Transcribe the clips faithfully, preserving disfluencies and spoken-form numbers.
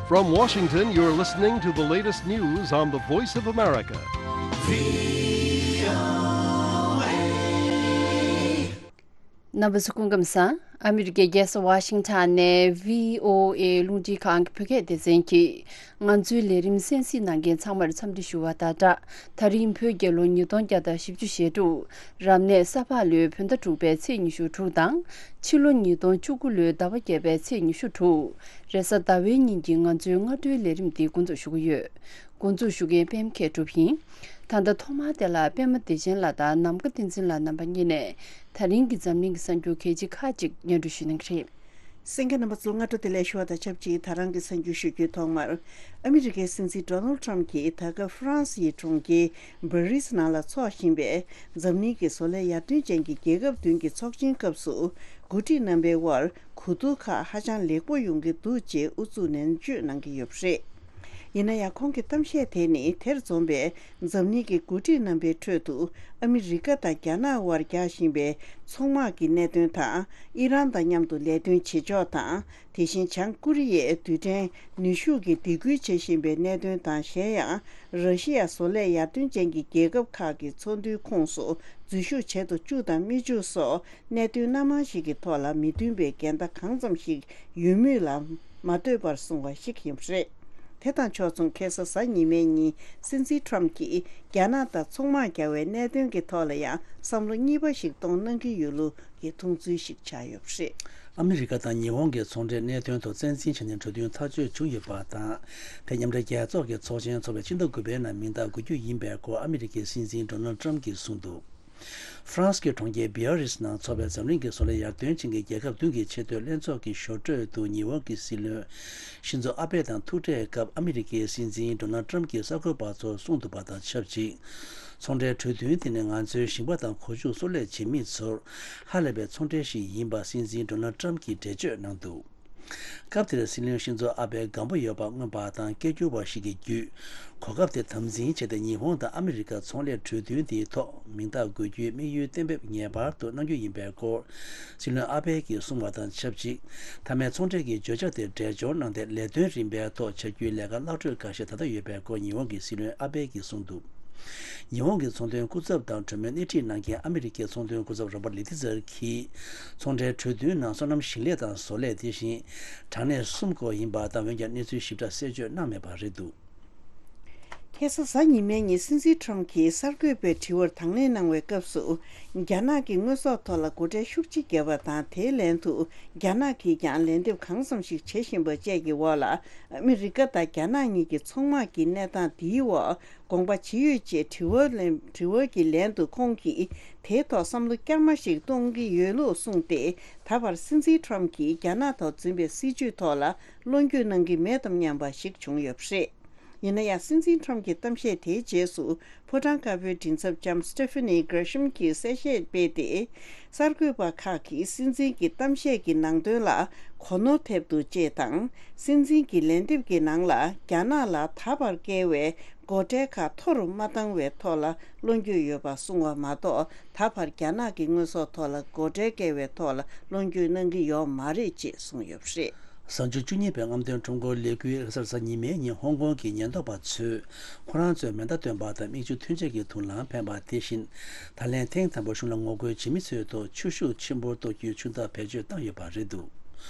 From Washington, you're listening to the latest news on the Voice of America. རྣམ་པ་ཚོ་སྐུ་ཁམས་བཟང་། ཨ་མི་རི་ཀའི་རྒྱལ་ས་ཝ་ཤིང་ཊོན་ནས་བྷི་ཨོ་ཨེ་རླུང་འཕྲིན་ཁང་གི་བོད་སྐད་སྡེ་ཚན་གྱིས་ང་ཚོའི་ལས་རིམ་གསན་གཟིགས་གནང་མཁན་ཚང་མར་འཚམས་འདྲི་ཞུ་བ་དང་སྦྲགས། ད་རིང་བོད་རྒྱལ་ལོ་ཉིས་སྟོང་བརྒྱ་དང་བཞི་བཅུ་ཞེ་དྲུག་རབ་གནས་ས་ཕག་ལོའི་བོད་ཟླ་དྲུག་པའི་ཚེས་ཉི་ཤུ་དྲུག་དང་། ཕྱི་ལོ་ཉིས་སྟོང་བཅུ་དགུ་ལོའི་ཟླ་བ་བརྒྱད་པའི་ཚེས་ཉི་ཤུ་དྲུག་རེས་གཟའ་ཟླ་བའི་ཉིན་གྱི་ང་ཚོའི་སྔ་དྲོའི་ལས་རིམ་འདི་འགོ་འཛུགས་ཞུ་གི་ཡོད། འགོ་འཛུགས་ཞུ་མཁན་པད་མ་མཁས་གྲུབ་ཡིན། ད་ལྟ་ཐོག་མར་དེ་ལ་པད་མ་བདེ་ཆེན་ལགས་དང་ནམ་མཁའ་བསྟན་འཛིན་ལགས་རྣམ་པ་གཉིས་ནས་ད་རིང་གི་འཛམ་གླིང་གི་གསར་འགྱུར་གལ་ཆེ་ཁག་ཅིག་སྙན་སྒྲོན་ཞུ་གནང་གི་རེད། གསན་མཁན་རྣམ་པ་ཚོ་སྔ་དྲོ་བདེ་ལེགས་ཞུ་བ་དང་ཆབས་ཅིག་ད་རང་གི་གསར་འགྱུར་ཞུ་རྒྱུའི་ཐོག་མར། ཨ་མི་རི་ཀའི་སྲིད་འཛིན་ཌོ་ནལ་ཊམ་གྱིས་ད་སྐབས་ཧྥ་རན་སི་ཡི་གྲོང་ཁྱེར་བྷ་རི་སི་ནང་ལ་འཚོགས་བཞིན་པའི་འཛམ་གླིང་གི་བཟོ་ལས་ཡར་ཐོན་ཅན་གྱི་རྒྱལ་ཁབ་བདུན་གྱི་ཚོགས་ཆེན་སྐབས་སུ། འགོ་ཁྲིད་རྣམ་པའི་དབར་གོ་བསྡུར་ཁག་ཧ་ཅང་ལེགས་པོ་ཡོང་གི་འདུག་ཅེས་ཨུ་ཚུགས་ནན་བརྗོད་གནང་གི་ཡོད་པ་རེད། ཡིན་ན་ཡང་ཁོང་གི་གཏམ་བཤད་དེ་ནི་དེར་འཛོམས་པའི་འཛམ་གླིང་གི་འགོ་ཁྲིད་རྣམ་པའི་ཁྲོད་དུ་ཨ་མི་རི་ཀ་དང་རྒྱ་ནག་དབར་རྒྱག་བཞིན་པའི་ཚོང་དམག་གི་གནད་དོན་དང་། ཨི་རན་དང་མཉམ་དུ་ལས་དོན་བྱེད་ཕྱོགས་དང་། དེ་བཞིན་བྱང་ཀོ་རི་ཡས་རྡུལ་ཕྲན་ནུས་ཤུགས་ཀྱི་སྡིགས་སྐུལ་བྱེད་བཞིན་པའི་གནད་དོན་དང་། གཞན་ཡང་། ར་ཤི་ཡ་བཟོ་ལས་ཡར་ཐོན་ཅན་གྱི་རྒྱལ་ཁབ་ཁག་གི་ཚོགས་འདུའི་ཁོངས་སུ་འཛུལ་ཞུགས་བྱེད་དུ་བཅུག་དང་མི་བཅུག་སོགས། གནད་དོན་སྣ་མང་ཞིག་གི་ཐོག་ལ་མི་མཐུན་པའི་འགལ་ཟླ་གང་ཙམ་ཞིག་ཡོད་མུས་ལ་མ་ལྟོས་པར་གསུངས་པ་ཞིག་ཡིན་པ་རེད། དེ་དང་ཕྱོགས་མཚུངས་ཁ་སང་གཟའ་ཉི་མའི་ཉིན་སྲིད་འཛིན་ཊམ་གྱིས་རྒྱ་ནག་དང་ཚོང་དམག་རྒྱག་པའི་གནད་དོན་གྱི་ཐོག་ལ་ཡང་བསམ་བློ་གཉིས་པ་ཞིག་གཏོང་གནང་གི་ཡོད་ལུགས་ཀྱི་མཐོང་ཚུལ་ཞིག་ཆགས་ཡོད་པ་རེད། ཨ་མི་རི་ཀ་དང་ཉི་ཧོང་གི་ཚོང་འབྲེལ་གནད་དོན་ཐོག་བཙན་འཛུལ་བྱས་ནས་གྲོས་མཐུན་ཐག་གཅོད་བྱུང་ཡོད་པ་དང་། དེ་མཉམ་འབྲེལ་རྒྱལ་ཚོགས་ཀྱི་ཚོགས་ཆེན་འཚོགས་པའི་ཕྱི་ཟླ་དགུ་པའི་ནང་མིང་རྟགས་འགོད་རྒྱུ་ཡིན་པའི་སྐོར་ཨ་མི་རི་ཀའི་སྲིད་འཛིན་ཌོ་ནལ་ཊམ་གྱིས་གསུངས་འདུག་ཧྥ་རན་སི་གི་གྲོང་ཁྱེར་བྷི་ཨ་རིས་ནང་འཚོགས་པའི་འཛམ་གླིང་གི་བཟོ་ལས་ཡར་ཐོན་ཅན་གྱི་རྒྱལ་ཁབ་བདུན་གྱི་ཆེས་མཐོའི་ལྷན་ཚོགས་ཀྱི་ཞོར་འཕྲོས་དུ་ཉི་ཧོང་གི་སྲིད་བློན་ཤིན་ཛོ་ཨ་བྷེ་དང་ཐུག་འཕྲད་སྐབས་ཨ་མི་རི་ཀའི་སྲིད་འཛིན་ཌོ་ནལ་ཊམ་གྱིས་གསར་འགོད་པ་ཚོར་གསུངས་འདུག་པ་དང་ཆབས་ཅིག་ཚོང་འབྲེལ་གྲོས་མཐུན་དེ་ནི་ང་ཚོའི་ཞིང་པ་དང་གོ་ཆུ་གསོག་ལས་བྱེད་མི་ཚོར་ཧ་ལས་པའི་ཚོང་འབྲེལ་ཞིག་ཡིན་པ་སྲིད་འཛིན་ཌོ་ནལ་ཊམ་གྱིས་འགྲེལ་བརྗོད་གནང་འདུག་སྐབས་དེར་སྲིད་བློན་ཤིན་ཛོ་ཨ་བྷེ་སྒམ་པོ་ཡོད་པ་མངོན་པ་དང་སྐད་སྒྱུར་བ་ཞིག་གིས་བརྒྱུད། གོ་སྐབས་དེ་དམ་འཛིན་བྱས་ཏེ་ཉི་ཧོང་དང་ཨ་མི་རི་ཀ་ཚོང་ལས་གྲོས་མཐུན་དེའི་ཐོག་མིང་རྟགས་འགོད་རྒྱུའི་དམིགས་ཡུལ་གཏན་འབེབས་ངེས་པར་དུ་གནང་རྒྱུ་ཡིན་པའི་སྐོར། སྲིད་བློན་ཨ་བྷེ་གིས་གསུངས་པ་དང་ཆབས་ཅིག་མཐའ་མའི་ཚོང་འབྲེལ་གྱི་བརྗོད་བྱ་དེར་འགྲེལ་སྦྱོར་གནང་སྟེ་ལས་དོན་རིམ་པའི་ཐོག་བྱ་རྒྱུའི་ལས་ཀ་ལྷག་འཕྲོས་འགའ་ཤས་ད་ལྟ་ཡོད་པའི་སྐོར་ཉི་ཧོང་གི་སྲིད་བློན་ཨ་བྷེ་གིས་གསུངས་འདུག་ཉི་ཧོང་གི་ཚོང་དོན་སྐུ་ཚབ་དང་གྲོས་མོལ་སྣེ་ཁྲིད་གནང་མཁན་ཨ་མི་རི་ཀའི་ཚོང་དོན་སྐུ་ཚབ་རོ་པར་ལི་ཏི་ཛར་གྱིས། ཚོང་འབྲེལ་གྲོས་མཐུན་ནང་སོ་ནམ་ཞིང་ལས་དང་བཟོ་ལས་དེ་བཞིན་གྲངས་གནས་གསུམ་སྐོར་ཡིན་པ་དང་། འོན་ཀྱང་གནས་ཚུལ་ཞིབ་ཕྲ་གསལ་བརྗོད་གནང་མེད་པ་རེད་འདུག་ཁ་སང་གཟའ་ཉི་མའི་ཉིན་སྲིད་འཛིན་ཁྲོམ་གྱིས་གསར་འགོད་པའི་དྲི་བར་དང་ལེན་གནང་བའི་སྐབས་སུ། རྒྱ་ནག་གིས་དངོས་ཟོག་ཐོག་ལ་སྒོ་ཁྲལ་ཤུགས་ཆེ་བརྒྱབ་པ་དང་། དེའི་ལན་དུ་རྒྱ་ནག་གིས་ཀྱང་ལན་འདེབས་གང་འཚམ་ཞིག་བྱེད་བཞིན་པ་བཅས་ཀྱི་འོག་ལ། ཨ་མི་རི་ཀ་དང་རྒྱ་ནག་གཉིས་ཀྱི་ཚོང་དམག་གི་གནས་སྟངས་འདིའི་འོག་དགོངས་པ་ཇི་ཡོད་ཅེས་དྲི་བ་ལན་དྲི་བ་གི་ལན་དུ་ཁོང་གིས་དེའི་ཐོག་བསམ་བློ་བསྐྱར་མ་ཞིག་གཏོང་གི་ཡོད་ལུགས་གསུངས་ཏེ། ད་བར་སྲིད་འཛིན་ཁྲོམ་གྱིས་རྒྱ་ནག་ཐོག་འཛིན་པའི་སྲིད་བྱུས་ཐོག་ལ་བློ་འགྱོད་གནང་གི་མེད་དམ་སྙམ་པ་ཞིག་བྱུང་ཡོད་པ་རེད། ཡིན་ན་ཡང་སྲིད་འཛིན་ཁྲོམ་གྱི་གཏམ་བཤད་དེའི་རྗེས་སུ་ཕོ་བྲང་དཀར་པོའི་མགྲིན་ཚབ་ལྕམ་Stephanie Grisham གྱིས་གསལ་བཤད་སྤེལ་ཏེ། གསར་འགོད་པ་ཁག་གིས་སྲིད་འཛིན་གྱི་གཏམ་བཤད་ཀྱི་ནང་དོན་ལ་གོ་ནོར་ཐེབས་འདུག་ཅེས་དང་། སྲིད་འཛིན་གྱི་ལན་འདེབས་ཀྱི་ནང་ལ་རྒྱ་ནག་ལ་ད་བར་བཀལ་བའི་སྒོ་ཁྲལ་ཁག་མཐོ་རུ་མ་བཏང་བའི་ཐོག་ལ་བློ་འགྱོད་ཡོད་པ་གསུངས་པ་མ་གཏོགས། ད་བར་རྒྱ་ནག་གི་དངོས་ཟོག་ཐོག་ལ་སྒོ་ཁྲལ་བཀལ་བའི་ཐོག་ལ་བློ་འགྱོད་གནང་གི་ཡོད་མ་རེད་ཅེས་གསུངས་ཡོད་པ་རེད། གཟའ་མཇུག་བཅུ་གཉིས་པའི་རྔམ་སྟོན་ཁྲོམ་སྐོར་ལས་འགུལ་ལྷ་སར་གཟའ་ཉི་མའི་ཉིན་ཧོང་ཀོང་གི་ཉེན་རྟོག་པ་ཚོས་ཁོ་རང་ཚོའི་མེ་མདའ་བཏོན་པ་དང་མིག་ཆུ་ཐོན་ཆས་ཀྱི་དུག་རླངས་འཕེན་པ་དེ་བཞིན། ད་ལན་ཐེངས་དང་པོ་གཞུང་ལ་ངོ་རྒོལ་བྱེད་མི་ཚོའི་ཐོག་ཆུ་ཤུགས་ཆེན་པོ་གཏོར་རྒྱུའི་ཆུ་མདའ་བེད་སྤྱོད་བཏང་ཡོད་པ་རེད་འདུག་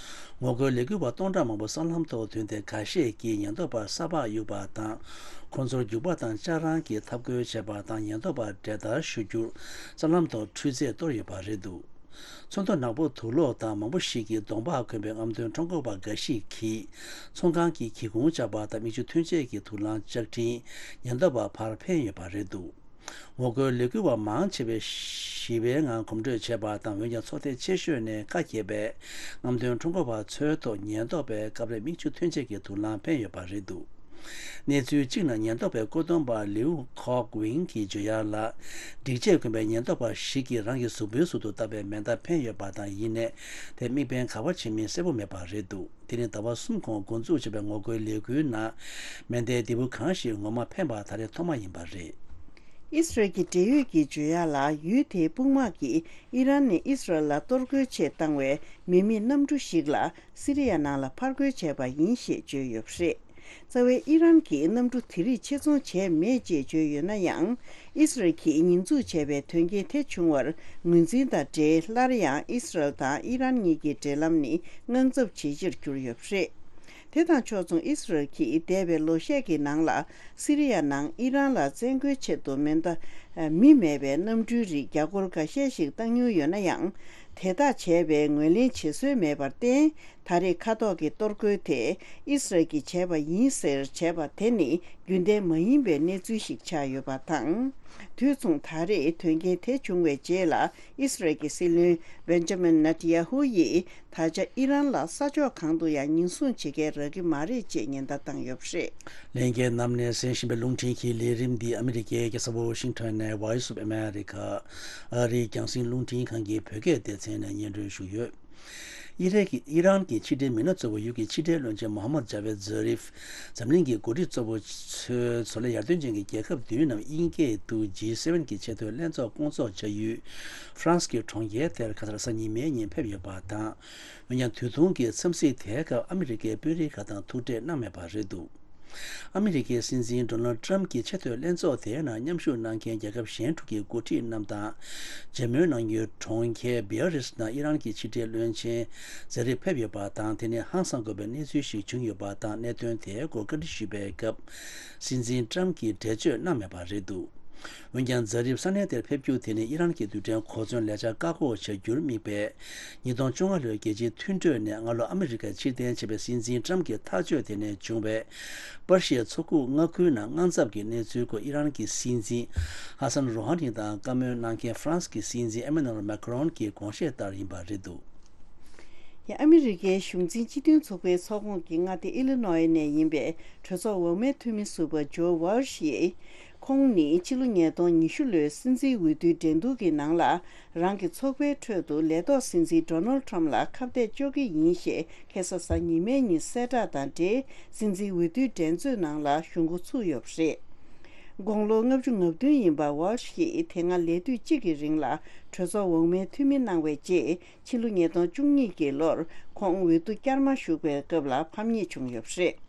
ངོ་རྒོལ་ལས་འགུལ་བ་སྟོང་ཕྲག་མང་པོ་སྲང་ལམ་ཐོག་ཐོན་ཏེ། འགའ་ཤས་ཀྱིས་ཉེན་རྟོག་པར་ས་ཕག་གཡུགས་པ་དང་། ཁོང་ཚོར་རྒྱུག་པ་དང་ལྕགས་རང་གིས་འཐབ་རྒོལ་བྱས་པ་དང་། ཉེན་རྟོག་པར་འབྲེལ་ཐག་ཞུ་རྒྱུར་སྲང་ལམ་ཐོག་འཕྲུལ་རྫས་གཏོར་ཡོད་པ་རེད་འདུག་ཚོན་མདོག་ནག་པོ་དུག་ལོག་དང་མང་པོ་ཞིག་གིས་གདོང་པ་གོན་པའི་རྔམ་སྟོན་ཁྲོམ་སྐོར་བ་འགའ་ཞིག་གིས་ཚོང་ཁང་གི་སྒེའུ་ཁུང་བཅག་པ་དང་། མིག་ཆུ་ཐོན་ཆས་ཀྱི་དུག་རླངས་བཅག་འཕྲིན་ཉེན་རྟོག་པར་ཕར་འཕེན་ཡོད་པ་རེད་འདུག་ངོ་རྒོལ་ལས་འགུལ་བ་མང་ཆེ་བས་ཞི་བའི་ངང་གོམ་བགྲོད་བྱས་པ་དང་། འོན་ཀྱང་ཚོགས་སྡེ་ཆེ་ཤོས་ནས་ཁ་གྱེས་པའི་རྔམ་སྟོན་ཁྲོམ་སྐོར་བ་ཚོའི་ཐོག་ཉེན་རྟོག་པས་སྐབས་རེ་མིག་ཆུ་ཐོན་ཆས་ཀྱི་དུག་རླངས་འཕེན་ཡོད་པ་རེད་འདུག་གནས་ཚུལ་གཅིག་ནང་ཉེན་རྟོག་པའི་བཀོད་འདོམས་པ་ལིའུ་ཁོག་ཝིང་གིས་བརྗོད་ཡག་ལ། སྒྲིག་ཆས་གོན་པའི་ཉེན་རྟོག་པ་ཞིག་གིས་རང་གི་གཟུགས་པོའི་ཟུར་དུ་བཏགས་པའི་མེ་མདའ་འཕེན་ཡོད་པ་དང་། ཡིན་ནའི་དེ་དམིགས་འབེན་ག་པར་བྱེད་མིན་གསལ་པོ་མེད་པ་རེད་འདུག་དེ་ནི་ཟླ་བ་གསུམ་གོང་འགོ་འཛུགས་བྱས་པའི་ངོ་རྒོལ་ལས་འགུལ་ནང་མེ་མདའི་ལྡེ་གུ་གང་ཞིག་ངོ་མ་འཕེན་པ་ད་རེས་ཐོག་མ་ཡིན་པ་རེད། ཨི་སི་རལ་གྱི་འབྲེལ་ཡོད་ཀྱིས་བརྗོད་ཡག་ལ། ཡུལ་དེའི་དཔུང་དམག་གིས་ཨི་རན་ནས་ཨི་སི་རལ་ལ་གཏོར་རྒོལ་ཆེད་བཏང་བའི་མི་མེད་གནམ་གྲུ་ཞིག་ལ་སི་རི་ཡ་ནང་ལ་ཕར་རྒོལ་བྱས་པ་ཡིན་ཞེས་བརྗོད་ཡོད་པ་རེད། རྩ་བའི་ཨི་རན་གྱིས་གནམ་གྲུ་དེ་རིགས་ཆེད་རྫོང་བྱས་མེད་ཅེས་བརྗོད་ཡོད་ན་ཡང་། ཨི་སི་རལ་གྱིས་ཉེས་འཛུགས་བྱས་པའི་དོན་རྐྱེན་དེ་བྱུང་བར་ངོས་འཛིན་དང་འབྲེལ། སླར་ཡང་ཨི་སི་རལ་དང་ཨི་རན་གཉིས་ཀྱི་འབྲེལ་ལམ་ནི་དངངས་འཚབ་ཇེ་ཆེར་གྱུར་ཡོད་པ་རེད། དེ་དང་ཕྱོགས་མཚུངས་ཨི་སི་རལ་གྱིས་འདས་པའི་ལོ་ཤས་ཀྱི་ནང་ལ་སི་རི་ཡ་ནང་ཨི་རན་ལ་བཙན་རྒོལ་ཆེད་དུ་མེ་མདའ་མི་མེད་པའི་གནམ་གྲུའི་རིགས་རྒྱ་སྒོར་འགའ་ཤས་ཤིག་བཏང་མྱོང་ཡོད་ན་ཡང་། དེ་དག་བྱས་པའི་ངོས་ལེན་བྱེད་སྲོལ་མེད་པར་བརྟེན། ད་རེས་མཁའ་ཐོག་གི་གཏོར་རྒོལ་དེ་ཨི་སི་རལ་གྱིས་བྱས་པ་ཡིན་ཟེར་བྱས་པ་དེ་ནི་རྒྱུན་ལྡན་མ་ཡིན་པའི་གནས་ཚུལ་ཞིག་ཆགས་ཡོད་པ་དང་། དུས་མཚུངས་ད་རེས་དོན་རྐྱེན་དེ་བྱུང་བའི་རྗེས་ལ་ཨི་སི་རལ་གྱི་སྲིད་བློན་བེན་ཇ་མིན་ནེ་ཐན་ཡ་ཧུ་ཡིས་ད་ཆ་ཨི་རན་ལ་ས་ཕྱོགས་གང་དུ་ཡང་ཉེན་སྲུང་བྱེད་མཁན་རག་གི་མ་རེད་ཅེས་ཉེན་བརྡ་བཏང་ཡོད་པ་རེད། ལྷན་རྒྱས་རྣམས་ནས་གསན་བཞིན་པའི་རླུང་འཕྲིན་གྱི་ལས་རིམ་འདི་ཨ་མི་རི་ཀའི་རྒྱལ་ས་ཝོ་ཤིང་ཊོན་ནས་Voice of America ཨ་རིའི་རྒྱང་སྲིང་རླུང་འཕྲིན་ཁང་གི་བོད་སྐད་སྡེ་ཚན་ནས་སྙན་སྒྲོན་ཞུས་ཡོད། ཨི་རན་གྱི་ཨི་རན་གྱི་ཕྱི་འབྲེལ་མི་སྣ་གཙོ་བོ་ཡུལ་གྱི་ཕྱི་འབྲེལ་བློན་ཆེན་མོ་ཧམ་མད་ཇ་ཝེད་ཛ་རིབ། འཛམ་གླིང་གི་འགོ་ཁྲིད་གཙོ་བོ་ཚོའི་ཚོ་ལས་ཡར་ཐོན་ཅན་གྱི་རྒྱལ་ཁབ་བདུན་ནམ་དབྱིན་སྐད་དུ་ཇི་སེ་ཝེན་གྱི་ཆེས་མཐོའི་ལྷན་ཚོགས་སྐོང་ཚོགས་བྱ་ཡུལ་ཧྥ་རན་སི་གི་གྲོང་ཁྱེར་དེར་ཁ་སང་རེས་གཟའ་ཉི་མའི་ཉིན་ཕེབས་ཡོད་པ་དང་། འོན་ཀྱང་དུས་ཐུང་གི་འཚམས་གཟིགས་དེའི་སྐབས་ཨ་མི་རི་ཀའི་དཔོན་རིགས་ཁག་དང་ཐུག་འཕྲད་གནང་མེད་པ་རེད་འདུག་ཨ་མི་རི་ཀའི་སྲིད་འཛིན་ཌོ་ནལ་ཌི་ཊརམ་གྱི་ཆེས་མཐོའི་ལྷན་ཚོགས་དེའི་ནང་མཉམ་ཞུགས་གནང་མཁན་རྒྱལ་ཁབ་གཞན་དྲུག་གི་འགོ་ཁྲིད་རྣམས་དང་། མཇལ་མོལ་གནང་རྒྱུའི་གྲོང་ཁྱེར་བི་ཡ་རིས་ནང་ཨི་རན་གྱི་ཕྱི་འབྲེལ་བློན་ཆེན་ཛ་རིབ་ཕེབས་ཡོད་པ་དང་། དེ་ནི་ཧང་སང་དགོས་པའི་གནས་ཚུལ་ཞིག་བྱུང་ཡོད་པ་དང་། གནད་དོན་དེའི་སྐོར་བཀའ་འདྲི་ཞུས་པའི་སྐབས། སྲིད་འཛིན་ཊརམ་གྱིས་འགྲེལ་བརྗོད་གནང་མེད་པ་རེད་འདུག་འོན་ཀྱང་ཛ་རིབ་ས་གནས་དེར་ཕེབས་རྒྱུ་དེ་ནི་ཨི་རན་གྱི་རྡུལ་ཕྲན་གོ་མཚོན་ལས་འཆར་བཀག་འགོག་བྱ་རྒྱུར་དམིགས་པའི་ཉིས་སྟོང་བཅོ་ལྔ་ལོའི་རྒྱལ་སྤྱིའི་མཐུན་གྲོས་ནས་སྔ་ལོ་ཨ་མི་རི་ཀར་ཕྱིར་འཐེན་བྱས་པའི་སྲིད་འཛིན་ཊརམ་གྱི་ཐག་གཅོད་དེ་ནས་བྱུང་བའི་པར་ཤིའི་མཚོ་ཁུག་མངའ་ཁུལ་ནང་དངངས་འཚབ་ཀྱི་གནས་ཚུལ་སྐོར་ཨི་རན་གྱི་སྲིད་འཛིན་ཧ་སན་རོ་ཧ་ནི་དང་བཀའ་མོལ་གནང་མཁན་ཧྥ་རན་སི་གི་སྲིད་འཛིན་ཨེ་མ་ནུ་ཨེལ་མེ་ཁ་རོན་གྱི་དགོངས་བཞེད་ལྟར་ཡིན་པ་རེད་འདུག་ཡང་ཨ་མི་རི་ཀའི་གཞུང་འཛིན་སྤྱི་མཐུན་ཚོགས་པའི་ཚོགས་ཁོངས་ཀྱི་མངའ་སྡེ་ཨི་ལི་ནོའི་ནས་ཡིན་པའི་གྲོས་ཚོགས་འོག་མའི་འཐུས་མི་ཟུར་པ་ཇོ་ཝལ་ཤི་ཡིས། ཁོང་ནི་ཕྱི་ལོ་ཉིས་སྟོང་ཉི་ཤུ་ལོའི་སྲིད་འཛིན་འོས་བསྡུའི་འགྲན་བསྡུར་གྱི་ནང་ལ། རང་གི་ཚོགས་པའི་ཁྲོད་དུ་ལས་ཐོག་སྲིད་འཛིན་ཌོ་ནལ་ཊརམ་ལ་ཁ་གཏད་གཅོག་གི་ཡིན་ཞེས་ཁ་སང་གཟའ་ཉི་མའི་ཉིན་གསལ་བསྒྲགས་དང་འབྲེལ། སྲིད་འཛིན་འོས་བསྡུའི་འགྲན་རྩོད་ནང་ལ་ཞུགས་འགོ་ཚུགས་ཡོད་པ་རེད། དགུང་ལོ་ལྔ་བཅུ་ང་བདུན་ཡིན་པ་ཝལ་ཤི་ཡིས་དེ་སྔ་ལས་དུས་གཅིག་གི་རིང་ལ་གྲོས་ཚོགས་འོག་མའི་འཐུས་མི་གནང་བའི་རྗེས། ཕྱི་ལོ་ཉིས་སྟོང་བཅུ་གཉིས་ཀྱི་ལོར་ཁོང་འོས་བསྡུ་བསྐྱར་མ་ཞུགས་པའི་སྐབས་ལ་ཕམ་ཉེས་བྱུང་ཡོད་པ་རེད།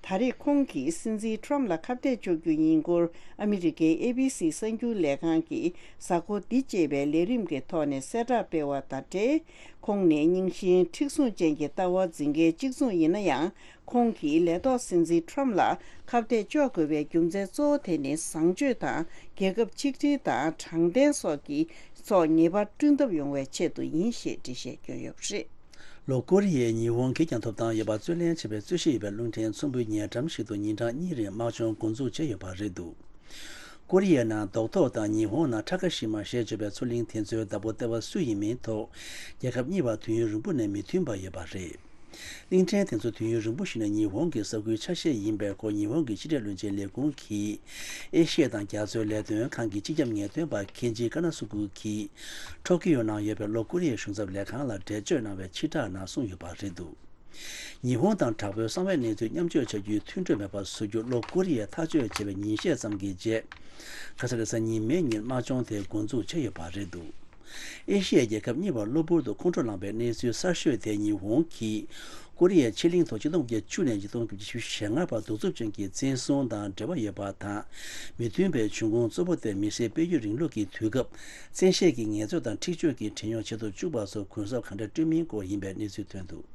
ད་རེས་ཁོང་གིས་སྲིད་འཛིན་ཊརམ་ལ་ཁ་གཏད་གཅོག་རྒྱུ་ཡིན་སྐོར་ཨ་མི་རི་ཀའི་ཨེ་བི་སི་གསར་འགྱུར་ལས་ཁང་གི་གཟའ་འཁོར་འདི་ཅེས་པའི་ལས་རིམ་གྱི་ཐོག་ནས་གསལ་བསྒྲགས་སྤེལ་བ་དང་འབྲེལ། ཁོང་ནི་རྙིང་ཞེན་མཁྲེགས་བཟུང་ཅན་གྱི་ལྟ་བ་འཛིན་མཁན་གཅིག་མཚུངས་ཡིན་ན་ཡང་། ཁོང་གིས་ལས་ཐོག་སྲིད་འཛིན་ཊརམ་ལ་ཁ་གཏད་གཅོག་དགོས་པའི་རྒྱུ་མཚན་གཙོ་བོ་དེ་ནི་བཟང་སྤྱོད་དང་རྒྱལ་ཁབ་ཆིག་སྒྲིལ་དང་དྲང་བདེན་སོགས་ཀྱི་སོགས་ངེས་པར་བསྐྲུན་ཐབས་ཡོང་བའི་ཆེད་དུ་ཡིན་ཞེས་འགྲེལ་བཤད་བསྐྱོན་ཡོད་པ་རེད། ལྷོ་ཀོ་རི་ཡས་ཉི་ཧོང་གིས་ཀྱང་ཐོབ་ཐང་ཡོད་པ་རྩོད་ལེན་བྱེད་པའི་རྩོད་གཞི་ཡོད་པའི་རླུང་འཕྲིན་ཚོམ་བུའི་ཉེ་འགྲམ་ཞིག་ཏུ་ཉིན་གྲངས་གཉིས་རིང་དམག་སྦྱོང་འགོ་འཛུགས་བྱས་ཡོད་པ་རེད་འདུག་ཀོ་རི་ཡའི་ནང་རྡོག་ཐོ་དང་ཉི་ཧོང་ནང་ཁྲ་ཀ་ཤི་མ་ཞེས་བརྗོད་པའི་མཚོ་གླིང་དེ་ཚོའི་བདག་པོ་ལྟེ་བ་སུ་ཡིན་མིན་ཐོག་རྒྱལ་ཁབ་གཉིས་བར་དུས་ཡུན་རིང་པོ་ནས་མི་མཐུན་པ་ཡོད་པ་རེད། གླིང་ཕྲན་དེ་ཚོ་དུས་ཡུན་རིང་པོ་ཞིག་ནས་ཉི་ཧོང་གི་ས་ཁུལ་ཆ་ཤས་ཡིན་པའི་སྐོར་ཉི་ཧོང་གི་ཕྱི་འབྲེལ་བློན་ཆེན་ལས་ཁུངས་ཀྱིས་ཨེ་ཤི་ཡ་དང་རྒྱ་མཚོའི་ལས་དོན་ཁང་གི་སྤྱི་ཁྱབ་ངེས་སྟོན་པ་ཁེན་ཇི་ཀ་ན་སུ་ཀུ་གིས་ཊོ་ཀི་ཡོ་ནང་ཡོད་པའི་ལྷོ་ཀོ་རི་ཡའི་གཞུང་ཚབ་ལས་ཁང་ལ་འགྲེལ་བརྗོད་གནང་བའི་ཕྱིར་བསྒྲགས་ནང་གསུངས་ཡོད་པ་རེད་འདུག་ཉི་ཧོང་དང་དྲག་པོའི་གསང་བའི་གནས་ཚུལ་མཉམ་སྤྱོད་བྱ་རྒྱུའི་མཐུན་གྲོས་མེད་པར་བཟོ་རྒྱུ་ལྷོ་ཀོ་རི་ཡས་ཐག་གཅོད་བྱས་པའི་ཉིན་ཤས་ཙམ་གྱི་རྗེས། ཁ་སང་རེས་གཟའ་ཉི་མའི་ཉིན་དམག་སྦྱོང་དེ་འགོ་འཛུགས་བྱས་ཡོད་པ་རེད་འདུག་ཨེ་ཤི་ཡའི་རྒྱལ་ཁབ་གཉིས་བར་གློ་བུར་དུ་ཁོང་ཁྲོ་ལངས་པའི་གནས་ཚུལ་གསར་ཤོས་དེ་ཉི་ཧོང་གིས་ཀོ་རི་ཡའི་ཕྱེད་གླིང་ཐོག་ཆིག་སྟོང་དགུ་བརྒྱ་བཅུ་ནས་ཆིག་སྟོང་དགུ་བརྒྱ་བཞི་བཅུ་ཞེ་ལྔ་བར་གདུག་རྩུབ་ཅན་གྱི་བཙན་བཟུང་དང་འབྲེལ་བ་ཡོད་པ་དང་། མི་མཐུན་པའི་འབྱུང་ཁུངས་གཙོ་བོ་དེ་མི་སེར་སྤེལ་ཡུལ་རིང་ལུགས་ཀྱི་དུས་སྐབས་བཙན་ཤེད་ཀྱི་ངལ་རྩོལ་དང་འཁྲིག་སྤྱོད་ཀྱི་བྲན་གཡོག་བྱེད་དུ་བཅུག་པ་སོགས་གུན་གསབ་གང་འདྲ་སྤྲོད་མིན་སྐོར་ཡིན་པའི་གནས་ཚུལ་ཐོན་འདུག་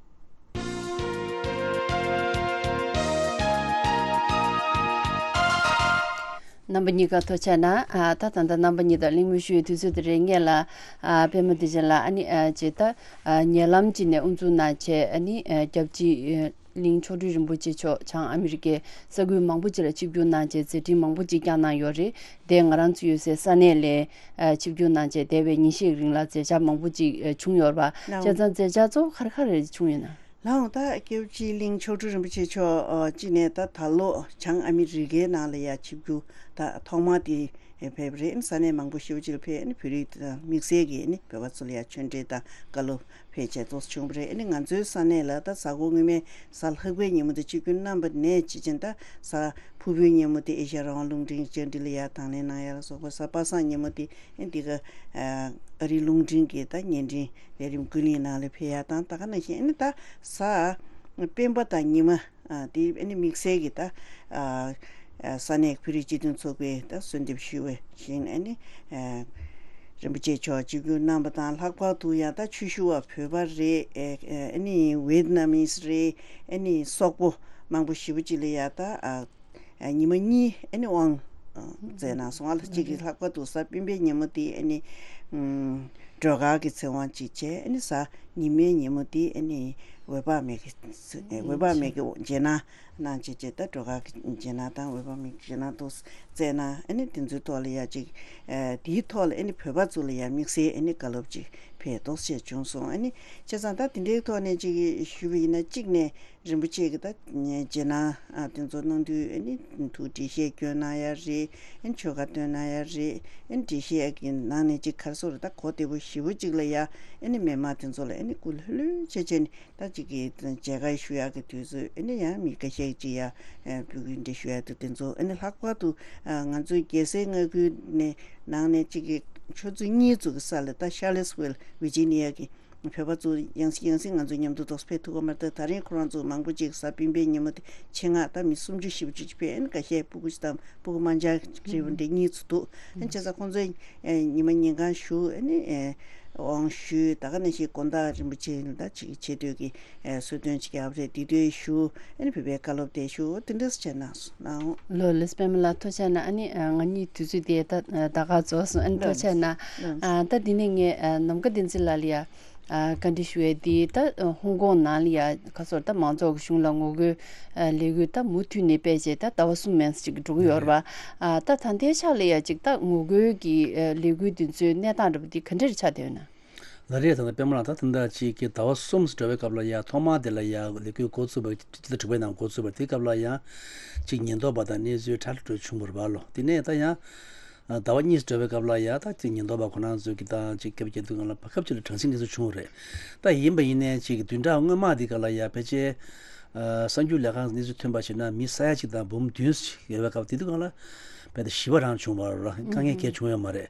རྣམ་པ་གཉིས་ཀ་ཐུགས་རྗེ་གནང་། ཨ་ད་ད་ལྟ་རྣམ་པ་གཉིས་དང་གླེང་མོལ་ཞུ་བའི་དུས་ཚོད་དེ་རེད། ངེད་ལ་ཨ་པད་མ་བདེ་ཆེན་ལགས་ཨ་ནི་ཨ་ཅེ་ད་ཨ་ཉེ་ལམ་ཅིག་ནས་དབུ་འཛུགས་གནང་བྱས་ཨ་ནི་ཨ་སྐྱབས་རྗེ་གླིང་མཆོག་སྤྲུལ་རིན་པོ་ཆེ་མཆོག་བྱང་ཨ་མི་རི་ཀའི་ས་ཁུལ་མང་པོ་ཅིག་ལ་ཆིབས་བསྒྱུར་གནང་བྱས་མཛད་འཕྲིན་མང་པོ་ཅིག་བསྐྱངས་གནང་ཡོད་རེད། དེ་ང་རང་ཚོ་ཡོད་སའི་ས་གནས་ལ་ཨ་ཆིབས་བསྒྱུར་གནང་བྱས་འདས་པའི་ཉིན་ཤས་རིང་ལ་མཛད་འཆར་མང་པོ་ཅིག་ཨ་བྱུང་ཡོད་རེད་པ། ལགས། བྱས་ཙང་མཛད་འཆར་གཙོ་བོ་ག་རེ་ག་རེ་བྱུང་ཡོད་ན། ལགས་འོང་། ད་སྐྱབས་རྗེ་གླིང་མཆོག་སྤྲུལ་རིན་པོ་ཆེ་མཆོག་ཨ་གཅིག་ནས་ད་ད་ལོ་བྱང་ཨ་མི་རི་ཀའི་ནང་ལ་ཡ་ཆིབས་བསྒྱུར་ད་ཐོག་མ་དེ་ཕེབས་པ་རེད། ས་གནས་མང་པོ་ཞེ་པོ་ཅིག་ལ་ཕེབས་ནས་བོད་རིགས་དང་དམིགས་བསལ་གྱི་ནི་བོད་པ་ཚོ་ལ་ཡ་ཆོས་འབྲེལ་དང་བཀའ་སློབ་ཕལ་ཆེར་ཏོག་ཙམ་བྱུང་བ་རེད། ཨ་ནི་ང་ཚོའི་ས་གནས་ལ་ད་གཟའ་འཁོར་སྔོན་མའི་གཟའ་ལྷག་པའི་ཉིན་མོ་དེ་ཆིབས་བསྒྱུར་གནང་བ་ནས་ཅི་ཕྱིན་ད་གཟའ་ཕུར་བུའི་ཉིན་མོ་དེ་ཨེ་ཤ་ཡ་རང་དབང་རླུང་འཕྲིན་བཅར་འདྲི་ལ་ཡར་དང་ལེན་གནང་ཡ་ལ་སོགས་པ། གཟའ་པ་སངས་ཉིན་མོ་དེ་ཨ་འདི་ག་ཨ་རིའི་རླུང་འཕྲིན་གྱི་ད་བརྙན་འཕྲིན་ལས་རིམ་ཀུན་གླེང་ནང་ལ་ཕེབས་ཡ་དང་། ད་ག་ནང་བཞིན་ཨ་ནི་ད་གཟའ་སྤེན་པ་དང་ཉི་མ། ཨ་དེ་ཨ་ནི་དམིགས་བསལ་གྱི་ད་ཨ་ས་གནས་བོད་རིགས་སྤྱི་མཐུན་ཚོགས་པས་ད་གསོལ་འདེབས་ཞུས་པ་བཞིན་ཨ་ནི་ཨ་རིན་པོ་ཆེ་མཆོག་ཆིབས་བསྒྱུར་གནང་བ་དང་། ལྷག་པར་དུ་ཡང་ད་ཆོས་ཞུ་བ་བོད་པ་རེད། ཨ་ནི་ཝེད་ནམ་མིས་རེད། ཨ་ནི་སོག་པོ་མང་པོ་ཞེ་པོ་ཅིག་ལ་ཡང་ད་ཨ་ཨ་ཉི་མ་གཉིས་ཨ་ནི་དབང་མཛད་གནང་སོང་། ཨ་ལ་གཅིག་གིས་ལྷག་པར་དུ་གཟའ་སྤེན་པའི་ཉིན་མོ་དེ་ཨ་ནི་ཨུམ་སྒྲོལ་དཀར་གྱི་ཚེ་དབང་གཅིག་བྱས། ཨ་ནི་གཟའ་ཉི་མའི་ཉིན་མོ་དེ་ཨ་ནི་འོད་དཔག་མེད་ཀྱི་འོད་དཔག་མེད་ཀྱི་རྗེས་གནང་གནང་བྱས་བྱས། ད་སྒྲོལ་དཀར་གྱི་རྗེས་གནང་དང་འོད་དཔག་མེད་ཀྱི་རྗེས་གནང་དུ་བསྩལ་གནང་། ཨ་ནི་དེ་ཚོའི་ཐོག་ལ་ཡ་གཅིག་ཨ་དེའི་ཐོག་ལ་ཨ་ནི་བོད་པ་ཚོ་ལ་ཡ་དམིགས་བསལ་ཨ་ནི་བཀའ་སློབ་ཅིག་ཕེབས་རྟོགས་བྱས་བྱུང་སོང་། ཨ་ནི་བྱས་ཙང་ད་དེ་འདྲའི་ཐོག་ནས་ཅིག་ཞུས་པ་ཡིན་ན། གཅིག་ནས་རིན་པོ་ཆེ་གི་ད་རྗེས་གནང་ཨ་དེ་ཚོ་གནང་དུས་ཨ་ནི་ཐུགས་འགྲེལ་བཤད་སྐྱོན་གནང་ཡ་རེད། ཨ་ནི་ཆོ་ག་འདོན་གནང་ཡ་རེད། ཨ་ནི་འགྲེལ་བཤད་ཀྱི་ནང་ནས་ཅིག་ག་རེ་ཟེར་དགོས་རེད། ད་གོ་བདེ་པོ་ཞེ་པོ་ཅིག་ལ་ཡ་ཨ་ནི་མི་མང་དེ་ཚོ་ལ་ཨ་ནི་སྐུ་ལྷོད་ལྷོད་བྱས་བྱས་ནས་ད་ཅིག་གི་མཇལ་ཁ་ཞུ་ཡག་གི་དུས་ཚོད་ཨ་ནི་ཡང་མི་འགའ་ཤས་ཅིག་ཡ་ཨ་འབོད་སྐུལ་འདྲ་ཞུ་ཡག་དུས་དེ་ཚོ། ཨ་ནི་ལྷག་པར་དུ་ཨ་ང་ཚོའི་རྒྱལ་སའི་མངའ་ཁུལ་ནས་ནང་ནས་ཅིག་གི་ཆུ་ཚོད་གཉིས་ཙམ་གྱི་ས་ལ་ད་ཤར་ལེ་སི་ཝིལ་ཝི་ཇི་ནི་ཡ་གི་བོད་པ་ཚོ་ཡང་སེ་ཡང་སེ་ང་ཚོ་མཉམ་དུ་ཏོག་ཙམ་ཕེབས་ཐུབ་ཀྱི་མ་རེད། ད་ད་རིང་ཁོ་རང་ཚོ་མང་པོ་ཅིག་གཟའ་སྤེན་པའི་ཉིན་མོ་དེ་ཆེད་མངགས་ད་མི་སུམ་ཅུ་བཞི་བཅུ་ཅིག་ཕེབས། ཨ་ནི་འགའ་ཤས་སྤུ་གུ་ཅིག་དང་སྤུ་གུ་དམར་འབྱར་རེ་བ་འདྲ་གཉིས་ཙམ་འདུག་ཨ་ནི་བྱས་ཙང་ཁོང་ཚོས་ཨ་ཉི་མ་ཉིན་གང་བཞུགས། ཨ་ནི་ཨ་དབང་ཞུས། ད་ག་ནང་བཞིན་དགོང་དག་རིན་པོ་ཆེ་ད་ཅིག་ཆེ་བསྟོད་ཀྱི་ཨ་གསོལ་སྟོན་ཅིག་རྒྱབ་རེད། དེ་དུས་ཞུ། ཨ་ནི་བོད་པའི་བཀའ་སློབ་དེ་ཞུ། དེ་འདྲ་བྱས་གནང་སོང་། ལགས་ལགས་སོ། པདྨ་ལགས་ཐུགས་རྗེ་གནང་། ཨ་ནི་ང་གཉིས་དུས་ཚོད་དེ་ད་ད་ག་རྫོགས་སོང་། ཨ་ནི་ཐུགས་རྗེ་གནང་། ལགས་སོ། ཨ་ད་འདི་ནས་ངས་ཨ་ནམ་མཁའ་བསྟན་འཛིན་ལགས་ལ་ཡ་ཨ་བཀའ་འདྲི་ཞུ་ཡས་དེ། ད་ཧོང་ཀོང་ནང་ལ་ཡ་ག་ཚོད་ད་མང་ཚོགས་ཀྱི་གཞུང་ལ་ངོ་རྒོལ་ཨ་ལས་འགུལ་ད་མུ་མཐུད་ནས་སྤེལ་བྱས་ད་ཟླ་བ་གསུམ་མན་ཙམ་ཅིག་འགྲོ་གི་ཡོད་རེད་པ། ཨ་ད་ད་ལྟའི་ཆ་ལ་ཡ་ཅིག་ད་ངོ་རྒོལ་གྱི་ཨ་ལས་འགུལ་དེ་ཚོའི་གནས་སྟངས་འདྲ་པོ་དེ་ག་འདྲ་རེ་ཆགས་བསྡད་ཡོད་ན། ལགས་རེད། ད་ལྟ་པདྨ་ལགས། ད་ད་ལྟ་ཅིག་གི་ཟླ་བ་གསུམ་འགྲོ་བའི་སྐབས་ལ་ཡ་ཐོག་མ་དེ་ལ་ཡ་ལས་འགུལ་འགོ་བཙུགས་པ་སྤྱི་ཟླ་དྲུག་པའི་ནང་འགོ་བཙུགས་པ་རེད། དེ་སྐབས་ལ་ཡང་ཅིག་ཉེན་རྟོག་པ་དང་གནས་ཚུལ་ཁྲ་ལ་འགྲོ་བྱུང་བ་རེད་པ་ལོ། དེ་ནས་ད་ཡང་ཟླ་བ་གཉིས་འགྲོ་བའི་སྐབས་ལ་ཡ་ད་ཅིག་ཉེན་རྟོག་པ་ཁོ་རང་ཚོ་གི་ད་ཅིག་སྐད་ཆ་བརྒྱབ་དུས་སྒང་ལ་བར་སྐབས་ཅིག་ལ་དྲག་ཟིང་གནས་ཚུལ་བྱུང་བ་རེད། ད་ཡིན་པ་ཡིན་ནའི་ཅིག་བདུན་ཕྲག་སྔོན་མ་དེ་ག་ལ་ཡ་ཕལ་ཆེར་ཨ་གསར་འགྱུར་ལས་ཁང་གི་གནས་ཚུལ་ཐོན་པ་བྱས་ན་མི་ས་ཡ་གཅིག་དང་འབུམ་བདུན་ཅིག་ཡོད་པའི་སྐབས་དེ་དུས་སྒང་ལ་རྦད་དེ་ཞི་བ་རང་བྱུང་བ་རེད། དཀའ་ངལ་གང་ཡང་བྱུང་ཡོད་མ་རེད།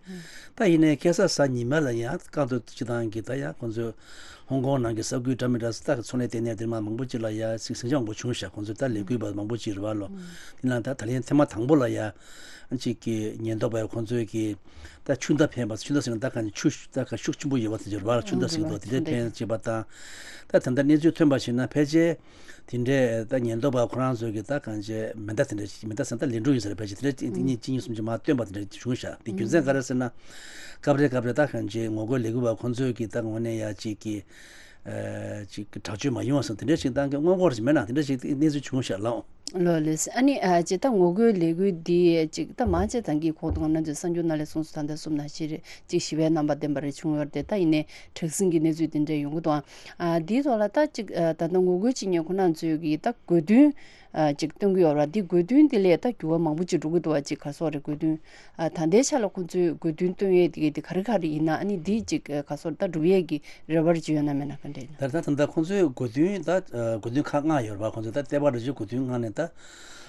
ད་ཡིན་ནའི་ཁ་སང་གཟའ་ཉི་མ་ལ་ཡང་བཀག་སྡོམ་སྤྱི་བཏང་གི་ད་ཡང་ཁོང་ཚོས་ཧོང་ཀོང་ནང་གི་ས་ཁུལ་འདྲ་མི་འདྲ་ས་ད་གི་འཚོ་གནས་ལྟེ་གནས་དེ་མ་མང་པོ་ཅིག་ལ་ཡ་ཟིང་ཟིང་ཆ་མང་པོ་བྱུང་ཤག་ཁོང་ཚོས་ད་ལས་འགུལ་བ་མང་པོ་ཅིག་རེད་པ་ལོ། དེ་ནང་ད་ད་ལན་ཐེངས་མ་དང་པོ་ལ་ཡ་ཅིག་གི་ཉེན་རྟོག་པས་ཁོང་ཚོས་གི་ད་ཆུ་མདའ་འཕེན་པ། ཆུ་མདའ་ཟེར་ན་ད་གང་ཆུ་ད་ག་ཤུགས་ཆེན་པོ་ཡོད་པ་དེ་ཚོ་རེད་པ། ཆུ་མདའ་ཟེར་འདུག་དེ་འདྲ་འཕེན་བྱས་པ་དང་། ད་ད་ལྟ་གནས་ཚུལ་ཐོན་པ་བྱས་ན་ཕལ་ཆེར་དེ་འདྲའི་ད་ཉེན་རྟོག་པ་ཁོ་རང་ཚོས་ཀྱི་ད་གང་བྱས་མེ་མདའ་དེ་འདྲ་ཞིག་མེ་མདའ་ཟེར་ན་ད་ལན་གྲུ་ཡིན་ས་རེད། ཕལ་ཆེར་དེ་འདྲ་གཅིག་གཉིས་གཅིག་གཉིས་གསུམ་ཅིག་མར་བཏོན་པ་དེ་འདྲ་བྱུང་ཤག་དེ་རྒྱུ་མཚན་ག་རེ་ཟེར་ན། སྐབས་རེ་སྐབས་རེ་ད་གང་བྱས་ངོ་རྒོལ་ལས་འགུལ་བ་ཁོ་ཚོས་ཀྱི་ད་ངོས་ནས་ཡ་གཅིག་གི་ཨ་གཅིག་གི་དྲག་སྤྱོད་མ་ཡོང་བ་སོགས་དེ་འདྲ་ཞིག་བཏང་གི་སྔོན་འགོག་ཅིག་མེད་ན་དེ་འདྲ་ཞིག་གནས་ཚུལ་བྱུང་ཤག་ལགས། ལགས་ལགས་སོ། ཨ་ནི་ཨ་ཅིག་ད་ངོ་རྒོལ་ལས་འགུལ་འདི་ཅིག་ད་མང་ཆེ་ཐང་གི་ཁོག་ཏུ་ང་ཚོའི་གསར་འགྱུར་ནང་ལ་གསུངས་སོང་། ད་ལྟ་གསུམ་ནང་བཞིན་རེད། ཅིག་ཞི་བའི་རྣམ་པ་ལྡན་པ་རེ་བྱུང་ཡོད་རེད་དེ། ད་ཡིན་ནའི་དྲག་ཟིང་གི་གནས་ཚུལ་དེ་འདྲ་ཡོང་གི་འདུག་ཨ་འདིའི་ཐོག་ལ་ད་ཅིག་ཨ་ད་ལྟ་ངོ་རྒོལ་བྱེད་མཁན་ཁོ་རང་ཚོས་ཀྱི་ད་དགོས་འདུན་ཨ་ཅིག་བཏོན་གྱི་ཡོད་རེད། འདི་དགོས་འདུན་དེ་ལས་ད་འགྱུར་བ་མང་པོ་ཅིག་འགྲོ་གི་འདུག་བ། ཅིག་ག་སོགས་རེད། དགོས་འདུན་ཨ་ད་ལྟའི་ཆ་ལ་ཁོང་ཚོས་དགོས་འདུན་བཏོན་ཡས་དེ་ག་དེ་ག་རེ་ག་རེ་ཡིན་ན། ཨ་ནི་འདི་ཅིག་ག་སོགས་ད་སྒྲུབ་ཡས་ཀྱི་རེ་བ་ཅིག་ཡོད་ན་མེད་ན་ག་འདྲ་ཡིན་ན། ད་ད་ད་ལྟ་ཁོང་ཚོས་དགོས་འདུན་ད་དགོས་འདུན་ཁག་ལྔ་ཡོད་རེད་པ། ཁོང་ཚོས་ད་ལྟེ་བ་རེ་བཞིན་དགོས་འདུན་ལྔ་ནས་ད་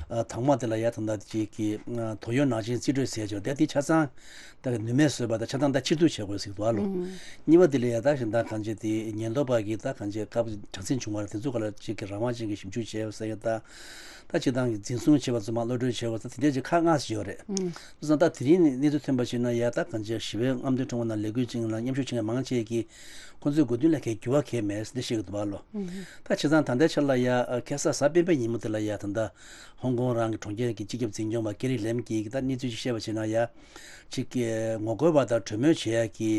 དང་པོ་དེ་ལ་ཡ་ད་ལྟ་ཅིག་གི་ཏོག་དབྱིབས་ནང་བཞིན་རྩིས་སྤྲོད་ཟེར་ཡ་ཅིག་ཡོད་རེད། དེ་ཆ་ཚང་ད་ནུས་མེད་བཟོས་པ་དང་ཆ་ཚང་ད་ཕྱིར་བསྡུ་བྱེད་དགོས་ཟེར་འདུག་ཨ་ལོ། གཉིས་པ་དེ་ལ་ཡ་ད་གཞན་དག་གང་ཅི་དེ་ཉེན་རྟོག་པ་གིས་ད་གང་ཅི་སྐབས་དྲག་ཟིང་བྱུང་བ་རེད། དེ་ཚོ་ག་ལ་ཅིག་གི་རང་དབང་ཅན་གྱི་ཞིབ་འཇུག་བྱས་ཡོད་ཟེར་ཡ་ད། ད་སྤྱིར་བཏང་གི་འཛིན་བཟུང་བྱས་པ་ཚོ་མར་གློད་གྲོལ་བྱས་པ་ཚོ་དེ་འདྲ་ཅིག་ཁག་ལྔ་ཞིག་ཡོད་རེད། ཨུམ། བྱས་ཙང་ད་དེ་རིང་གནས་ཚུལ་ཐོན་པ་ཞིག་ན་ཡ་ད་གང་ཅི་ཞི་བའི་རྔམ་སྟོན་ཁྲོམ་ནང་ལས་འགུལ་བྱེད་མཁན་ལ་མཉམ་ཞུགས་བྱེད་མཁན་མང་ཆེ་གིས་ཁོང་ཚོའི་དགོས་འདུན་ལ་གའི་འགྱུར་བ་གང་ཡང་མེད་ཟེར་འདི་བཤད་ཀྱི་འདུག་པ་ལོ། ཨུམ། ད་བྱས་ཙང་ད་ལྟའི་ཆ་ལ་ཡ་ཁ་སང་གཟའ་སྤེན་པའི་ཉིན་མོ་དེ་ལ་ཡ་ད་ལྟ་ཧོང་ཀོང་རང་གི་གྲོང་ཁྱེར་གྱི་སྤྱི་ཁྱབ་འཛིན་སྐྱོང་པ་ཀེ་རི་ལེམ་གྱིས་ད་གནས་ཚུལ་ཞིག་བཤད་པ་བྱས་ན་ཡ། ཅིག་གིས་ངོ་རྒོལ་བ་དང་གྲོས་མོལ་བྱེད་ཡ་གི་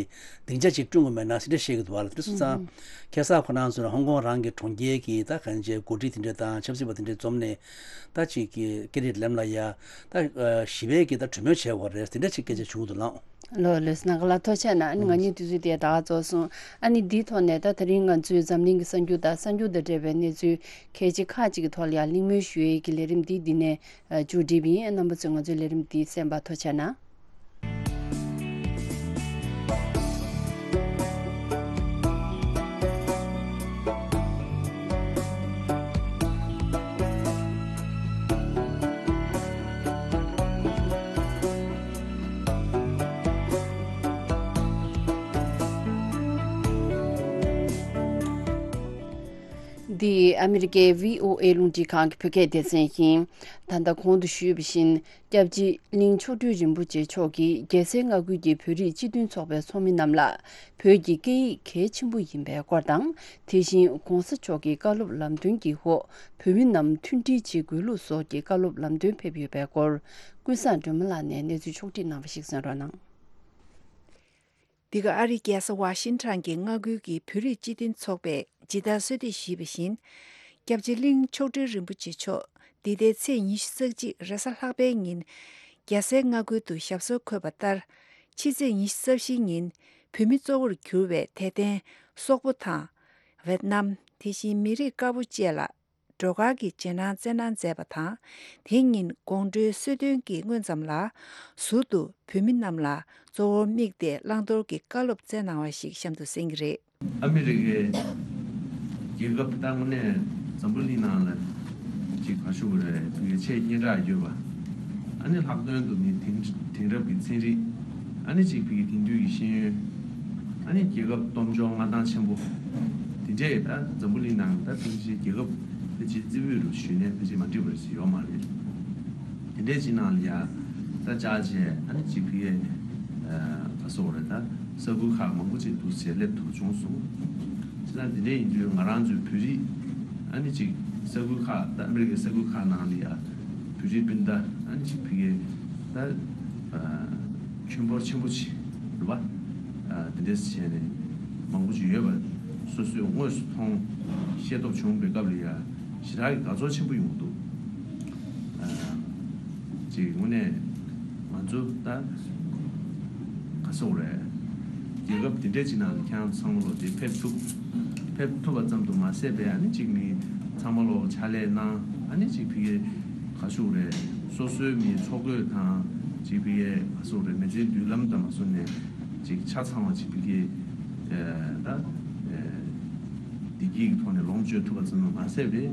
སྡིངས་ཆ་ཅིག་བསྐྲུན་དགོས་མེད་ན་ཟེར་འདྲ་བཤད་ཀྱི་འདུག་བ་ལ། དེ་སོང་ཙང་ཁ་སང་ཁོ་རང་ཚོ་ཧོང་ཀོང་རང་གི་གྲོང་ཁྱེར་གྱི་ད་གང་ཅིའི་འགོ་ཁྲིད་དེ་འདྲ་དང་ཆབ་སྲིད་པ་དེ་འདྲ་འཛོམས་ནས་ད་ཅིག་གིས་ཀེ་རི་ལེམ་ལ་ཡ་ད་ཞི་བའི་གི་ད་གྲོས་མོལ་བྱེད་དགོས་རེད་ཟེར་འདྲ་ཅིག་སྐད་ཆ་བྱུང་འདུག་ལགས། ལགས་ལགས་སོ། ནང་ག་ལ་ཐུགས་རྗེ་གནང་། ཨ་ནི་ང་གཉིས་དུས་ཚོད་དེ་ད་ག་རྫོགས་སོང་། ཨ་ནི་འདིའི་ཐོག་ནས་ད་དེ་རིང་ང་ཚོའི་འཛམ་གླིང་གི་གསར་འགྱུར་དང་གསར་འགྱུར་དང་འབྲེལ་བའི་གནས་ཚུལ་གལ་ཆེ་ཁག་ཅིག་གི་ཐོག་ལ་ཡང་གླེང་མོལ་ཞུ་ཡས་ཀྱི་ལས་རིམ་འདི་འདི་ནས་མཇུག་སྒྲིལ་བ་ཡིན། རྣམ་པ་ཚོས་ང་ཚོའི་ལས་རིམ་འདི་གསན་པར་ཐུགས་རྗེ་གནང་། འདི་ཨ་མི་རི་ཀའི་བྷི་ཨོ་ཨེ་རླུང་འཕྲིན་ཁང་གི་བོད་སྐད་སྡེ་ཚན་ཡིན། ད་ལྟ་གོང་དུ་ཞུས་པ་བཞིན། སྐྱབས་རྗེ་གླིང་མཆོག་སྤྲུལ་རིན་པོ་ཆེ་མཆོག་གིས་རྒྱལ་སའི་མངའ་ཁུལ་གྱི་བོད་རིགས་སྤྱི་མཐུན་ཚོགས་པའི་ཚོགས་མི་རྣམས་ལ། བོད་ཀྱི་སྐད་ཡིག་གལ་ཆེན་པོ་ཡིན་པའི་སྐོར་དང་། དེ་བཞིན་གོང་ས་མཆོག་གི་བཀའ་སློབ་ལམ་སྟོན་གྱི་འོག་བོད་མི་རྣམས་མཐུན་སྒྲིལ་བྱེད་དགོས་ལུགས་སོགས་ཀྱི་བཀའ་སློབ་ལམ་སྟོན་ཕེབས་ཡོད་པའི་སྐོར། ཀུན་བཟང་སྒྲོལ་མ་ལགས་ནས་གནས་ཚུལ་ཕྱོགས་སྒྲིག་གནང་བ་ཞིག་གསན་རོགས་གནང་། འདི་ག་ཨ་རིའི་རྒྱལ་ས་ཝ་ཤིང་ཊོན་གྱི་མངའ་ཁུལ་གྱི་བོད་རིགས་སྤྱི་མཐུན་ཚོགས་པས་ཇི་ལྟར་གསོལ་འདེབས་ཞུས་པ་བཞིན། སྐྱབས་རྗེ་གླིང་མཆོག་སྤྲུལ་རིན་པོ་ཆེ་མཆོག་འདི་ཟླའི་ཚེས་ཉི་ཤུ་རྩ་གཅིག་རེས་གཟའ་ལྷག་པའི་ཉིན། རྒྱལ་སའི་མངའ་ཁུལ་དུ་ཞབས་སོར་འཁོད་པ་ལྟར། ཕྱི་ཚེས་ཉི་ཤུ་རྩ་བཞིའི་ཉིན། བོད་མི་གཙོ་བོར་གྱུར་བའི་དད་ལྡན་སོག་པོ་དང་། ཝེད་ནམ། དེ་བཞིན་མི་རིགས་དཀར་པོ་བཅས་ལ། སྒྲོལ་དཀར་གྱི་རྗེས་གནང་སྩལ་གནང་མཛད་པ་དང་། དེ་ཉིན་དགོང་དྲོའི་གསོལ་སྟོན་གྱི་སྔོན་ཙམ་ལ། ཟུར་དུ་བོད་མི་རྣམས་ལ་གཙོ་བོར་དམིགས་ཏེ་བླང་དོར་གྱི་བཀའ་སློབ་སྩལ་གནང་བ་ཞིག་གཤམ་དུ་གསན་གྱི་རེད། ཨ་མི་རི་ཀའི་རྒྱལ་ཁབ་ད་དངོས་གནས་འཛམ་བུ་གླིང་ནང་ལ་ཅིག་ག་ཞུ་དགོས་རེད། ཕ་གིའི་ཆེས་སྙན་གྲགས་ཡོད་པ། ཨ་ནི་ལྷག་དོན་དུ་ནི་དེང་དེང་རབས་ཀྱི་ཚན་རིག་ཨ་ནི་ཅིག་ཕ་གིའི་དེང་དུས་ཀྱི་ཤེས་ཡོན། ཨ་ནི་རྒྱལ་ཁབ་སྟོབས་འབྱོར་མངའ་ཐང་ཆེན་པོ། དེ་འདྲས་ད་འཛམ་བུ་གླིང་ནང་ད་ཕལ་ཆེར་རྒྱལ་ཁབ་ཕལ་ཆེར་རྩེ་ཕུད་རུ་ཞུས་ནས་ཕལ་ཆེར་མ་འགྲིག་པ་ཞིག་ཡོད་མ་རེད། དེ་འདྲས་ཅིག་ནང་ལ་ཡ་ད་བཅར་བྱས་ཨ་ནི་ཅིག་ཕ་གིའི་ག་སོགས་རེད། ད་ས་ཁུལ་ཁག་མང་པོ་ཅིག་འདུག་ཟེར་སླེབས་ཐུབ་བྱུང་སོང་། ཅི་ད་དེ་འདྲས་ཡིན་དུས་ང་རང་ཚོའི་བོད་རིགས་ཨ་ནི་ཅིག་ས་ཁུལ་ཁག་ད་ཨ་མི་རི་ཀའི་ས་ཁུལ་ཁག་ནང་ལ་ཡ་བོད་རིགས་སྤུན་ཟླ་ཨ་ནི་ཅིག་ཕ་གིའི་ད་ཁྱོན་འབོར་ཆེན་པོ་ཅིག་རེད་པ། དེ་འདྲས་བྱས་ནས་མང་པོ་ཅིག་ཡོད་པ་སོ་སོས་དངོས་སུ་མཐོང་ཤེས་རྟོགས་བྱུང་བའི་སྐབས་ལ་ཡ་ཞེ་དྲག་གི་དགའ་ཚོར་ཆེན་པོ་ཡོང་གི་འདུག་ཅིག་དངོས་གནས་ང་ཚོ་ད་ག་སོག་རེད། རྒྱལ་ཁབ་དེ་འདྲས་ཅིག་ནང་ལ་ཁྱེད་རང་ཚོ་ཚང་མ་ལོ་དེ་ཕེབས་ཐུབ། ཕེབས་ཐུབ་པ་ཙམ་དུ་མ་ཟད་པའི་ཨ་ནི་ཅིག་མི་ཚང་མ་ལོ་ཕྱག་ལས་གནང་ཨ་ནི་ཅིག་ཕ་གིའི་ག་ཞུ་རེད། སོ་སོའི་མི་འཚོ་གོས་དང་ཅིག་ཕ་གིའི་ག་ཞུ་རེད། མི་ཚེའི་མདུན་ལམ་དང་མ་སོ་ནས་ཅིག་ཆ་ཚང་བ་ཅིག་ཕ་གིའི་ད། བདེ་སྐྱིད་ཀྱི་ཐོག་ནས་ལོངས་སྤྱོད་ཐུབ་པ་ཙམ་དུ་མ་ཟད་པའི་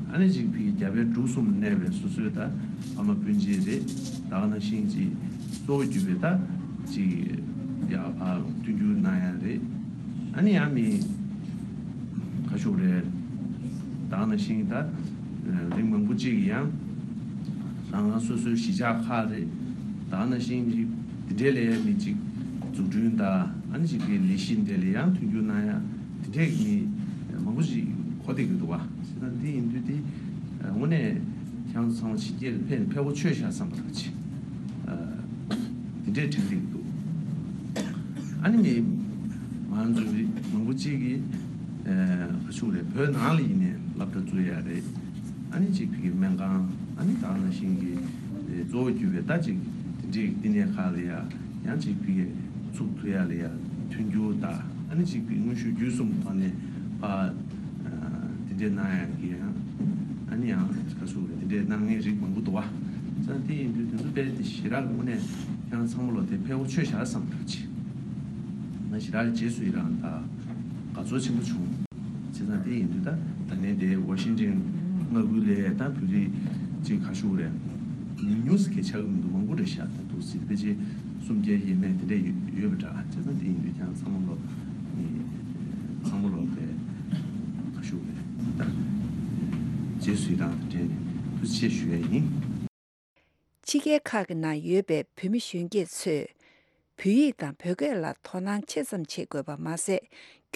ཨ་ནི་ཅིག་ཕ་གི་རྒྱ་བལ་འབྲུག་གསུམ་གནས་པའི་སོ་སོའི་ད་ཕ་མ་སྤུན་མཆེད་རེད། ད་ག་ནང་བཞིན་ཅིག་གཙོ་བོ་གྱུར་པའི་ད་ཅིག་ཡ་ཕ་མཐུན་འགྱུར་གནང་ཡ་རེད། ཨ་ནི་ཡང་མི་ག་ཞུ་རེད། ད་ག་ནང་བཞིན་ད་རིང་མང་པོ་ཅིག་ཡང་རང་རང་སོ་སོའི་གཞིས་ཆགས་ཁག་རེད། ད་ག་ནང་བཞིན་ཅིག་དེ་འདྲའི་ལས་མི་ཅིག་འཛུགས་སྐྲུན་དང་ཨ་ནི་ཅིག་གི་ལས་གཞི་འདྲ་ལ་ཡང་མཐུན་འགྱུར་གནང་ཡ་དེ་འདྲས་ཀྱི་མི་མང་པོ་ཞིག་གོ་བསྡད་ཀྱི་འདུག་བ། བྱས་ཙང་འདི་ཡིན་དུས་འདི་དངོས་གནས་ཁྱེད་རང་ཚོ་ཚང་མ་ཕྱི་རྒྱལ་ལ་ཕེབས་ནས་ཕེབས་པ་ཆོས་བཞག་བསམ་པ་འདྲ་ཅིག་དེ་འདྲས་དྲན་བསྡད་ཀྱི་འདུག་ཨ་ནི་མི་ང་ཚོ་རིགས་མང་པོ་ཅིག་གིས་ག་ཞུ་རེད། བོད་ནང་ལ་ཡིན་ནའི་སློབ་གྲྭ་བཙུགས་ཡ་རེད། ཨ་ནི་ཅིག་ཕ་གི་སྨན་ཁང་ཨ་ནི་ད་ག་ནང་བཞིན་གྱི་གཙོ་བོ་གྱུར་པའི་ད་ཅིག་དེ་འདྲའི་བསྟི་གནས་ཁག་ལ་ཡ་ཡང་ཅིག་ཕ་གི་ཚུགས་ཐུབ་ཡ་ལ་ཡ་མཐུན་འགྱུར་དང་ཨ་ནི་ཅིག་ཕ་གི་དངོས་ཤུགས་བརྒྱུད་གསུམ་ཐོག་ནས་ཕ་དེ་འདྲའི་གནང་ཡ་གི་ཡང་ཨ་ནི་ཡང་ག་ཞུ་རེད། དེ་འདྲའི་གནང་མཁན་རིགས་མང་པོ་འདུག་བ། ཙང་དེ་ཡིན་དུས་དེ་ཚོ་དཔེ་དེ་ཞེ་དྲག་དངོས་གནས་ཁྱེད་རང་ཚང་མ་ལོ་དེ་ཕེབས་པ་ཆོས་བཞག་བསམ་འདྲ་ཅིག་ང་ཞེ་དྲག་རྗེས་སུ་ཡི་རང་དང་དགའ་ཚོར་ཆེན་པོ་བྱུང་། བྱས་ཙང་དེ་ཡིན་དུས་ད་ད་ནས་དེ་ཝ་ཤིང་ཊོན་མངའ་ཁུལ་ལ་ད་བོད་རིགས་ཅིག་ག་ཞུ་རེད། ཉུང་ཉུང་ཟིག་གི་ཆགས་ཀྱི་མི་འདུག་མང་པོ་རེད་ཤག་ད་འདུག་སྲིད་ཕལ་ཆེར་སུམ་བརྒྱ་ཡས་མས་དེ་འདྲ་ཡོད་པ་འདྲ། བྱས་ཙང་དེ་ཡིན་དུས་ཀྱང་ཚང་མ་ལོ་ཚང་མ་ལོ་དེ་ག་ཞུ་རེད། ད་རྗེས་སུ་ཡི་རང་དང་འབྲེལ་ནས་ཐུགས་རྗེ་ཆེ་ཞུ་ཡ་ཡིན། ཕྱི་རྒྱལ་ཁག་གི་ནང་ཡོད་པའི་བོད་མི་གཞོན་སྐྱེས་ཚོས་བོད་ཡིག་དང་བོད་སྐད་ལ་དོ་སྣང་ཆེ་ཙམ་བྱེད་དགོས་པ་མ་ཟད།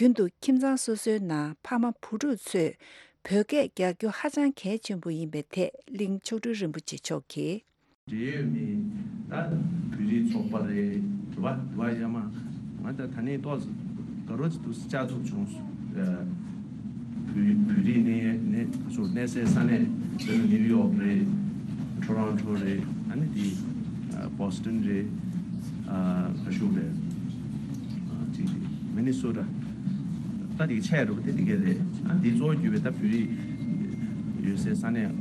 རྒྱུན་དུ་ཁྱིམ་ཚང་སོ་སོའི་ནང་ཕ་མ་བུ་ཕྲུག་ཚོས་བོད་སྐད་རྒྱག་རྒྱུ་ཧ་ཅང་གལ་ཆེན་པོ་ཡིན་པའི་ཐད་གླིང་མཆོག་སྤྲུལ་རིན་པོ་ཆེ་མཆོག་གིས། འབྲེལ་ཡོད་མི་ད་བོད་རིགས་ཚོགས་པ་རེད། དེ་བ་དེ་བ་ཡ་མ་ང་ད་ད་ནས་ཏོག་ཙམ་དགའ་རོགས་ཅིག་ཏུ་བཅར་ཐུབ་བྱུང་། བོད་བོད་རིགས་གནས་གནས་སོ་གནས་སའི་ས་གནས་དཔེར་ན་ནིའུ་ཡོག་རེད། ཊོ་རོན་ཊོ་རེད། ཨ་ནི་དེ་བོ་སི་ཊོན་རེད། ག་ཞུ་རེད། ཅིག་མི་ནི་སོ་ཊ་ད་དེ་ཆེ་རུ་དེ་དེ་ག་རེད། ཨ་དེ་གཙོ་བོ་གྱུར་པའི་ད་བོད་རིགས་ཡོད་སའི་ས་གནས་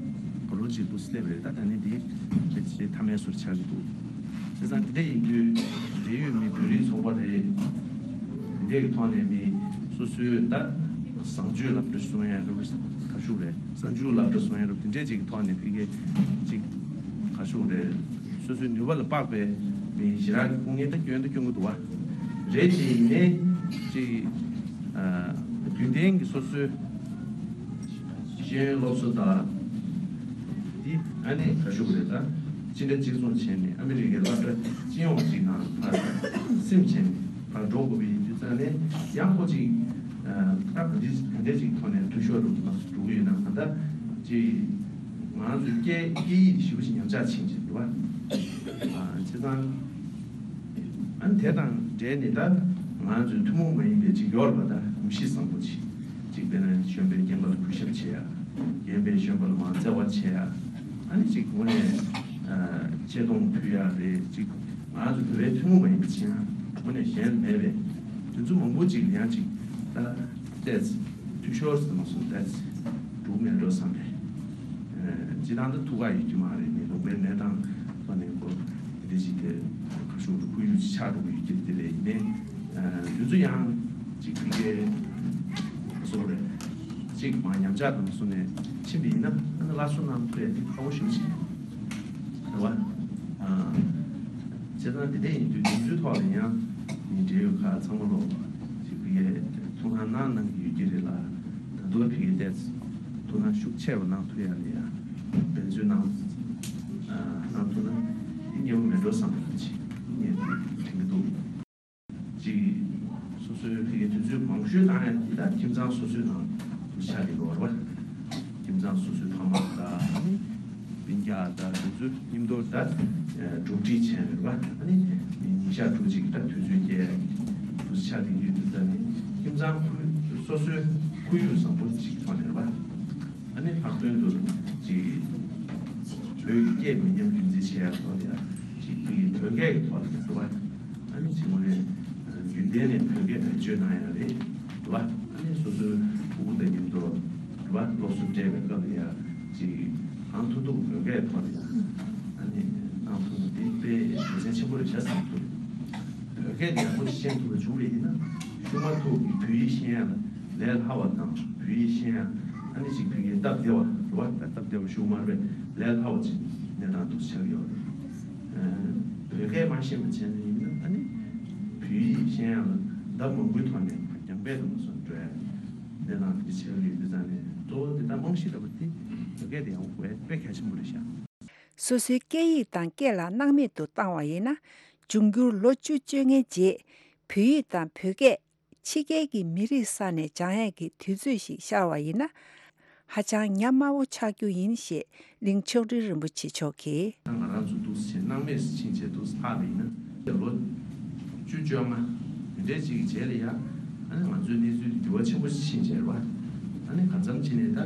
ག་རུ་ཅིག་ཏུ་སླེབས་རེད། ད་ད་ནི་དེ་དེ་ཆེ་མཐའ་མའི་སོར་ཆགས་ཀྱི་འདུག་བྱས་ཙང་དེ་འདྲ་ཡིན་དུས་འབྲེལ་ཡོད་མི་བོད་རིགས་ཚོགས་པ་རེད། དེ་འདྲའི་ཐོག་ནས་མི་སོ་སོའི་ད་བཟང་སྤྱོད་སློབ་གྲྭ་སོང་ཡ་རུ་ག་ཞུ་རེད། བཟང་སྤྱོད་སློབ་གྲྭ་སོང་ཡ་རུ་དེ་འདྲའི་ཅིག་ཐོག་ནས་ཕ་གི་ཅིག་ག་ཞུ་རེད། སོ་སོའི་ནུས་པ་ལ་དཔག་པའི་མི་ཞེ་དྲག་གི་སྐུ་ངལ་ད་སྐྱོན་ད་སྐྱོན་གི་འདུག་བ། རེད་དེ་ཡིན་ནའི་ཅིག་རྒྱུན་ལྡན་གྱི་སོ་སོའི་ ཤེས་ཡོན་སློབ་གསོ་དང་། འདི་ཨ་ནི་ག་ཞུ་དགོས་རེད། ད་སྤྱི་ཟླ་གཅིག་མཚུངས་བྱས་ནས་ཨ་མི་རི་ཀའི་སློབ་གྲྭ་སྤྱི་ཡོངས་ཅིག་ནང་ཕར་སིམ་བྱས་ནས་ཕར་འགྲོ་དགོས་པའི་དུས་ཙམ་ནས་ཡང་ཁོ་ཅིག་ད་ག་འདྲ་ག་འདྲ་ཅིག་ཐོག་ནས་འཐུས་ཤོར་འགྲོ་གི་ན་འགྲོ་གི་ཡོད་ན། གང་ལྟར་ཅིག་ང་རང་ཚོའི་སྐད་སྐད་ཡིག་ཞེ་པོ་ཅིག་ཉམས་ཆག་ཕྱིན་ཅིག་འདུག་བ། བྱས་ཙང་། ཨ་ནི་དེ་དང་འབྲེལ་ནས་ད་ང་ཚོའི་ཐུན་མོང་མ་ཡིན་པའི་ཅིག་ཡོད་རེད་པ། ད་གོམས་གཤིས་བཟང་པོ་ཅིག་ཅིག་དཔེར་ན་གཞོན་པའི་རྐྱེན་པ་ལ་གུས་ཞབས་བྱེད་ཡ། རྒན་པས་གཞོན་པ་ལ་མར་བརྩེ་བ་བྱེད་ཡ། ཨ་ནི་ཅིག་དངོས་གནས་ཆེ་མཐོང་ཕུལ་ཡ་རེད། ཅིག་ང་ཚོ་བོད་པའི་ཐུན་མོང་མ་ཡིན་པ་ཅིག་ཡང་དངོས་གནས་གཞན་མེད་པས། དེ་ཚོ་མང་པོ་ཅིག་ཡང་ཅིག་ད་བལྟས་ཚེ་འཐུས་ཤོར་ཟེར་མ་སོང་། བལྟས་ཚེ་འགྲོ་མེད་འགྲོ་བསམ་པས། སྤྱི་བཏང་ད་ཐུགས་ཁག་ཡོད་ཀྱི་མ་རེད། ནི་ལུང་པའི་གནས་སྟངས་ཐོག་ནས་ཁོ་དེ་འདྲ་ཞིག་དེ་ཁ་ཤུགས་དུ་ཁུར་ཡུག་ཅིག་ཆགས་འགྲོ་གི་ཡོད་ཀྱི་དེ་རེད། ཡིན་ནའི་དུས་ཚོད་ཡང་ཅིག་ཕ་གིའི་བཟོ་རེད། ཅིག་མ་ཉམས་ཆག་དང་སོང་ནས་ཕྱིན་པ་ཡིན་ན་ཨ་ནི་སླར་གསོ་གནང་ཐུབ་ཡ་དེ་ཁག་པོ་ཞེ་པོ་ཅིག་རེད་བ། བྱས་ཙང་དེ་འདྲ་ཡིན་དུས་དེ་ཚོའི་ཐོག་ལ་ཡང་ནི་འབྲེལ་ཡོད་ཁག་ཚང་མ་ལོག་ཅིག་ཕ་གིའི་ཐུགས་སྣང་གནང་གནང་གི་ཡོད་ཀྱི་རེད་ལ། ད་དུང་ཕ་གིའི་ཏོག་ཙམ་ཐུགས་སྣང་ཤུགས་ཆེ་རུ་གནང་ཐུབ་ཡ་ལ་ཡ་འབད་བརྩོན་གནང་གནང་ཐུབ་ན་འདི་སྙན་པོ་མེད་འགྲོ་བསམ་པ་ཅིག་ངས་དྲན་གྱི་འདུག་ཅིག་སོ་སོའི་ཕ་གིའི་དུས་ཚོད་མང་ཤོས་བཏང་ཡ་འདི་ད་ཁྱིམ་ཚང་སོ་སོའི་ནང་དུ་ཆགས་ཀྱི་འགྲོ་བ་རེད་བ། ཁྱིམ་ཚང་སོ་སོའི་ཕ་མ་དང་སྤུན་ཀྱག་དང་དེ་ཚོ་མཉམ་དུ་ད་གྲོགས་འདྲིས་བྱས་རེད་བ། ཨ་ནི་ཉིན་ཞག་དྲུག་ཅིག་ད་དུས་ཚོད་སྐྱེལ་ཡ་དུས་ཆགས་ཀྱི་ཡོད་དུས་ད་ནི་ཁྱིམ་ཚང་ཁུལ་སོ་སོའི་ཁོར་ཡུག་བཟང་པོ་ཅིག་ཐོག་ནས་རེད་བ། ཨ་ནི་ལྷག་དོན་དུ་ཅིག་བོད་ཀྱི་སྐད་མི་ཉམས་རྒྱུན་འཛིན་བྱེད་ཡ་ཐོག་ལ་ཡ་ཅིག་བོད་ཀྱི་བོད་སྐད་ཀྱི་ཐོག་ལ་ཡ་རེད་བ། ཨ་ནི་ཅིག་ངོས་ནས་རྒྱུན་ལྡན་ནས་བོད་སྐད་བེད་སྤྱོད་གནང་ཡ་རེད་བ། ཨ་ནི་སོ་སོའི་ཕྲུ་གུ་དང་མཉམ་དུ་རེད་བ། སློབ་གསོ་སྤྲད་པའི་སྐབས་ལ་ཡ་ཅིག་གང་ཐུབ་ཐུབ་བོད་སྐད་ཐོག་ལ་ཡ་ཨ་ནི་གནང་ཐུབ་ན་དེ་དཔེ་དགེ་མཚན་ཆེན་པོ་རེད་ཤག་བསམ་གྱི་འདུག་བོད་སྐད་ཡག་པོ་ཤེས་ཐུབ་པ་བྱུང་བ་ཡིན་ན་གཞུག་མ་ཐུག་གི་བོད་ཡིག་ཤེས་ཡ་ལ་ལས་སླ་བ་དང་བོད་ཡིག་ཤེས་ཡ་ཨ་ནི་ཅིག་བོད་ཡིག་སྟབས་བདེ་བ་རེད་བ། སྟབས་བདེ་བ་ཞུ་མ་རེད་པས་ལས་སླ་བ་ཅིག་གནས་སྟངས་འདུག་ཆགས་ཡོད་རེད། བོད་སྐད་མ་ཤེས་པ་བྱས་ནས་ཡིན་ན་ཨ་ནི་བོད་ཡིག་ཤེས་ཡ་ལ་ཟླ་མང་པོའི་ཐོག་ནས་རྒྱང་འཕེལ་དུ་མ་སོང་འགྲོ་ཡ་གནས་སྟངས་དེ་ཆགས་ཡོད་དུས་ཙང་ནས་གཙོ་བོ་དེ་ལྟར་རྨང་གཞི་ལྟ་བུ་དེ་བོད་སྐད་དེ་ཡང་དགོས་དཔེ་གལ་ཆེན་པོ་རེད་ཤག་སོ་སོའི་སྐད་ཡིག་དང་སྐད་ལ་སྣང་མེད་དུ་བཏང་བ་ཡིན་ན། འབྱུང་འགྱུར་ལོ་བཅུ་བཅོ་ལྔའི་རྗེས་བོད་ཡིག་དང་བོད་སྐད་ཕྱི་རྒྱལ་གྱི་མི་རིགས་ས་ནས་སྦྱང་ཡས་ཀྱི་དུས་ཚོད་ཞིག་ཤར་བ་ཡིན་ན། ཧ་ཅང་ཉམས་དམའ་བོ་ཆགས་རྒྱུ་ཡིན་ཞེས་གླིང་མཆོག་སྤྲུལ་རིན་པོ་ཆེ་མཆོག་གིས། ང་རང་ཚོ་འདུག་སེ་བྱས་སྣང་མེད་སུ་ཕྱིན་བྱས་འདུག་སེ་ལྷག་པ་ཡིན་ན་ལོ་བཅུ་བཅོ་ལྔ་འདི་འདྲའི་ཅིག་གི་རྗེས་ལ་ཡ་ཨ་ནི་ང་ཚོའི་གནས་ཚུལ་འདི་འགྱུར་བ་ཆེན་པོ་ཞིག་ཕྱིན་བྱས་རེད་བ། ཨ་ནི་གང་འཚམ་ཕྱིན་ནས་ད་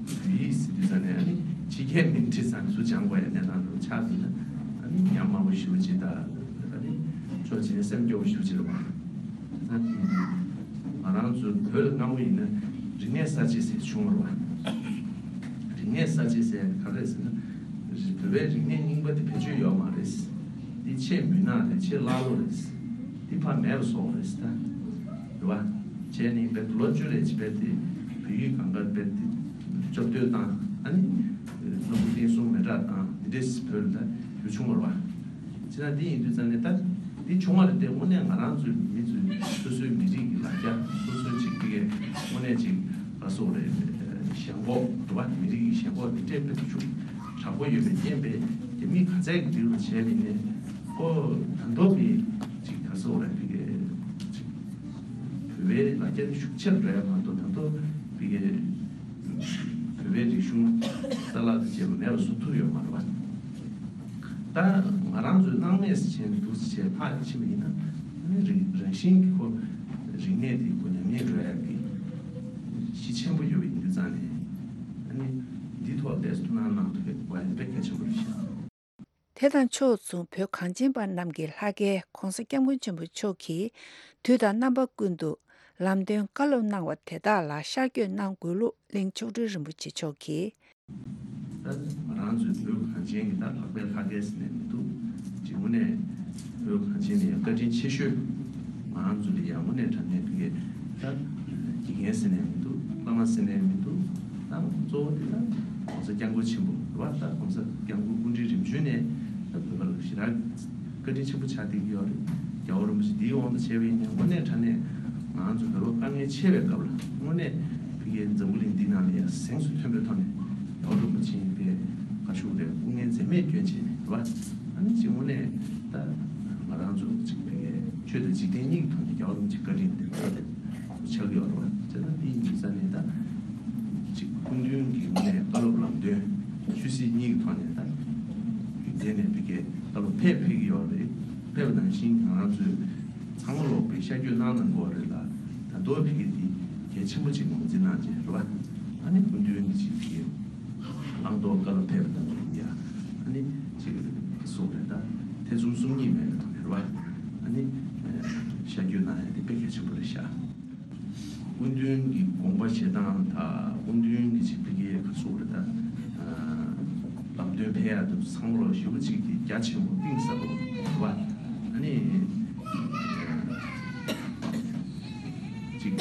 བོད་ཡིག་ཟེར་དུས་ཙང་ནས་ཨ་ནི་ཕྱི་རྒྱལ་མི་འདྲི་ཙང་སུ་སྦྱང་དགོས་ཡ་གནས་སྟངས་འདྲ་ཆགས་འདུག་ན་ཨ་ནི་ཉམས་དམའ་བོ་ཞེ་པོ་ཅིག་དང་ཨ་ནི་ཕྱོགས་གཅིག་ནས་སེམས་སྐྱོ་བོ་ཞེ་པོ་ཅིག་རེད་བ། ད་དེ་ང་རང་ཚོའི་བོད་ལ་སྔ་མོ་ཡིན་ན་རིག་གནས་གསར་བརྗེ་ཟེར་བྱུང་བ་རེད་བ། རིག་གནས་གསར་བརྗེ་ཟེར་ག་རེ་ཟེར་ན། བོད་པའི་རིག་གནས་རྙིང་པ་དེ་བེད་སྤྱོད་ཡོད་མ་རེད། འདི་ཆེས་མུན་ནག་རེད། ཆེས་ཀླ་ཀློ་རེད། འདི་ཕར་མེད་པ་བཟོ་བ་རེད་ད། རེད་བ། བྱས་ནས་བོད་ལོ་བཅུ་རེ་ཅིག་བོད་དེ་བོད་ཡིག་གང་ག་བོད་དེ་སྐྱོབ་དོད་བཏང་ཨ་ནི་རྣམ་པ་བསྟན་སྲུང་མེ་སྲེག་བཏང་འདི་འདྲས་བོད་ལ་ད་ཡོད་བྱུང་བ་རེད་བ། བྱས་ན་འདི་ཡིན་དུས་ཙང་ནས་ད་འདི་བྱུང་བ་རེད་དེ་དངོས་གནས་ང་རང་ཚོའི་མི་ཚོའི་སོ་སོའི་མི་རིགས་ཀྱི་ལ་རྒྱ་སོ་སོའི་ཅིག་དེ་གའི་དངོས་གནས་ཅིག་ག་སོག་རེད། ཞེན་ཁོག་རེད་བ། མི་རིགས་ཀྱི་ཞེན་ཁོག་དེ་འདྲས་དཔེ་ཤུགས་དྲག་པོ་ཡོད་པའི་རྐྱེན་པས་རྒྱ་མིས་ག་ཚད་ཀྱི་འདི་རུ་བྱས་པ་ཡིན་ནའི་ཁོ་ད་མདོ་གི་ཅིག་ག་སོག་རེད་དེ་གའི་ཅིག་བོད་པའི་ལ་རྒྱ་ཤུགས་ཆེར་འགྲོ་ཡ་མ་གཏོགས་ད་མདོ་དེ་གའི་བོད་པའི་རིག་གཞུང་རྩ་བརླག་ཏུ་བྱས་པ་མེད་པ་བཟོ་ཐུབ་ཡོད་མ་རེད་བ། ད་ང་རང་ཚོས་སྣང་མེད་བྱས་ནས་འདུག་སེ་བྱས་ཕར་ཕྱིན་པ་ཡིན་ན་ཨ་ནི་རིག་རང་བཞིན་གྱི་ཁོ་རིག་གནས་དེ་ཁོ་ཉམས་ཉེས་འགྲོ་ཡ་གི་གཞི་ཆེན་པོ་ཡོད་པ་ཡིན་དུས་ཙང་ནས་ཨ་ནི་འདི་ཐོག་ཏོག་ཙམ་ཐུགས་སྣང་གནང་ཐུབ་པའི་དགོས་པ་དཔེ་གལ་ཆེན་པོ་རེད་ཤག་དེ་དང་ཕྱོགས་མཚུངས་བོད་གངས་ཅན་པ་རྣམས་ཀྱི་ལྷ་སྐལ་༸གོང་ས་༸སྐྱབས་མགོན་ཆེན་པོ་མཆོག་གིས་དུས་དང་རྣམ་པ་ཀུན་ཏུ་ལམ་སྟོན་བཀའ་སློབ་གནང་བ་དེ་དག་ལ་ཤར་བསྐྱོད་གནང་དགོས་ལུགས་གླིང་མཆོག་སྤྲུལ་རིན་པོ་ཆེ་མཆོག་གིས། ད་ང་རང་ཚོའི་བོད་གངས་ཅན་གྱི་ད་ལྷག་པའི་ལྷ་སྐལ་ཟེར་ནས་མི་འདུག་ཅིག་དངོས་གནས་བོད་གངས་ཅན་ནི་ཡང་བཀའ་དྲིན་ཆེ་ཤོས་ང་རང་ཚོ་ལ་ཡང་དངོས་གནས་དྲང་གནས་དེ་གའི་ད་དགེ་རྒན་ཟེར་ནས་མི་འདུག་བླ་མ་ཟེར་ནས་མི་འདུག་ད་གཙོ་བོ་དེ་ད་༸གོང་ས་༸སྐྱབས་མགོན་ཆེན་པོ་རེད་བ། ད་༸གོང་ས་༸སྐྱབས་མགོན་སྐུ་ཕྲེང་རིམ་བྱོན་ནས་ད་བོད་པ་ལ་ཞེ་དྲག་བཀའ་དྲིན་ཆེན་པོ་ཆགས་བསྡད་ཀྱི་ཡོད་རེད། རྒྱལ་བ་རིན་པོ་ཆེ་འདིའི་དབང་དུ་བྱས་པ་ཡིན་ན་དངོས་གནས་དྲང་གནས་ང་ཚོ་བོད་པ་དཀའ་ངལ་ཆེ་བའི་སྐབས་ལ་དངོས་གནས་བོད་ འཛམ་བུ་གླིང་འདི་ནང་ལ་ཡང་གཟེངས་སུ་ཐོན་པའི་ཐོག་ནས་རྒྱལ་བ་རིན་པོ་ཆེ་པའི་བཀའ་ཤོག་རེད། སྐུ་ངལ་འཛེམས་མེད་སྐྱོན་བྱས་ནས་རེད་བ། ཨ་ནི་གཅིག་དངོས་གནས་ད་ང་རང་ཚོ་གཅིག་པའི་ཆོས་དང་འཇིག་རྟེན་གཉིས་ཀྱི་ཐོག་ནས་རྒྱལ་བ་རིན་པོ་ཆེ་བཀའ་དྲིན་དེ་ཕུལ་ཏེ་ཆགས་ཀྱི་ཡོད་རེད་བ། བྱས་ཙང་འདི་ཡིན་དུས་ཙང་ནས་ད་གཅིག་སྐུ་མདུན་གྱི་དངོས་གནས་བཀའ་སློབ་ལམ་སྟོན་ཆོས་སྲིད་གཉིས་ཀྱི་ཐོག་ནས་ད་དེ་ནས་ཕ་གིའི་བཀའ་སློབ་ཕེབས་ཕེབས་ཀྱི་ཡོད་རེད། ཕེབས་པ་ནང་བཞིན་ང་རང་ཚོས་ཚང་མ་ལོག་པའི་ཤར་བསྐྱོད་གནང་གནང་དགོས་རེད་ལ། ད་མདོ་ཕ་གི་འདི་གལ་ཆེན་པོ་ཅིག་ངོས་འཛིན་གནང་བྱས་རེད་བ། ཨ་ནི་སྐུ་མདུན་གྱི་ཅིག་ཕ་གི་བླང་དོར་བཀའ་སློབ་ཕེབས་པ་དང་ཡ། ཨ་ནི་ཅིག་གསུངས་རེད། ད་ཐེ་ཚོམ་སོམ་ཉི་མེད་པའི་ཐོག་ནས་རེད་བ། ཨ་ནི་ཤར་བསྐྱོད་གནང་ཡ་འདི་དཔེ་གལ་ཆེན་པོ་རེད་ཤག་སྐུ་མདུན་གྱི་དགོངས་པ་བཞེས་སྟངས་དང་སྐུ་མདུན་གྱི་ཅིག་ཕ་གིའི་ག་ཚོད་རེད་ད། ལམ་སྟོན་ཕེབས་ཡག་དུ་ཚང་མ་ལོ་ཞེ་པོ་ཅིག་གི་རྒྱ་ཆེན་པོ་གཏིང་ཟབ་པོ་རེད་བ། ཨ་ནི་ཅིག་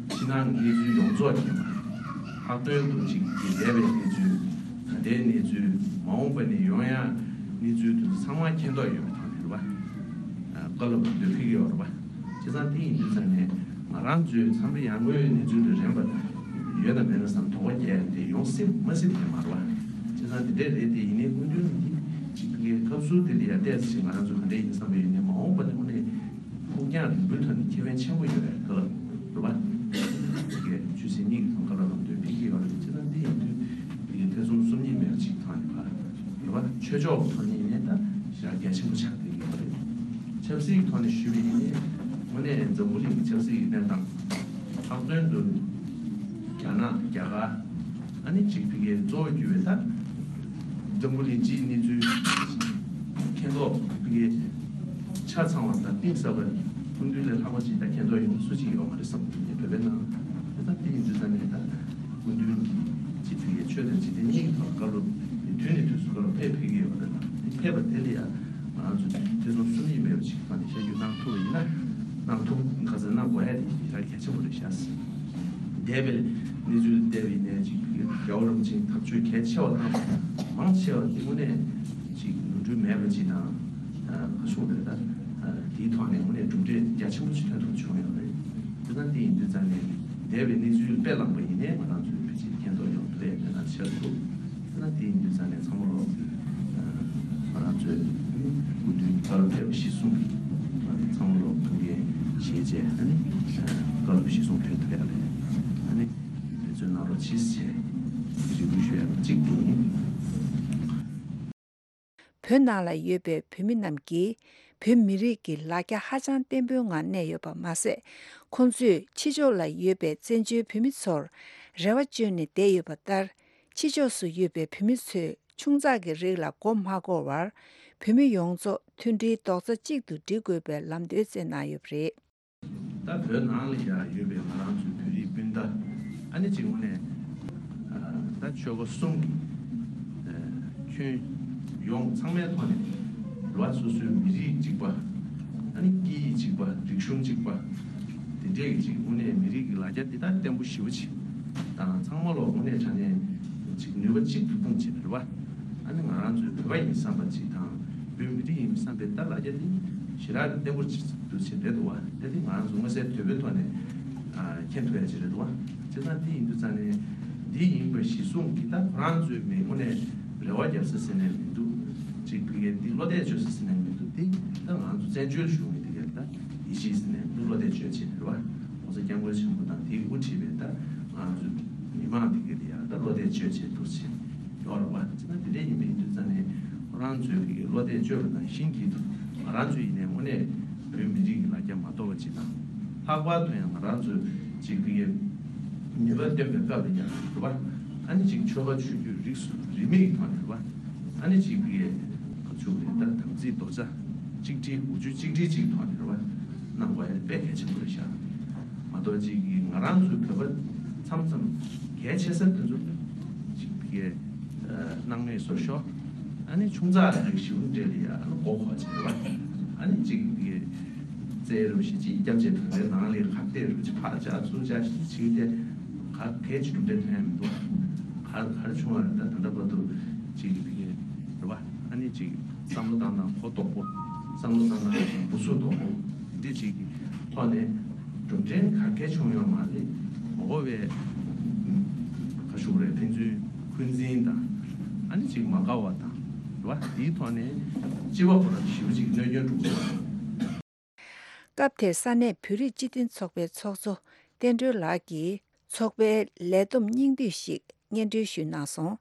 ཕྱི་ནང་གི་གནས་ཚུལ་ཡོངས་རྫོགས་མཁྱེན་པ། ལྷག་དོན་དུ་ཅིག་གི་འདས་པའི་གནས་ཚུལ། ད་ལྟའི་གནས་ཚུལ། མ་འོངས་པ་ནས་ཡོང་ཡག་གནས་ཚུལ་དུ་ཚང་མ་མཁྱེན་རྟོགས་ཡོད་པའི་ཐོག་ནས་རེད་བ། བཀའ་སློབ་ལམ་སྟོན་ཕེབས་ཀྱི་ཡོད་རེད་བ། བྱས་ཙང་དེ་ཡིན་དུས་ཙང་ནས་ང་རང་ཚོའི་འཚམས་འདྲི་ཡར་ངོའི་གནས་ཚུལ་དུ་རན་པ་ཡོད་དང་མེད་ན་བསམ་དོགས་པ་སྐྱེ་ཡ་དེ་ཡོང་སྲིད་མ་སྲིད་དེ་མ་རེད་བ། བྱས་ཙང་དེ་འདྲས་རེད་དེ། ཡིན་ནའི་སྐུ་མདུན་གྱི་ཅིག་གི་སྐབས་སུ་དེ་ལ་ཡ་བལྟས་ཚེ་ང་རང་ཚོ་ག་འདྲས་ཡིན་བསམ་པ་ཡོད་ནའི་མ་འོངས་པ་ནས་དངོས་གནས་ཕུགས་རྒྱང་རིང་པོའི་ཐོག་ནས་ཁེ་ཕན་ཆེན་པོ་ཡོད་པའི་ཐོག་ལ་རེད་བ། ཅིག་གི་ཆོས་སྲིད་གཉིས་ཀྱི་ཐོག་བཀའ་སློབ་ལམ་སྟོན་ཕེབས་ཀྱི་ཡོད་རེད། བྱས་ཙང་དེ་ཡིན་དུས་དེ་གི་ཐེ་ཚོམ་སོམ་ཉི་མེད་པ་ཅིག་ཐོག་ནས་ཕར་རེད་བ། ཆོས་ཕྱོགས་ཐོག་ནས་ཡིན་ནའི་ད་ཞེ་དྲག་གལ་ཆེན་པོ་ཆགས་བསྡད་ཀྱི་ཡོད་རེད། ཆབ་སྲིད་ཐོག་ནས་ཞུས་པ་ཡིན་ནའི་དངོས་གནས་འཛམ་བུ་གླིང་གི་ཆབ་སྲིད་ཀྱི་གནས་སྟངས། ལྷག་དོན་དུ་རྒྱ་ནག་རྒྱ་གར། ཨ་ནི་ཅིག་ཕ་གིའི་གཙོ་བོ་གྱུར་པའི་ད་འཛམ་བུ་གླིང་སྤྱིའི་གནས་ཚུལ་མཁྱེན་རྟོགས་ཕ་གིའི་ཆ་ཚང་བ་དང་གཏིང་ཟབ་པ་སྐུ་མདུན་ལས་ལྷག་པ་ཅིག་ད་མཁྱེན་རྟོགས་ཡོང་སུ་ཅིག་ཡོད་མ་རེད་བསམ་གྱི་འདུག་བོད་པའི་ནང་། དེ་ད་དེ་ཡིན་དུས་ཙང་ནས་ད་སྐུ་མདུན་གྱི་ཅིག་ཕ་གིའི་ཆོས་དང་འཇིག་རྟེན་གཉིས་ཀྱི་ཐོག་བཀའ་སློབ་དུས་ནས་དུས་སུ་བཀའ་སློབ་ཕེབས་ཕེབས་ཀྱི་ཡོད་པ་རེད་ལ། དེ་ཕེབས་པ་དེ་ལ་ཡང་ང་རང་ཚོ་ཐེ་ཚོམ་སོམ་ཉི་མེད་པ་ཅིག་ཐོག་ནས་ཤར་བསྐྱོད་གནང་ཐུབ་པ་ཡིན་ན། གནང་ཐུབ་ཁ་སང་གནང་དགོས་ཡ་དེ་ཞེ་དྲག་གལ་ཆེན་པོ་རེད་ཤག་འདས་པའི་གནས་ཚུལ་བལྟས་པ་ཡིན་ནའི་ཅིག་རྒྱལ་བ་རིན་པོ་ཆེའི་ཐག་གཅོད་གལ་ཆེ་བ་གནང་བ་མང་ཆེ་བ་དེ་དངོས་གནས་ཅིག་ནོར་འཁྲུལ་མེད་པ་ཅིག་དང་། ཁ་ཕྱོགས་རེད་ད། དེའི་ཐོག་ནས་དངོས་གནས་གྲུབ་འབྲས་རྒྱ་ཆེན་པོ་ཞིག་ཐོན་ཐུབ་བྱུང་ཡོད་རེད། དེ་ལྟར་དེ་ཡིན་དུས་ཙང་ནས་འདས་པའི་གནས་ཚུལ་དཔེ་བླངས་པ་ཡིན་ནའི་ང་རང་ཚོའི་ཕལ་ཆེར་མཁྱེན་རྟོགས་ཡོང་ཐུབ་པའི་གནས་སྟངས་ཆགས་འདུག་དེ་ལྟར་དེ་ཡིན་དུས་ཙང་ནས་ཚང་མ་ལོ། ང་རང་ཚོའི་སྐུ་མདུན་བཀའ་སློབ་ཕེབས་པ་གཞིར་བཟུང་གིས་ཚང་མ་ལོ་ཕུགས་འགན་བཞེས་བྱས། ཨ་ནི་བཀའ་སློབ་གཞིར་བཟུང་ཕེབས་ཐུབ་ཡ་ལ་ཨ་ནི་འབད་བརྩོན་གནང་རོགས་གྱིས་ཞེས་རེ་སྐུལ་ཞུ་ཡ་གཅིག་དེ་ཡིན། བོད་ནང་ལ་ཡོད་པའི་བོད་མི་རྣམས་ཀྱིས་བོད་མི་རིགས་ཀྱི་ལ་རྒྱ་ཧ་ཅང་བརྟན་པོའི་ངང་གནས་ཡོད་པ་མ་ཟད། ཁོང་ཚོས་ཕྱི་ཕྱོགས་ལ་ཡོད་པའི་བཙན་བྱོལ་བོད་མི་ཚོར་རེ་བ་བཅོལ་ནས་བསྡད་ཡོད་པ་ལྟར། ཕྱི་ཕྱོགས་སུ་ཡོད་པའི་བོད་མི་ཚོས་ཆུང་ཙག་གི་རིགས་ལ་མགོ་མ་འཁོར་བར། བོད་མི་ཡོངས་རྫོགས་མཐུན་སྒྲིལ་རྡོག་རྩ་གཅིག་ཏུ་སྒྲིལ་དགོས་པའི་ལམ་སྟོན་བསྩལ་གནང་ཡོད་པ་རེད། ད་བོད་ནང་ལ་ཡང་ཡོད་པའི་ང་རང་ཚོའི་བོད་རིགས་སྤུན་ཟླ། ཨ་ནི་གཅིག་དངོས་གནས་ད་ཆོལ་ཁ་གསུམ་གྱི་ཁྱོན་ཡོངས་ཚང་མའི་ཐོག་ནས་ལ་སོ་སོའི་མི་རིགས་གཅིག་པ། ཨ་ནི་སྐད་ཡིག་གཅིག་པ། རིག་གཞུང་གཅིག་པ། དེ་འདྲས་ཀྱི་གཅིག་དངོས་གནས་མི་རིགས་ཀྱི་ལ་རྒྱ་འདི་དག་བརྟན་པོ་ཞེ་པོ་ཅིག་དང་། ཚང་མ་ལོ་དངོས་གནས་དྲང་གནས་གཅིག་ནུས་པ་གཅིག་ཏུ་སྤུངས་བྱས་པ་རེད་བ། ཨ་ནི་ང་རང་ཚོའི་བོད་པ་ཡིན་བསམ་པ་ཅིག་དང་། བོད་མི་རིགས་ཡིན་བསམ་པའི་ད་ལ་རྒྱ་དེ་ཞེ་དྲག་བརྟན་པོ་ཅིག་འདུག་ཅེས་རེད་འདུག་བ། དེ་དེ་ང་རང་ཚོ་མངོན་གསལ་དོད་པོའི་ཐོག་ནས་མཁྱེན་ཐུབ་ཡ་ཅིག་རེད་འདུག་བ། བྱས་ཙང་དེ་ཡིན་དུས་ཙང་ནས་འདི་ཡིན་པ་གཞིར་བཟུང་གིས་ད་ཁོ་རང་ཚོའི་མི་དངོས་གནས་རེ་བ་རྒྱབ་ས་ཟེར་ནས་མི་འདུག་ཅིག་ཕ་གིར་འདི་བློ་གཏད་བཅོལ་ས་ཟེར་ནས་མི་འདུག་འདི་ད་ང་རང་ཚོ་བཙན་བྱོལ་གཞུང་གི་དེ་གར་ད་ཡིད་ཆེས་ཟེར་ནས་འདུག་བློ་གཏད་བཅོལ་བྱས་རེད་བ། ༸གོང་ས་༸སྐྱབས་མགོན་ཆེན་པོ་དང་དེའི་དབུ་ཁྲིད་པའི་ད་ང་ཚོ་མི་མང་དེ་ག་ལ་ཡང་ད་བློ་གཏད་བཅོལ་བྱས་འདུག་ཟེར་ཡོད་རེད་བ། བྱས་ན་དེ་འདྲ་ཡིན་པ་ཡིན་དུས་ཙང་ནས་ཁོ་རང་ཚོས་གི་བློ་གཏད་བཅོལ་བ་ནང་བཞིན་གྱི་ང་རང་ཚོ་ཡིན་ནའི་དངོས་གནས་བོད་མི་རིགས་ཀྱི་ལ་རྒྱ་མ་གཏོགས་པ་ཅིག་དང་། ལྷག་པར་དུ་ཡང་ང་རང་ཚོས་ཅིག་གི་ནུས་པ་བཏོན་པའི་སྐབས་ལ་ཡང་རེད་བ། ཨ་ནི་ཅིག་ཆོལ་ཁ་ཆོས་བརྒྱུད་རིས་སུ་རིས་མེད་ཀྱི་ཐོག་ནས་རེད་བ། ཨ་ནི་གཅིག་པའི་ག་ཚོད་རེད་ད། དམ་ཚིག་རྡོག་རྩ་གཅིག་སྒྲིལ། འོ་ཆུ་གཅིག་སྒྲིལ་གཅིག་ཐོག་ནས་རེད་བ། གནང་དགོས་ཡ་དཔེ་གལ་ཆེན་པོ་རེད་ཤག་མ་གཏོགས་གཅིག་གིས་ང་རང་ཚོའི་བོད་པ་མཚམས་མཚམས་གལ་ཆེ་ས་དེ་ཚོ་གཅིག་པའི་སྣང་མེད་བཟོ་ཤོག་ཨ་ནི་ཆུང་ཙག་རིགས་ཞིག་འདྲ་ལ་ཡ་ཨ་ནི་མགོ་འཁོར་བྱེད་རེད་བ། ཨ་ནི་གཅིག་པའི་རྩེད་རུ་ཞིག་ཅིག་སྐྱབས་རྗེ་བོད་པའི་ནང་ལ་ཁ་གཏད་རུ་ཅིག་ཕར་བཅག་ཚུར་བཅག་ཞིག་བྱས་ཏེ་ག་གལ་ཆེ་གྲུབ་འབྲས་ཐོན་ཡ་མི་འདུག་ག་ག་རེ་བྱུང་བ་རེད་ད། ད་ལྟ་བར་དུ་གཅིག་གི་ཕ་གི་རེད་བ། ཨ་ནི་གཅིག་བསམ་བློ་བཏང་སྟངས་གོ་ལྡོག་པོ། བསམ་བློ་བཏང་སྟངས་གཅིག་འབུ་ཚུགས་ལྡོག་པོ། འདི་གཅིག་གི་ཐོག་ནས་གྲུབ་འབྲས་ག་གལ་བྱུང་ཡོད་མ་རེད། མ་གོ་བའི་ ཅིག་མ་དགའ་བ་དང་། རེད་བ། དེའི་ཐོག་ནས་སྤྱི་པ་ཁོ་རང་ཞེ་པོ་ཅིག་གནོད་སྐྱོན་འགྲོ་གི་ཡོད། སྐབས་དེར་ས་གནས་བོད་རིགས་སྤྱི་མཐུན་ཚོགས་པའི་ཚོགས་གཙོ་བསྟན་སྒྲོལ་ལགས་ཀྱིས་ཚོགས་པའི་ལས་བསྡོམས་སྙིང་བསྡུས་ཤིག་སྙན་སྒྲོན་ཞུས་གནང་སོང་།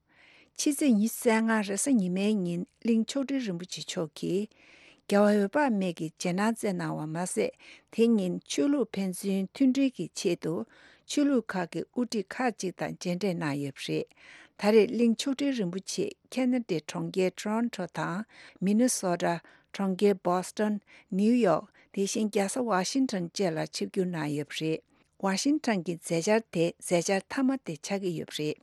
ཕྱི་ཚེས་ཉི་ཤུ་རྩ་ལྔ་རེས་གཟའ་ཉི་མའི་ཉིན་གླིང་མཆོག་སྤྲུལ་རིན་པོ་ཆེ་མཆོག་གིས་རྒྱལ་བ་འོད་དཔག་མེད་ཀྱི་རྗེས་གནང་བསྩལ་གནང་བ་མ་ཟད། དེ་ཉིན་ཆོས་ལུགས་ཕན་ཚུན་མཐུན་སྒྲིལ་གྱི་ཆེད་དུ་ཆོས་ལུགས་ཁག་གི་དབུ་ཁྲིད་ཁག་ཅིག་དང་མཇལ་འཕྲད་གནང་ཡོད་པ་རེད། ད་རེས་གླིང་མཆོག་སྤྲུལ་རིན་པོ་ཆེ་ཁེ་ན་ཌའི་གྲོང་ཁྱེར་ཊོ་རོན་ཊོ་དང་། མི་ནི་སོ་ཊ། གྲོང་ཁྱེར་བྷོ་སི་ཊོན། ནིའུ་ཡོག་དེ་བཞིན་རྒྱལ་ས་ཝ་ཤིང་ཊོན་བཅས་ལ་ཆིབས་བསྒྱུར་གནང་ཡོད་པ་རེད། ཝ་ཤིང་ཊོན་གྱི་མཛད་འཆར་དེ་མཛད་འཆར་མཐའ་མ་དེ་ཆགས་ཀྱི་ཡོད་པ་རེད།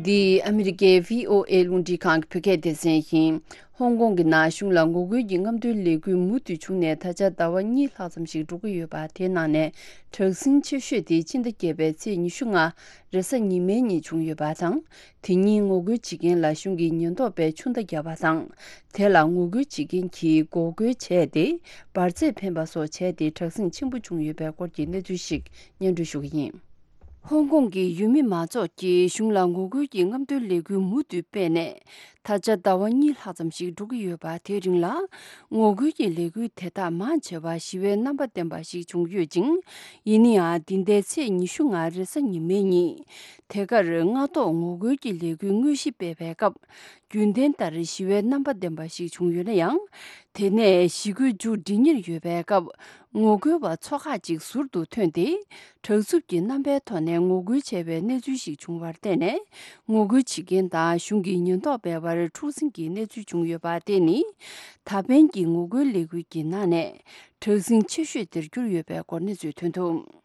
འདི་ཨ་མི་རི་ཀའི་བྷི་ཨོ་ཨེ་རླུང་འཕྲིན་ཁང་གི་བོད་སྐད་སྡེ་ཚན་ཡིན། ཧོང་ཀོང་གི་ནང་གཞུང་ལ་ངོ་རྒོལ་གྱི་རྔམ་སྟོན་ལས་འགུལ་མུ་མཐུད་བྱུང་ནས་ད་ཆ་ཟླ་བ་གཉིས་ལྷག་ཙམ་ཞིག་འགྲོ་གི་ཡོད་པ། དེའི་ནང་ནས་དྲག་ཟིང་ཆེ་ཤོས་དེ་ཕྱི་ཟླ་བརྒྱད་པའི་ཚེས་ཉི་ཤུ་ལྔ་རེས་གཟའ་ཉི་མའི་ཉིན་བྱུང་ཡོད་པ་དང་། དེ་ཉིན་ངོ་རྒོལ་བྱེད་མཁན་ལ་གཞུང་གི་ཉེན་རྟོག་པས་ཆུ་མདའ་བརྒྱབ་པ་དང་། དེ་ལ་ངོ་རྒོལ་བྱེད་མཁན་གྱིས་འགོག་རྒོལ་བྱས་ཏེ་འབར་རྫས་འཕེན་པ་སོགས་བྱས་ཏེ་དྲག་ཟིང་ཆེན་པོ་བྱུང་ཡོད་པའི་སྐོར་གྱི་གནས་ཚུལ་ཞིག་སྙན་སྒྲོན་ཞུ་གི་ཡིན། ཧོང་ཀོང་གི་ཡུལ་མི་མང་ཚོགས་ཀྱིས་གཞུང་ལ་ངོ་རྒོལ་གྱི་རྔམ་སྟོན་ལས་འགུལ་མུ་མཐུད་སྤེལ་ནས། ད་ཆ་ཟླ་བ་གཉིས་ལྷག་ཙམ་ཞིག་འགྲོ་གི་ཡོད་པ། དེའི་རིང་ལ་ངོ་རྒོལ་གྱི་ལས་འགུལ་དེ་དག་མང་ཆེ་བ་ཞི་བའི་རྣམ་པ་ལྡན་པ་ཞིག་བྱུང་ཡོད་ཅིང་། ཡིན་ན་ཡང་། འདི་ཟླའི་ཚེས་ཉི་ཤུ་ལྔ་རེས་གཟའ་ཉི་མའི་ཉིན། དེ་གར་སྔ་ཐོག་ངོ་རྒོལ་གྱི་ལས་འགུལ་དངོས་གཞི་སྤེལ་བའི་སྐབས། རྒྱུན་ལྡན་ལྟར་ཞི་བའི་རྣམ་པ་ལྡན་པ་ཞིག་བྱུང་ཡོད་ན་ཡང་། དེ་ནས་ཞི་རྒོལ་མཇུག་སྒྲིལ་ཉེར་ཡོད་པའི་སྐབས། ངོ་རྒོལ་བ་ཚོ་ཁག་ཅིག་ཟུར་དུ་ཐོན་ཏེ། དྲག་རྩུབ་ཀྱི་རྣམ་པའི་ཐོག་ནས་ངོ་རྒོལ་བྱས་པའི་གནས་ཚུལ་ཞིག་བྱུང་བར་བརྟེན་ནས། ངོ་རྒོལ་བྱེད་མཁན་དང་གཞུང་གི་ཉེན་རྟོག་པའི་བར་འཁྲུག་ཟིང་གི་གནས་ཚུལ་བྱུང་ཡོད་པ། དེ་ནི་ད་ཕན་གྱི་ངོ་རྒོལ་ལས་འགུལ་གྱི་ནང་ནས་དྲག་ཟིང་ཆེ་ཤོས་དེར་གྱུར་ཡོད་པའི་སྐོར་གནས་ཚུལ་ཐོན་འདུག།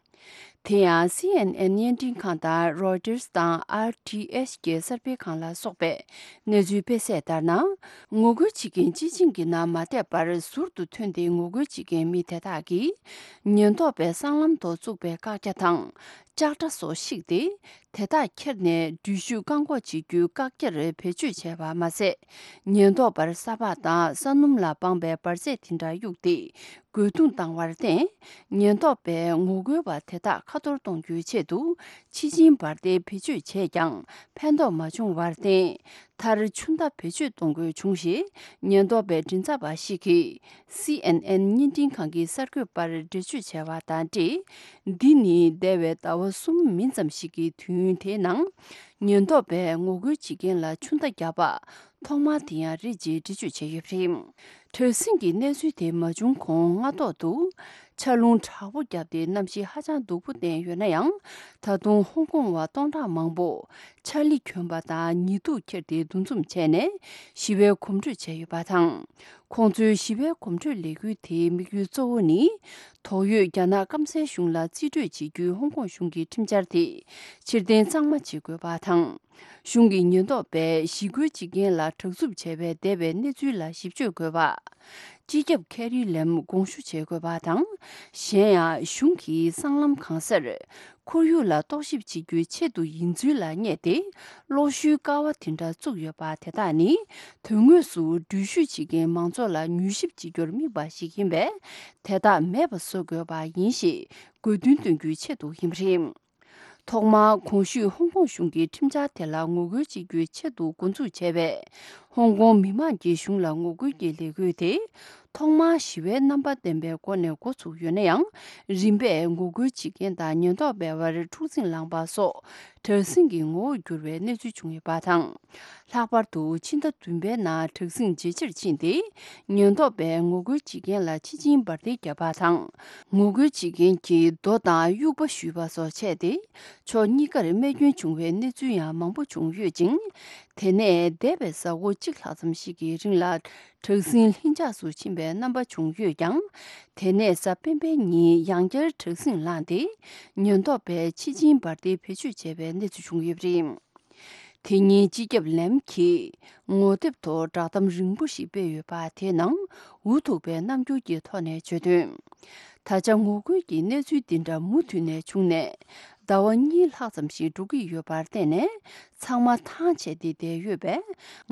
དེ་ཡང་། སི་ཨེན་ཨེན་བརྙན་འཕྲིན་ཁང་དང་། རོའི་ཊར་དང་། ཨར་ཊི་ཨེཆ་གི་གསར་སྤེལ་ཁང་ལ་སོགས་པས་གནས་ཚུལ་སྤེལ་གསལ་ལྟར་ན། ངོ་རྒོལ་བྱེད་མཁན་སྤྱི་བྱིངས་ཀྱི་ནང་མ་བསྡད་པར་ཟུར་དུ་ཐོན་ཏེ་ངོ་རྒོལ་བྱེད་མཁན་མི་དེ་དག་གིས་ཉེན་རྟོག་པའི་སྲང་ལམ་ཐོག་བཙུགས་པའི་བཀག་རྒྱ་དང་། ལྕགས་དྲ་སོགས་བཤིག་སྟེ། དེ་དག་ཁྱེར་ནས་འགྲུལ་བཞུད་བཀག་འགོག་བྱེད་རྒྱུའི་བཀག་རྒྱར་བེད་སྤྱོད་བྱས་པ་མ་ཟད། ཉེན་རྟོག་པར་ས་ཕག་དང་ས་སྣུམ་ལ་དཔག་པའི་འབར་རྫས་དེ་འདྲ་གཡུགས་ཏེ། རྒོལ་རྡུང་བཏང་བར་བརྟེན། ཉེན་རྟོག་པས་ངོ་རྒོལ་བ་དེ་དག་ཁ་གཏོར་གཏོང་རྒྱུའི་ཆེད་དུ། ཕྱི་ཆིངས་འབར་མདེལ་བེད་སྤྱོད་བྱས་ཀྱང་ཕན་ཐོགས་མ་བྱུང་བར་བརྟེན། མཐར་ཆུ་མདའ་བེད་སྤྱོད་གཏོང་དགོས་བྱུང་ཞེས། ཉེན་རྟོག་པའི་མགྲིན་ཚབ་པ་ཞིག་གིས། སི་ཨེན་ཨེན་བརྙན་འཕྲིན་ཁང་གི་གསར་འགོད་པར་འགྲེལ་བརྗོད་བྱས་པ་དང་འབྲེལ། འདི་ནི་འདས་པའི་ཟླ་བ་གསུམ་མིན་ཙམ་ཞིག་གི་དུས་ཡུན་དེའི་ནང་། ཉེན་རྟོག་པས་ངོ་རྒོལ་བྱེད་མཁན་ལ་ཆུ་མདའ་བརྒྱབ་པ། ཐོག་མ་དེ་ཡང་རེད་ཅེས་འགྲེལ་བརྗོད་བྱས་ཡོད་པ་རེད། དྲག་ཟིང་གི་གནས་ཚུལ་དེ་མ་བྱུང་གོང་། སྔ་ཐོག་ཏུ་ཆར་རླུང་དྲག་པོ་བརྒྱབ་སྟེ་གནམ་གཤིས་ཧ་ཅང་སྡུག་པོ་བསྟན་ཡོད་ན་ཡང་། ད་དུང་ཧོང་ཀོང་བ་སྟོང་ཕྲག་མང་པོ་ཆར་ལི་གྱོན་པ་དང་ཉི་གདུགས་ཁྱེར་ཏེ་འདུ་འཛོམས་བྱས་ནས་ཞི་བའི་གོམ་བགྲོད་བྱས་ཡོད་པ་དང་། ཁོང་ཚོའི་ཞི་བའི་གོམ་བགྲོད་ལས་འགུལ་དེའི་དམིགས་ཡུལ་གཙོ་བོ་ནི། དོགས་ཡོད་རྒྱ་ནག་སྐམ་སའི་གཞུང་ལ་རྩིས་སྤྲོད་བྱེད་རྒྱུའི་ཧོང་ཀོང་གཞུང་གི་ཁྲིམས་འཆར་དེ་ཕྱིར་འཐེན་གཙང་མ་བྱེད་དགོས་པ་དང་། གཞུང་གི་ཉེན་རྟོག་པས་ཞི་རྒོལ་བྱེད་མཁན་ལ་དྲག་རྩུབ་བྱས་པའི་འདས་པའི་གནས་ཚུལ་ལ་ཞིབ་དཔྱོད་དགོས་པ། སྤྱི་ཁྱབ་ཁེ་རི་ལེམ་དགོངས་ཞུ་བྱེད་དགོས་པ་དང་། གཞན་ཡང་། གཞུང་གིས་སྲང་ལམ་གང་སར་ཁོར་ཡུག་ལ་རྟོག་ཞིབ་བྱེད་རྒྱུའི་ཆེད་དུ་ཡིན་ཚུལ་ལ་བསྙད་དེ། གློག་ཤུལ་ཀ་བ་དེ་འདྲ་བཙུགས་ཡོད་པ་དེ་དག་ནི། དོན་དངོས་སུ་འགྲུལ་བཞུད་བྱེད་མཁན་མང་ཚོགས་ལ་མྱུལ་ཞིབ་བྱེད་རྒྱུར་དམིགས་པ་ཞིག་ཡིན་པས། དེ་དག་མེད་པ་བཟོ་དགོས་པ་ཡིན་ཞེས་དགོས་འདུན་འདོན་རྒྱུའི་ཆེད་དུ་ཡིན་པ་རེད། ཐོག་མར་གོང་ཞུས་ཧོང་ཀོང་གཞུང་གི་ཁྲིམས་འཆར་དེ་ལ་ངོ་རྒོལ་བྱེད་རྒྱུའི་ཆེད་དུ་འགོ་འཛུགས་བྱས་པའི་ཧོང་ཀོང་མི་མང་གི་གཞུང་ལ་ངོ་རྒོལ་གྱི་ལས་འགུལ་དེ། ཐོག་མར་ཞི་བའི་རྣམ་པ་ལྡན་པའི་སྒོ་ནས་འགོ་ཚུགས་ཡོད་ན་ཡང་། རིམ་པས་ངོ་རྒོལ་བྱེད་མཁན་དང་ཉེན་རྟོག་པའི་བར་འཁྲུག་འཛིང་ལངས་པ་སོགས་དྲག་ཟིང་གི་ངོ་བོར་གྱུར་བའི་གནས་ཚུལ་བྱུང་ཡོད་པ་དང་། ལྷག་པར་དུ་ཕྱི་ཟླ་བདུན་པའི་ནང་དྲག་ཟིང་ཇེ་ཆེར་ཕྱིན་ཏེ། ཉེན་རྟོག་པས་ངོ་རྒོལ་བྱེད་མཁན་ལ་ཕྱི་ཆིངས་འབར་མདེལ་བརྒྱབ་པ་དང་། ངོ་རྒོལ་བྱེད་མཁན་གྱིས་རྡོ་དང་དབྱུག་པ་གཞུས་པ་སོགས་བྱས་ཏེ། ཕྱོགས་གཉིས་ཀར་རྨས་སྐྱོན་བྱུང་བའི་གནས་ཚུལ་ཡང་མང་པོ་བྱུང་ཡོད་ཅིང་། དེ་ནས་འདས་པའི་གཟའ་འཁོར་གཅིག་ལྷག་ཙམ་ཞིག་གི་རིང་ལ། དྲག་ཟིང་ལྷིང་འཇགས་སུ་ཕྱིན་པའི་རྣམ་པ་བྱུང་ཡོད་ཀྱང་། དེ་ནས་གཟའ་སྤེན་པའི་ཉིན་ཡང་བསྐྱར་དྲག་ཟིང་ལངས་ཏེ། ཉེན་རྟོག་པས་ཕྱི་ཆིངས་འབར་མདེལ་བེད་སྤྱོད་བྱས་པའི་གནས་ཚུལ་བྱུང་ཡོད་པ་རེད། དེ་ཉིན་སྤྱི་ཁྱབ་ལེམ་གྱིས་ངོ་དེབ་ཐོག་བསྒྲགས་གཏམ་རིང་པོ་ཞིག་སྤེལ་ཡོད་པ་དེའི་ནང་འུ་ཐུག་པའི་རྣམ་འགྱུར་གྱི་ཐོག་ནས་བརྗོད་དོན། ད་ཆ་ངོ་རྒོལ་གྱི་གནས་ཚུལ་འདི་འདྲ་མུ་མཐུད་ནས་བྱུང་ནས། ཟླ་བ་གཉིས་ལྷག་ཙམ་ཞིག་འགྲོ་གི་ཡོད་པར་བརྟེན་ནས། ཚང་མ་ཐང་ཆད་དེ་བསྡད་ཡོད་པས།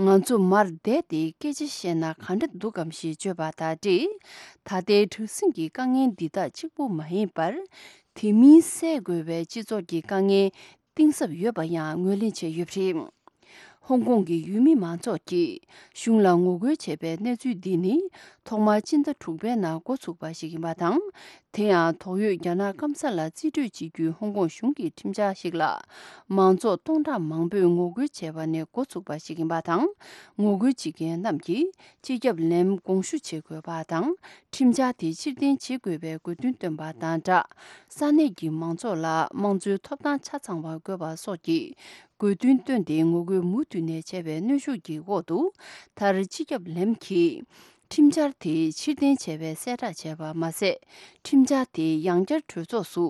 ང་ཚོ་མར་བསྡད་དེ་སྐད་ཆ་བཤད་ན་ག་འདྲ་འདུག་གམ་ཞེས་བརྗོད་པ་དང་འབྲེལ། ད་ལྟའི་དྲག་ཟིང་གི་དཀའ་ངལ་འདི་དག་གཅིག་པུ་མ་ཡིན་པར། དེ་མིན་སེལ་དགོས་པའི་སྤྱི་ཚོགས་ཀྱི་དཀའ་ངལ་གཏིང་ཟབ་ཡོད་པ་ཡང་ངོས་ལེན་བྱས་ཡོད་པ་རེད། ཧོང་ཀོང་གི་ཡུལ་མི་མང་ཚོགས་ཀྱིས་གཞུང་ལ་ངོ་རྒོལ་བྱས་པའི་གནས་ཚུལ་འདི་ནི། ཐོག་མར་སྤྱི་ཟླ་དྲུག་པའི་ནང་འགོ་ཚུགས་པ་ཞིག་ཡིན་པ་དང་། དེ་ཡང་དོགས་ཡོད་རྒྱ་ནག་སྐམ་ས་ལ་རྩིས་སྤྲོད་བྱེད་རྒྱུའི་ཧོང་ཀོང་གཞུང་གི་ཁྲིམས་འཆར་ཞིག་ལ། མང་ཚོགས་སྟོང་ཕྲག་མང་པོས་ངོ་རྒོལ་བྱས་པ་ནས་འགོ་ཚུགས་པ་ཞིག་ཡིན་པ་དང་། ངོ་རྒོལ་བྱེད་མཁན་རྣམས་ཀྱིས་སྤྱི་ཁྱབ་ལེམ་དགོངས་ཞུ་བྱེད་དགོས་པ་དང་། ཁྲིམས་འཆར་དེ་ཕྱིར་འཐེན་བྱེད་དགོས་པའི་དགོས་འདུན་བཏོན་པ་དང་སྦྲགས། ས་གནས་ཀྱི་མང་ཚོགས་ལ་དམངས་གཙོའི་ཐོབ་ཐང་ཆ་ཚང་བ་དགོས་པ་སོགས་ཀྱི་དགོས་འདུན་བཏོན་ཏེ། ངོ་རྒོལ་མུ་མཐུད་ནས་བྱས་པའི་གནོན་ཤུགས་ཀྱི་འོག་ཏུ། མཐར་སྤྱི་ཁྱབ་ལེམ་གྱིས་ཁྲིམས་འཆར་དེ་ཕྱིར་འཐེན་བྱས་པའི་གསལ་བསྒྲགས་བྱས་པ་མ་ཟད། ཁྲིམས་འཆར་དེ་ཡང་བསྐྱར་གྲོས་ཚོགས་སུ་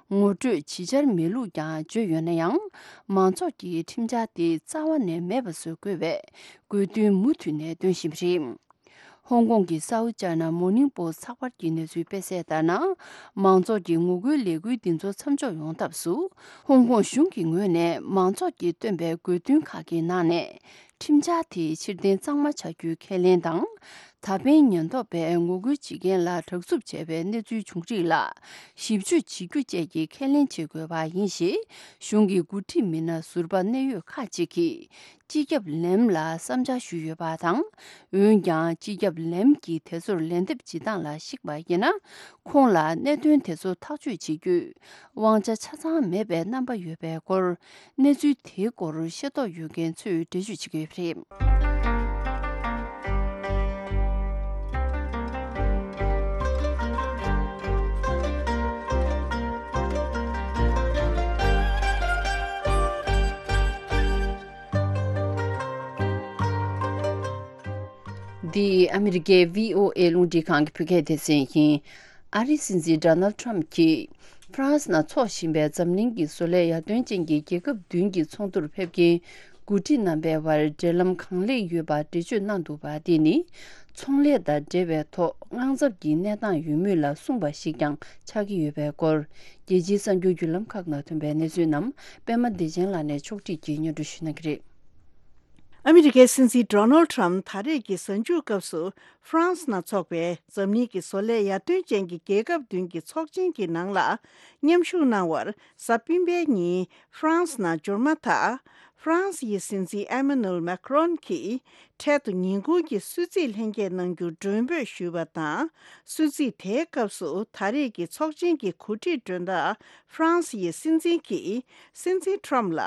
ངོ་སྤྲོད་བྱེད་འཆར་མེད་ལུགས་ཀྱང་བརྗོད་ཡོད་ན་ཡང་། མང་ཚོགས་ཀྱིས་ཁྲིམས་འཆར་དེ་རྩ་བ་ནས་མེད་པ་བཟོ་དགོས་པའི་དགོས་འདུན་མུ་མཐུད་ནས་འདོན་བཞིན་པ་རེད། ཧོང་ཀོང་གི་South China Morning Post ཚགས་པར་གྱི་གནས་ཚུལ་སྤེལ་གསལ་ལྟར་ན། མང་ཚོགས་ཀྱི་ངོ་རྒོལ་ལས་འགུལ་འདི་ཚོ་མཚམས་འཇོག་ཡོང་ཐབས་སུ། ཧོང་ཀོང་གཞུང་གི་ངོས་ནས་མང་ཚོགས་ཀྱིས་བཏོན་པའི་དགོས་འདུན་ཁག་གི་ནང་ནས། ཁྲིམས་འཆར་དེ་ཕྱིར་འཐེན་གཙང་མ་བྱ་རྒྱུའི་ཁས་ལེན་དང་། ད་ཕན་ཉེན་རྟོག་པས་ངོ་རྒོལ་བྱེད་མཁན་ལ་དྲག་རྩུབ་བྱས་པའི་གནས་ཚུལ་བྱུང་རིགས་ལ་ཞིབ་དཔྱོད་བྱེད་རྒྱུ་བཅས་ཀྱི་ཁས་ལེན་བྱེད་དགོས་པ་ཡིན་ཞེས། གཞུང་གི་འགོ་ཁྲིད་མི་སྣ་ཟུར་པ་གནད་ཡོད་ཁག་ཅིག་གིས། སྤྱི་ཁྱབ་ལེམ་ལ་བསམ་འཆར་ཞུས་ཡོད་པ་དང་། འོན་ཀྱང་། སྤྱི་ཁྱབ་ལེམ་གྱིས་དེ་ཚོར་ལན་འདེབས་བྱེད་སྟངས་ལ་གཞིགས་པ་ཡིན་ན། ཁོང་ལ་གནད་དོན་དེ་ཚོ་ཐག་གཅོད་བྱེད་རྒྱུའི་དབང་ཆ་ཆ་ཚང་མེད་པའི་རྣམ་པ་ཡོད་པའི་སྐོར། གནས་ཚུལ་དེའི་སྐོར་ཤེས་རྟོགས་ཡོད་མཁན་ཚོས་འགྲེལ་བརྗོད་བྱེད་ཀྱི་ཡོད་པ་རེད། འདི་ཨ་མི་རི་ཀའི་བྷི་ཨོ་ཨེ་རླུང་འཕྲིན་ཁང་གི་བོད་སྐད་སྡེ་ཚན་ཡིན། ཨ་རིའི་སྲིད་འཛིན་ཌོ་ནལ་ཊམ་གྱིས་ཧྥ་རན་སི་ནང་འཚོགས་བཞིན་པའི་འཛམ་གླིང་གི་བཟོ་ལས་ཡར་ཐོན་ཅན་གྱི་རྒྱལ་ཁབ་བདུན་གྱི་ཚོགས་འདུར་ཕེབས་མཁན་འགོ་ཁྲིད་རྣམ་པའི་བར་འབྲེལ་ལམ་གང་ལེགས་ཡོད་པ་འགྲེལ་བརྗོད་གནང་འདུག་པ། འདི་ནི་ཚོང་ལས་དང་འབྲེལ་བའི་ཐོག་དངངས་འཚབ་ཀྱི་གནས་སྟངས་ཡོད་མུས་ལ་གསུངས་པ་ཞིག་ཀྱང་ཆགས་ཀྱི་ཡོད་པའི་སྐོར། རྒྱལ་སྤྱིའི་གསར་འགྱུར་བརྒྱུད་ལམ་ཁག་ནང་ཐོན་པའི་གནས་ཚུལ་རྣམས་པད་མ་བདེ་ཆེན་ལགས་ནས་ཕྱོགས་སྒྲིག་གིས་སྙན་སྒྲོན་ཞུ་གནང་གི་རེད། ཨ་མི་རི་ཀའི་སྲིད་འཛིན་ཌོ་ནལ་ཊམ་ད་རེས་ཀྱི་གཟའ་མཇུག་སྐབས་སུ་ཧྥ་རན་སི་ནང་འཚོགས་པའི་འཛམ་གླིང་གི་བཟོ་ལས་ཡར་ཐོན་ཅན་གྱི་རྒྱལ་ཁབ་བདུན་གྱི་ཚོགས་ཆེན་གྱི་ནང་ལ་མཉམ་ཞུགས་གནང་བར་གཟའ་སྤེན་པའི་ཉིན་ཧྥ་རན་སི་ནང་འབྱོར་མ་ཐག་ཧྥ་རན་སི་ཡི་སྲིད་འཛིན་ཨེ་མ་ནུ་ཨེལ་མེ་ཁ་རོན་གྱིས་འཕྲལ་དུ་ཉིན་གུང་གི་གསོལ་ཚིགས་ལྷན་རྒྱས་གནང་རྒྱུ་མགྲོན་འབོད་ཞུས་པ་དང་། གསོལ་ཚིགས་དེའི་སྐབས་སུ་ད་རེས་ཀྱི་ཚོགས་ཆེན་གྱི་གོ་སྒྲིག་མགྲོན་བདག་ཧྥ་རན་སི་ཡི་སྲིད་འཛིན་གྱིས་སྲིད་འཛིན་ཊམ་ལ་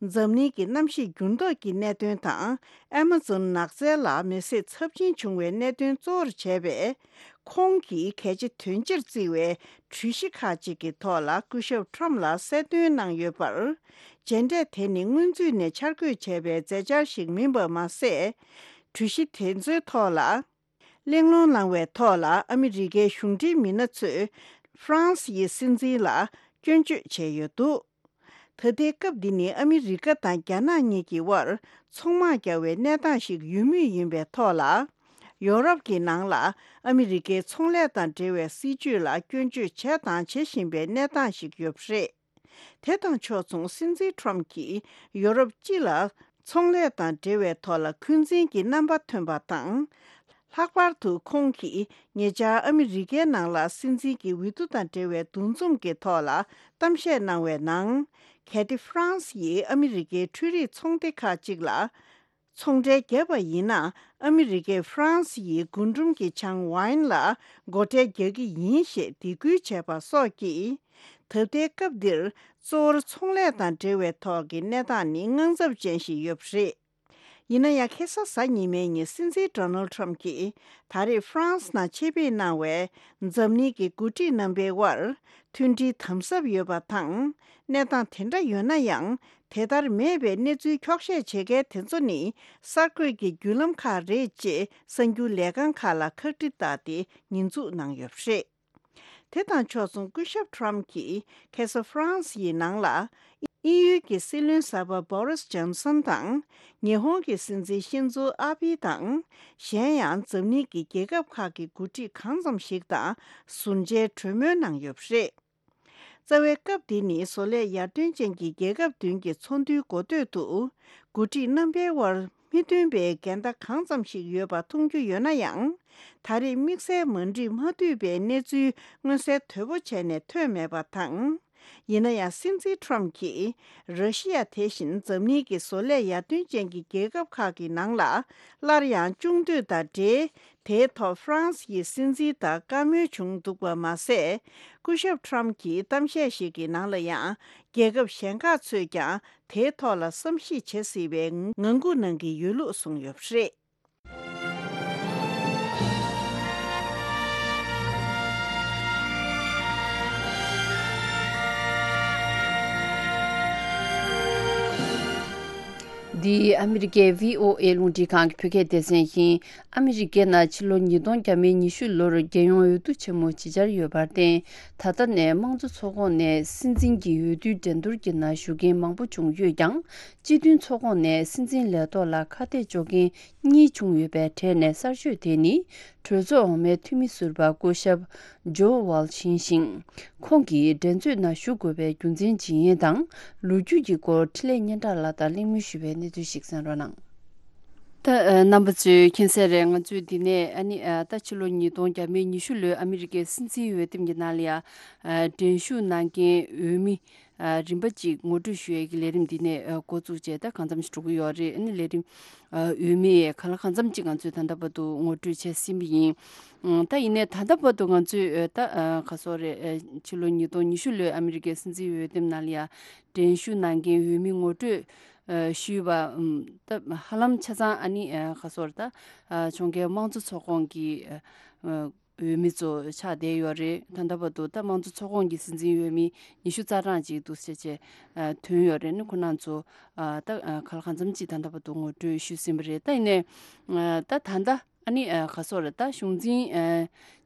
འཛམ་གླིང་གི་གནམ་གཤིས་འགྱུར་ལྡོག་གི་གནད་དོན་དང་། ཨེ་མ་ཛོན་ནགས་ཚལ་ལ་མེ་བསྲེགས་ཚབས་ཆེན་བྱུང་བའི་གནད་དོན་གཙོ་བོར་བྱས་པས། ཁོང་གིས་གལ་ཆེ་དོན་ཆེར་བརྩི་བའི་གྲོས་གཞི་ཁག་ཅིག་གི་ཐོག་ལ་སྐུ་ཞབས་ཊམ་ལ་གསལ་སྟོན་གནང་ཡོད་པར། མཇལ་འཕྲད་དེ་ནི་སྔོན་ཚུད་ནས་འཆར་འགོད་བྱས་པའི་མཛད་འཆར་ཞིག་མིན་པ་མ་ཟད། གྲོས་གཞི་དེ་ཚོའི་ཐོག་ལ་གླེང་སློང་གནང་བའི་ཐོག་ལ་ཨ་མི་རི་ཀའི་གཞུང་འབྲེལ་མི་སྣ་ཚོས་ཧྥ་རན་སི་ཡི་སྲིད་འཛིན་ལ་སྐྱོན་བརྗོད་བྱས་ཡོད་འདུག་ད་ལྟའི་སྐབས་འདི་ནི་ཨ་མི་རི་ཀ་དང་རྒྱ་ནག་གཉིས་ཀྱི་དབར་ཚོང་དམག་རྒྱག་པའི་གནས་སྟངས་ཤིག་ཡོད་མུས་ཡིན་པའི་ཐོག་ལ། ཡོ་རོབ་ཀྱི་ནང་ལ་ཨ་མི་རི་ཀའི་ཚོང་ལས་དང་འབྲེལ་བའི་སྲིད་ཇུས་ལ་སྐྱོན་བརྗོད་བྱས་དང་བྱེད་བཞིན་པའི་གནས་སྟངས་ཤིག་ཡོད་པ་རེད། དེ་དང་ཕྱོགས་མཚུངས་སྲིད་འཛིན་ཊམ་གྱིས་ཡོ་རོབ་སྤྱི་ལ་ཚོང་ལས་དང་འབྲེལ་བའི་ཐོག་ལ་འཁོན་འཛིན་གྱི་རྣམ་པ་ཐོན་པ་དང་། ལྷག་པར་དུ་ཁོང་གིས་ཉེ་ཆར་ཨ་མི་རི་ཀའི་ནང་ལ་སྲིད་འཛིན་གྱི་འོས་བསྡུ་དང་འབྲེལ་བའི་འདུ་འཛོམས་ཀྱི་ཐོག་ལ་གཏམ་བཤད་གནང་བའི་ནང་། གལ་ཏེ་ཧྥ་རན་སི་ཡིས་ཨ་མི་རི་ཀའི་འཕྲུལ་རིག་ཚོང་སྡེ་ཁག་ཅིག་ལ་ཚོང་འབྲེལ་བརྒྱབ་པ་ཡིན་ན། ཨ་མི་རི་ཀས་ཧྥ་རན་སི་ཡི་རྒུན་འབྲུམ་གྱི་ཆང་ཝའིན་ལ་སྒོ་ཁྲལ་རྒྱག་གི་ཡིན་ཞེས་སྡིགས་སྐུལ་བྱས་པ་སོགས་ཀྱིས། ད་ལྟའི་སྐབས་འདིར་གཙོ་བོར་ཚོང་ལས་དང་འབྲེལ་བའི་ཐོག་གི་གནས་སྟངས་ནི་དངངས་འཚབ་ཅན་ཞིག་ཡོད་པ་རེད། ཡིན་ན་ཡང་། ཁ་སང་གཟའ་ཉི་མའི་ཉིན་སྲིད་འཛིན་ཌོ་ནལ་ཊམ་གྱིས་ད་རེས་ཧྥ་རན་སི་ནང་ཆེད་ཕེབས་གནང་བའི་འཛམ་གླིང་གི་འགོ་ཁྲིད་རྣམ་པའི་དབར་མཐུན་སྒྲིལ་དམ་ཟབ་ཡོད་པ་དང་། གནས་སྟངས་དེ་འདྲ་ཡོད་ན་ཡང་། དེ་ལྟར་མེད་པའི་གནས་ཚུལ་འཁྱོག་བཤད་བྱེད་མཁན་དེ་ཚོ་ནི་གསར་འགོད་ཀྱི་བརྒྱུད་ལམ་ཁག་རེད་ཅེས་གསར་འགྱུར་ལས་ཁང་ཁག་ལ་ཁག་དཀྲི་བཏགས་ཏེ་ཉེས་འཛུགས་གནང་ཡོད་པ་རེད། དེ་དང་ཕྱོགས་མཚུངས་སྐུ་ཞབས་ཊམ་གྱིས་ཁ་སང་ཧྥ་རན་སི་ཡི་ནང་ལ་དབྱིན་ཡུལ་གྱི་སྲིད་བློན་གསར་པ་བྷོ་རིས་ཇོན་སན་དང་། ཉི་ཧོང་གི་སྲིད་འཛིན་ཤིན་ཛོ་ཨ་བྷི་དང་། གཞན་ཡང་འཛམ་གླིང་གི་རྒྱལ་ཁབ་ཁག་གི་འགོ་ཁྲིད་གང་ཙམ་ཞིག་དང་ཟུར་མཇལ་གྲོས་མོལ་གནང་ཡོད་པ་རེད། རྩ་བའི་སྐབས་འདི་ནི་བཟོ་ལས་ཡར་ཐོན་ཅན་གྱི་རྒྱལ་ཁབ་བདུན་གྱི་ཚོགས་འདུའི་འགོ་སྟོད་དུ། འགོ་ཁྲིད་རྣམ་པའི་དབར་མི་མཐུན་པའི་འགལ་ཟླ་གང་ཙམ་ཞིག་ཡོད་པ་མཐོང་རྒྱུ་ཡོད་ན་ཡང་། ད་རེས་དམིགས་བསལ་མ་འགྲིག་མ་འཐུས་པའི་གནས་ཚུལ་མངོན་གསལ་དོད་པོ་བྱས་ནས་ཐོན་མེད་པ་དང་། ཡིན་ན་ཡང་། སྲིད་འཛིན་ཁྲོམ་གྱིས་ར་ཤི་ཡ་དེ་བཞིན་འཛམ་གླིང་གི་བཟོ་ལས་ཡར་ཐོན་ཅན་གྱི་རྒྱལ་ཁབ་ཁག་གི་ནང་ལ་སླར་ཡང་སྐྱོང་འདོད་དང་འབྲེལ། དེའི་ཐོག་ཧྥ་རན་སི་ཡི་སྲིད་འཛིན་དང་བཀའ་མོལ་བྱུང་འདུག་པ་མ་ཟད། སྐུ་ཞབས་ཁྲོམ་གྱི་གཏམ་བཤད་ཞིག་གི་ནང་ལ་ཡང་། རྒྱལ་ཁབ་གཞན་ཁག་ཚོས་ཀྱང་དེའི་ཐོག་ལ་བསམ་གཞིག་བྱེད་སྲིད་པའི་ངང་སྒུག་གནང་གི་ཡོད་ལུགས་གསུངས་ཡོད་པ་རེད། འདི་ཨ་མི་རི་ཀའི་བྷི་ཨོ་ཨེ་རླུང་འཕྲིན་ཁང་གི་བོད་སྐད་སྡེ་ཚན་ཡིན། ཨ་མི་རི་ཀའི་ནང་ཕྱི་ལོ་ཉིས་སྟོང་ཉི་ཤུ་ལོར་རྒྱལ་ཡོངས་འོས་བསྡུ་ཆེན་མོ་ཇི་བཅར་ཡོད་པར་བརྟེན། ད་ལྟ་ནས་དམངས་གཙོ་ཚོགས་ཁོངས་ནས་སྲིད་འཛིན་གྱི་འོས་བསྡུའི་འགྲན་བསྡུར་གྱི་ནང་ཞུགས་མཁན་མང་པོ་བྱུང་ཡོད་ཀྱང་། སྤྱི་མཐུན་ཚོགས་ཁོངས་ནས་སྲིད་འཛིན་ལས་ཐོག་ལ་ཁ་གཏད་གཅོག་མཁན་གཉིས་བྱུང་ཡོད་པའི་གྲས་ནས་གསར་ཤོས་དེ་ནི། གྲོས་ཚོགས་འོག་མའི་འཐུས་མི་ཟུར་པ་སྐུ་ཞབས་ཇོ་ཝལ་ཡིན་ཞིང་། ཁོང་གིས་འགྲན་རྩོད་ནང་ཞུགས་དགོས་པའི་རྒྱུ་མཚན་ཇི་ཡིན་དང་། ལོ་རྒྱུས་ཀྱི་སྐོར་འཕྲིན་ལས་སྙན་གྲགས་ལགས་དང་གླེང་མོལ་ཞུས་པའི་གནས་ཚུལ་ཞིག་གསན་རོགས་གནང་། ད་ཨ་རྣམ་པ་ཚོས་མཁྱེན་གསལ་རེད། ང་ཚོས་འདི་ནས་ཨ་ནི་ཨ་ད་ཕྱི་ལོ་ཉིས་སྟོང་ཉི་ཤུ་ལོའི་ཨ་མི་རི་ཀའི་སྲིད་འཛིན་འོས་འདེམས་ཀྱི་ནང་ལ་ཡ་ཨ་འགྲན་ཞུགས་གནང་མཁན་འོས་མི་ཨ་རིམ་པ་གཅིག་ངོ་སྤྲོད་ཞུ་ཡས་ཀྱི་ལས་རིམ་འདི་ནས་ཨ་འགོ་བཙུགས་བྱས་ད་གང་འཚམ་ཞིག་འགྲོ་གི་ཡོད་རེད། ཨ་ནི་ལས་རིམ་ཨ་འོས་མི་གང་ལ་གང་འཚམ་གཅིག་ང་ཚོས་ད་ལྟ་བར་དུ་ངོ་སྤྲོད་བྱས་ཟིན་པ་ཡིན། ཨང་ད་ཡིན་ནའི་ད་ལྟ་བར་དུ་ང་ཚོས་ཨ་ད་ཨ་ག་སོག་རེད། ཨ་ཕྱི་ལོ་ཉིས་སྟོང་ཉི་ཤུ་ལོའི་ཨ་མི་རི་ཀའི་སྲིད་འཛིན་འོས་འདེམས་ནང་ལ་ཡ་འགྲན་ཞུགས་གནང་མཁན་འོས་མི་ངོ་སྤྲོད་ཨ་ཞུས་པ་ཨམ་ད་ཧ་ལམ་ཆ་ཚང་ཨ་ནི་ཨ་ག་སོག་རེད། ད་ཨ་ཕྱོགས་འགལ་དམངས་གཙོ་ཚོགས་ཁོངས་ཀྱི་ཨ་འོས་མི་ཚོ་ཆགས་བསྡད་ཡོད་རེད། ད་ལྟ་བར་དུ་ད་དམངས་གཙོ་ཚོགས་ཁོངས་ཀྱི་སྲིད་འཛིན་འོས་མི་ཉི་ཤུ་རྩ་གྲངས་ཅིག་འདུག་སེ་བྱས་ཨ་ཐོན་ཡོད་རེད། ནི་ཁོ་རང་ཚོ་ཨ་ད་ཨ་ག་ལ་གང་འཚམ་ཅིག་ད་ལྟ་བར་དུ་ངོ་སྤྲོད་ཞུས་ཟིན་པ་རེད། ད་ཡིན་ནའི་ཨ་ད་ད་ལྟ་ཨ་ནི་ཨ་ག་སོག་རེད། ད་གཞུང་འཛིན་ཨ་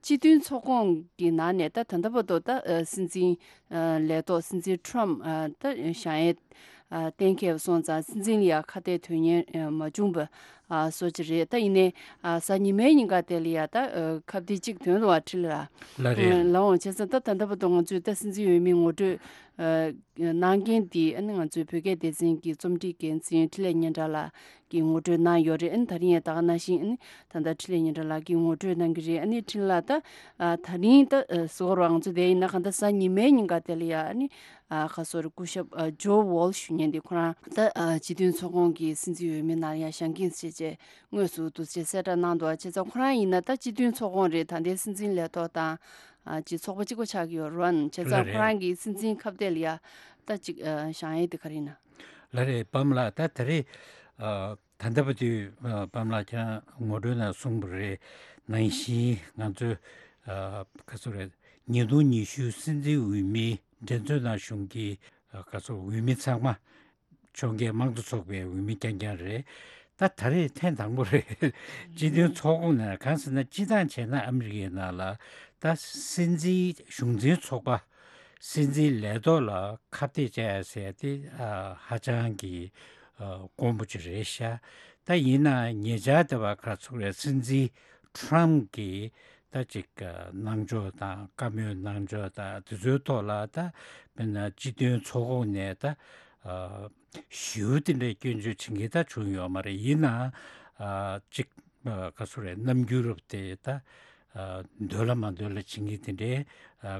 སྤྱི་མཐུན་ཚོགས་ཁོངས་ཀྱི་ནང་ནས་ད་ད་ལྟ་བར་དུ་ད་ཨ་སྲིད་འཛིན་ཨ་ལས་ཐོག་སྲིད་འཛིན་ཁྲོམ་ཨ་ད་བཞེངས་ཡས་ཨ་གཏན་འཁེལ་བ་སོང་ཙང་སྲིད་འཛིན་ལ་ཡ་ཁ་གཏད་དོན་གཉེར་ཨ་མ་བྱུང་བ་ཨ་སོགས་ཅིག་རེད། ད་ཡིན་ནའི་ཨ་གཟའ་ཉི་མའི་ཉིན་ཀ་དེ་ལ་ཡ་ད་ཨ་ཁ་གཏད་གཅིག་ཐོན་འདུག་བ་ཁྲི་ལ། ལ་རེད། ལའང་བྱས་ཙང་ད་ད་ལྟ་བར་དུ་ང་ཚོས་ད་སྲིད་འཛིན་འོས་མི་ངོ་སྤྲོད་ཨ་གནང་མཁན་དེ་ཨ་ནི་ང་ཚོའི་བོད་སྐད་སྡེ་ཚན་གྱི་རྩོམ་སྒྲིག་འགན་འཛིན་འཕྲིན་ལས་སྙན་གྲགས་ལགས་ཀྱིས་ངོ་སྤྲོད་གནང་ཡོད་རེད། ཨ་ནི་ད་རིང་ཡང་ད་ག་ནང་བཞིན་ཨ་ནི་ད་ལྟ་འཕྲིན་ལས་སྙན་གྲགས་ལགས་ཀྱིས་ངོ་སྤྲོད་གནང་གི་རེད། ཨ་ནི་འཕྲིན་ལགས་ད་ཨ་ད་རིང་ད་ཨ་ཟེར་བ་རང་ཚོ་དེ་ཡིན་ན་གང་ལྟར་གཟའ་ཉི་མའི་ཉིན་ཀ་དེ་ལ་ཡ་ཨ་ནི་ཨ་ག་སོག་རེད། སྐུ་ཞབས་ཨ་ཇོ་ཝོལ་ཞུ་མཁན་དེ་ཁོ་རང་ད་ཨ་སྤྱི་མཐུན་ཚོགས་ཁོངས་ཀྱི་སྲིད་འཛིན་འོས་མི་ནང་ཡ་བཞེངས་མཁན་བྱས་རྗེས་དངོས་སུ་འདུག་སེ་གསལ་བསྒྲགས་གནང་འདུག་བྱས་ཙང་ཁོ་རང་ཡིན་ན་ད་སྤྱི་མཐུན་ཚོགས་ཁོངས་རེད། ད་ལྟའི་སྲིད་འཛིན་ལས་ཐོག་དང་ཨ་ཅིག་ཚོགས་པ་གཅིག་པ་ཆགས་ཀྱི་ཡོད་རེད་བ། བྱས་ཙང་ལ་ཁོ་རེད། རང་གི་སྲིད་འཛིན་ཁ་གཏད་ལ་ཡ་ད་ཅིག་ཨ་བཞེངས་ཡས་དེ་ག་རེ་ཡིན་ན། ལ་རེད། པམ་ལགས་ད་ད་རེས་ཨ་ད་ལྟ་བར་དུ་ཨ་པམ་ལགས་ཁྱེད་རང་ངོ་སྤྲོད་ནང་གསུངས་པ་རེད། ནང་བཞིན་ང་ཚོས་ཨ་ག་ཚོད་རེད། ཉིས་སྟོང་ཉི་ཤུ་སྲིད་འཛིན་འོས་མི་འགྲན་རྩོད་ནང་ཞུགས་མཁན་གྱི་ཨ་ག་ཚོད་འོས་མི་ཚང་མ་ཕྱོགས་འགལ་དམངས་གཙོ་ཚོགས་པའི་འོས་མི་རྐྱང་རྐྱང་རེད། ད་ད་རེས་ཐེངས་དང་པོ་རེད། སྤྱི་མཐུན་ཚོགས་ཁོངས་ནས་གང་ཟེར་ན་སྤྱིར་བཏང་བྱས་ན་ཨ་མི་རི་ཀའི་ནང་ལ་ད་སྲིད་འཛིན་གཞུང་འཛིན་ཚོགས་པ་སྲིད་འཛིན་ལས་ཐོག་ལ་ཁ་གཏད་བཅག་ཡ་ཟེར་དེ་ཨ་ཧ་ཅང་གི་ཨ་དཀོན་པོ་ཅིག་རེད་ཤག་ད་ཡིན་ན་ཉེ་ཆར་དེ་བ་ག་ཚོད་རེད། སྲིད་འཛིན་ཁྲམ་གྱིས་ད་ཅིག་གནང་ཕྱོགས་དང་བཀའ་མོལ་གནང་ཕྱོགས་དང་དེ་ཚོའི་ཐོག་ལ་ད་དཔེར་ན་སྤྱི་མཐུན་ཚོགས་ཁོངས་ནས་ད་ཞེ་པོ་དེ་འདྲའི་སྐྱོན་བརྗོད་བྱེད་མཁན་ད་བྱུང་ཡོད་མ་རེད། ཡིན་ནའང་ཅིག་ག་ཚོད་རེད། རྣམ་འགྱུར་རབ་དེ་ད་འདོད་ལ་མ་འདོད་ལ་བྱེད་མཁན་དེ་འདྲའི་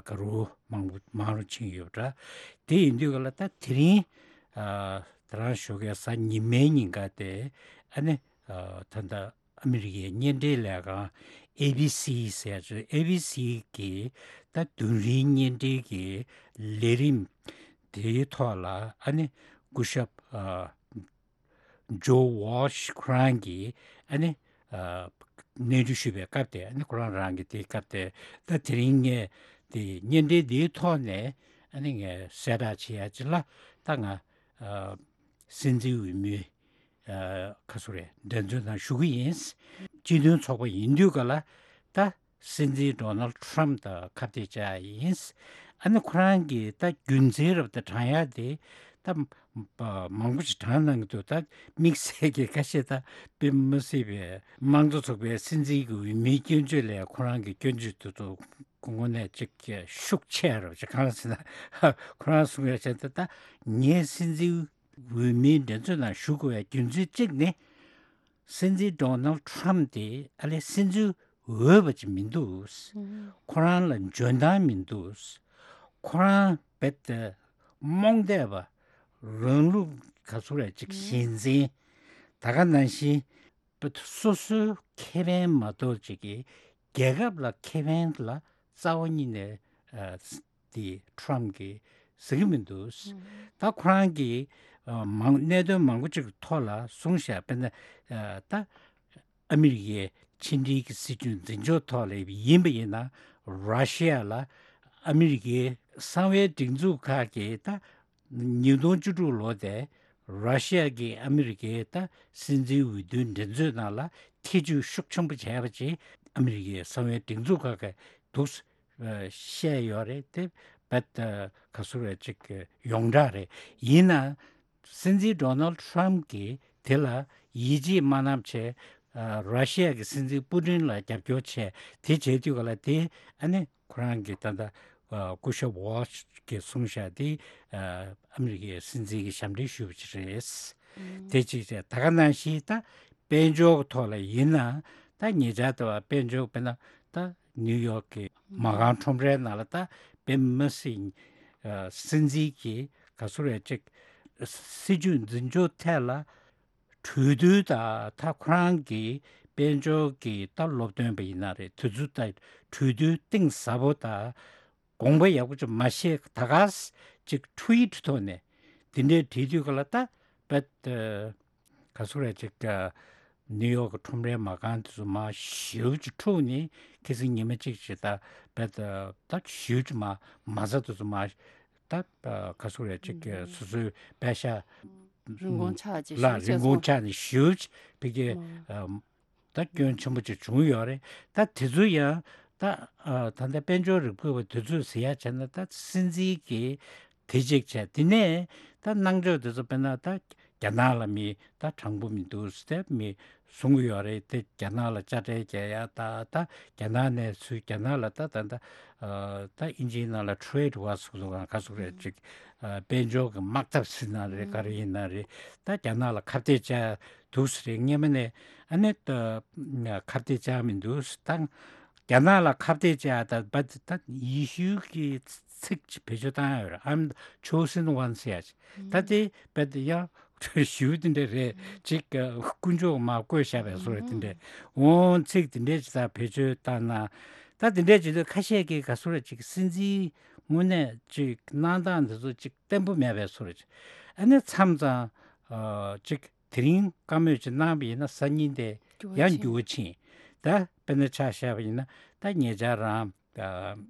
ག་རུ་མང་པོ་མང་རུ་ཕྱིན་ཡོད་འདྲ། དེ་ཡིན་དུས་ག་ལ་ད་དེ་རིང་ད་རང་ཞོགས་ཀས་གཟའ་ཉི་མའི་ཉིན་ཀ་དེ་ཨ་ནི་ད་ལྟ་ཨ་མི་རི་ཀའི་བརྙན་འཕྲིན་ལས་ཁང་ཨེ་བི་སི་ཟེར་ཡ་ཅིག་ཨེ་བི་སི་གི་ད་བདུན་རིང་བརྙན་འཕྲིན་གྱི་ལས་རིམ་དེའི་ཐོག་ལ་ཨ་ནི་སྐུ་ཞབས་ཨ་ཇོ་ཝོལ་ཤི་ཁོ་རང་གིས་ཨ་ནི་ཨ་གནས་འདྲི་ཞུས་པའི་སྐབས་དེ་ཨ་ནི་ཁོ་རང་རང་གི་དེའི་སྐབས་དེ་ད་དེ་རིང་ངས་དེ་བརྙན་འཕྲིན་འདིའི་ཐོག་ནས་ཨ་ནི་ངས་གསལ་བསྒྲགས་བྱེད་ཡ་ཅིག་ལ་ད་ང་ཨ་སྲིད་འཛིན་འོས་མི། ཨ་ག་ཚོད་རེད། འགྲན་རྩོད་ནང་ཞུགས་ཀྱི་ཡིན། སྤྱི་མཐུན་ཚོགས་པ་ཡིན་དུས་ག་ལ་ད་སྲིད་འཛིན་ཌོ་ནལ་ཊམ་དང་ཁ་གཏད་བཅག་ཡིན། ཨ་ནི་ཁོ་རང་གིས་ད་རྒྱུ་མཚན་རབ་ཏུ་དྲངས་ཡ་དེ་ད་མང་པོ་ཞིག་དྲངས་གནང་གི་འདུག་ད་དམིགས་བསལ་གྱི་ཁ་ཤས་ད་དཔེ་མི་སྲིད་པའི་དམངས་གཙོ་ཚོགས་པའི་སྲིད་འཛིན་གྱི་འོས་མིའི་སྐྱོན་བརྗོད་ལས་ཁོ་རང་གི་སྐྱོན་བརྗོད་དེ་ཚོ་ དངོས་གནས་ཅིག་ཤུགས་ཆེ་རུ་ཅིག་གང་ཟེར་ན། ཁོ་རང་གསུང་ཡ་བྱས་ཏེ། ད་ངས་སྲིད་འཛིན་འོས་མིའི་འགྲན་རྩོད་ནང་ཞུགས་དགོས་པའི་རྒྱུ་མཚན་གཅིག་ནི། སྲིད་འཛིན་ཌོ་ནལ་ཊམ་དེ་ཨ་ལས་སྲིད་འཛིན་འོས་པ་ཅིག་མི་འདུག་ཁོ་རང་ལ་འཇོན་ཐང་མི་འདུག་ཁོ་རང་རྦད་དེ་རྨོངས་དད་པ། རང་ལུགས་ག་ཚོད་རེད་ཅིག་ཞེན་འཛིན། ད་ག་ནང་བཞིན་རྦད་དེ་སོ་སོའི་ཁེ་ཕན་མ་གཏོགས་ཅིག་གི་རྒྱལ་ཁབ་ལ་ཁེ་ཕན་ལ་རྩ་བ་ཉིད་ནས་ཨ་དེ་ཊམ་གྱིས་ཟེར་གྱི་མི་འདུག་ད་ཁོ་རང་གིས་ཨ་མང་གནད་དོན་མང་པོ་ཅིག་ཐོག་ལ་གསུངས་བཞག་དཔེར་ན་ཨ་ད་ཨ་མི་རི་ཀའི་ཕྱི་འབྲེལ་གྱི་སྲིད་ཇུས་འཛིན་སྐྱོང་ཐོག་ལ་ཡིན་པ་ཡིན་ན། ར་ཤི་ཡ་ལ་ཨ་མི་རི་ཀའི་གསང་བའི་སྒྲིག་འཛུགས་ཁག་གིས་ད་ཉིས་སྟོང་བཅུ་དྲུག་ལོ་དེ་ར་ཤི་ཡ་གིས་ཨ་མི་རི་ཀའི་ད་སྲིད་འཛིན་འོས་བསྡུའི་འགྲན་རྩོད་ནང་ལ་ཐེ་ཇུས་ཤུགས་ཆེན་པོ་བྱས་པ་བྱས། ཨ་མི་རི་ཀའི་གསང་བའི་སྒྲིག་འཛུགས་ཁག་གིས་འདུག་སེ་བཤད་ཡོད་རེད་དེ། རྦད་དེ་ག་ཚོད་རེད་ཅིག་ཡོངས་གྲགས་རེད། ཡིན་ན་སྲིད་འཛིན་ཌོ་ནལ་ཊམ་གྱིས་དེ་ལ་ཡིད་ཆེས་མ་གནང་བྱས། ཨ་ར་ཤི་ཡ་གི་སྲིད་འཛིན་པུ་ཏིན་ལ་རྒྱབ་སྐྱོར་བྱས། དེ་བྱས་དུས་ག་ལ་དེ་ཨ་ནི་ཁོ་རང་གི་ད་ལྟ་ཨ་སྐུ་ཞབས་ཝོལ་ཤི་གིས་གསུངས་བཞག་དེ། ཨ་ཨ་མི་རི་ཀའི་སྲིད་འཛིན་གྱི་ཞབས་འདྲེན་ཞུས་པ་ཅིག་རེད། དེ་གཅིག་བྱས། ད་ག་ནང་བཞིན་ད་དཔལ་འབྱོར་གྱི་ཐོག་ལ་ཡིན་ན། ད་ཉེ་ཆར་དུ་བ་དཔལ་འབྱོར་དཔེར་ན་ད་ནིའུ་ཡོག་གི་མ་རྐང་ཁྲོམ་རའི་ནང་ལ་ད་དཔེ་མི་སྲིད་ཨ་སྲིད་འཛིན་གྱི་ག་ཚོད་རེད་ཅིག་སྲིད་ཇུས་འཛིན་སྐྱོང་ཐད་ལ་གྲོས་བསྡུར་དང་། ད་ཁོ་རང་གི་དཔལ་འབྱོར་གྱི་ད་སློབ་སྟོན་པ་ཡིན་ན་རེད། དེ་ཚོ་ད་གྲོས་བསྡུར་གཏིང་ཟབ་པོ་དང་དགོངས་པ་ཡག་པོ་ཅིག་མ་བཞེས། ད་ག་ཅིག་ཊུ་ཝིཊ་ཐོག་ནས་དེ་འདྲའི་བྲིས་དུས་ག་ལ་ད་རྦད་དེ་ག་ཚོད་རེད་ཅིག་ཨ་ནིའུ་ཡོག་གི་ཁྲོམ་རའི་མ་རྐང་དེ་ཚོ་མར་ཞེ་པོ་ཅིག་འཁྲུགས་ནས། ཁ་སང་ཉི་མ་གཅིག་ཅིག་ད་རྦད་དེ་ད་ཞེ་པོ་ཅིག་མར་མ་རྩ་དེ་ཚོ་མར་ད་ཨ་ག་ཚོད་རེད་ཅིག་ཨ་སོ་སོའི་པད་ཤག་རིན་གོང་ཆག་ཅིག་ལ་ཞེ་པོ་རིན་གོང་ཆག་ནས་ཞེ་པོ་ཅིག་ཕ་གི་ཨ་ད་སྐྱོན་ཆེན་པོ་ཅིག་བྱུང་ཡོད་རེད། ད་དེ་ཚོ་ཡང་ད་ཨ་ད་ལྟ་དཔལ་འབྱོར་རིག་པ་བ་དེ་ཚོས་ཟེར་ཡ་བྱས་ན། ད་སྲིད་འཛིན་གྱིས་དེ་གཅིག་བྱས། དེ་ནས་ད་གནང་ཕྱོགས་དེ་ཚོ་དཔེར་ན་ད་རྒྱ་ནག་ལ་མི་ད་དྲང་པོ་མི་འདུག་ཟེར་མི་གསུང་གི་ཡོད་རེད་དེ། རྒྱ་ནག་ལ་དཔྱ་ཁྲལ་རྒྱག་ཡ་ད་ད་རྒྱ་ནག་ནས་ཚུར་རྒྱ་ནག་ལ་ད་ད་ད་ཨ་ད་ཨིན་ཇིའི་ནང་ལ་ཊེ་རེ་ཌི་ཝར་ཟེར་གི་འདུག་ག་ཟེར་གི་རེད་ཅིག་ཨ་དཔལ་འབྱོར་གྱི་དམག་འཐབ་ཟེར་ན་རེད། ག་རེ་ཡིན་ན་རེད། ད་རྒྱ་ནག་ལ་ཁ་གཏད་བཅག་འདུག་ཟེར་རེད། སྔོན་མ་ནས་ཨ་ནི་ད་ཁ་གཏད་བཅག་མི་འདུག་ད་རྒྱ་ནག་ལ་ཁ་གཏད་བཅག་ད་བ་ད་ཡེ་ཤུ་གི་ཚིག་ཅིག་བེད་སྤྱོད་བཏང་ཡོད་རེད། I'm the chosen one ཟེར་ཡ་ཅིག་ད་དེ་བ་ད་ཡང་ཞུ་དེ་འདྲ་རེད་ཅིག་དཀོན་མཆོག་མར་བཀོད་བཞག་པའི་བཟོ་རེད། དེ་འདྲ་འོང་ཚིག་དེ་འདྲ་ཅིག་ད་བེད་སྤྱོད་བཏང་ན། ད་དེ་འདྲ་བྱེད་དུས་ཁ་ཤས་ཀྱིས་ག་ཚོད་རེད་ཅིག་སྲིད་འཛིན་དངོས་གནས་ཅིག་གནང་སྟངས་འདི་ཚོ་ཅིག་བརྟན་པོ་མེད་པའི་བཟོ་རེད་ཅིག་ཨ་ནི་མཚམས་མཚམས་ཨ་ཅིག་དེ་རིང་བཀའ་མོལ་ཅིག་གནང་བ་ཡིན་ན་སང་ཉིན་དེ་འགྱུར་བ་ཡང་ཕྱིན། འགྱུར་བ་ཕྱིན། ད་དཔེར་ན་ཆ་བཞག་པ་ཡིན་ན། ད་ཉེ་ཆར་རང་ད་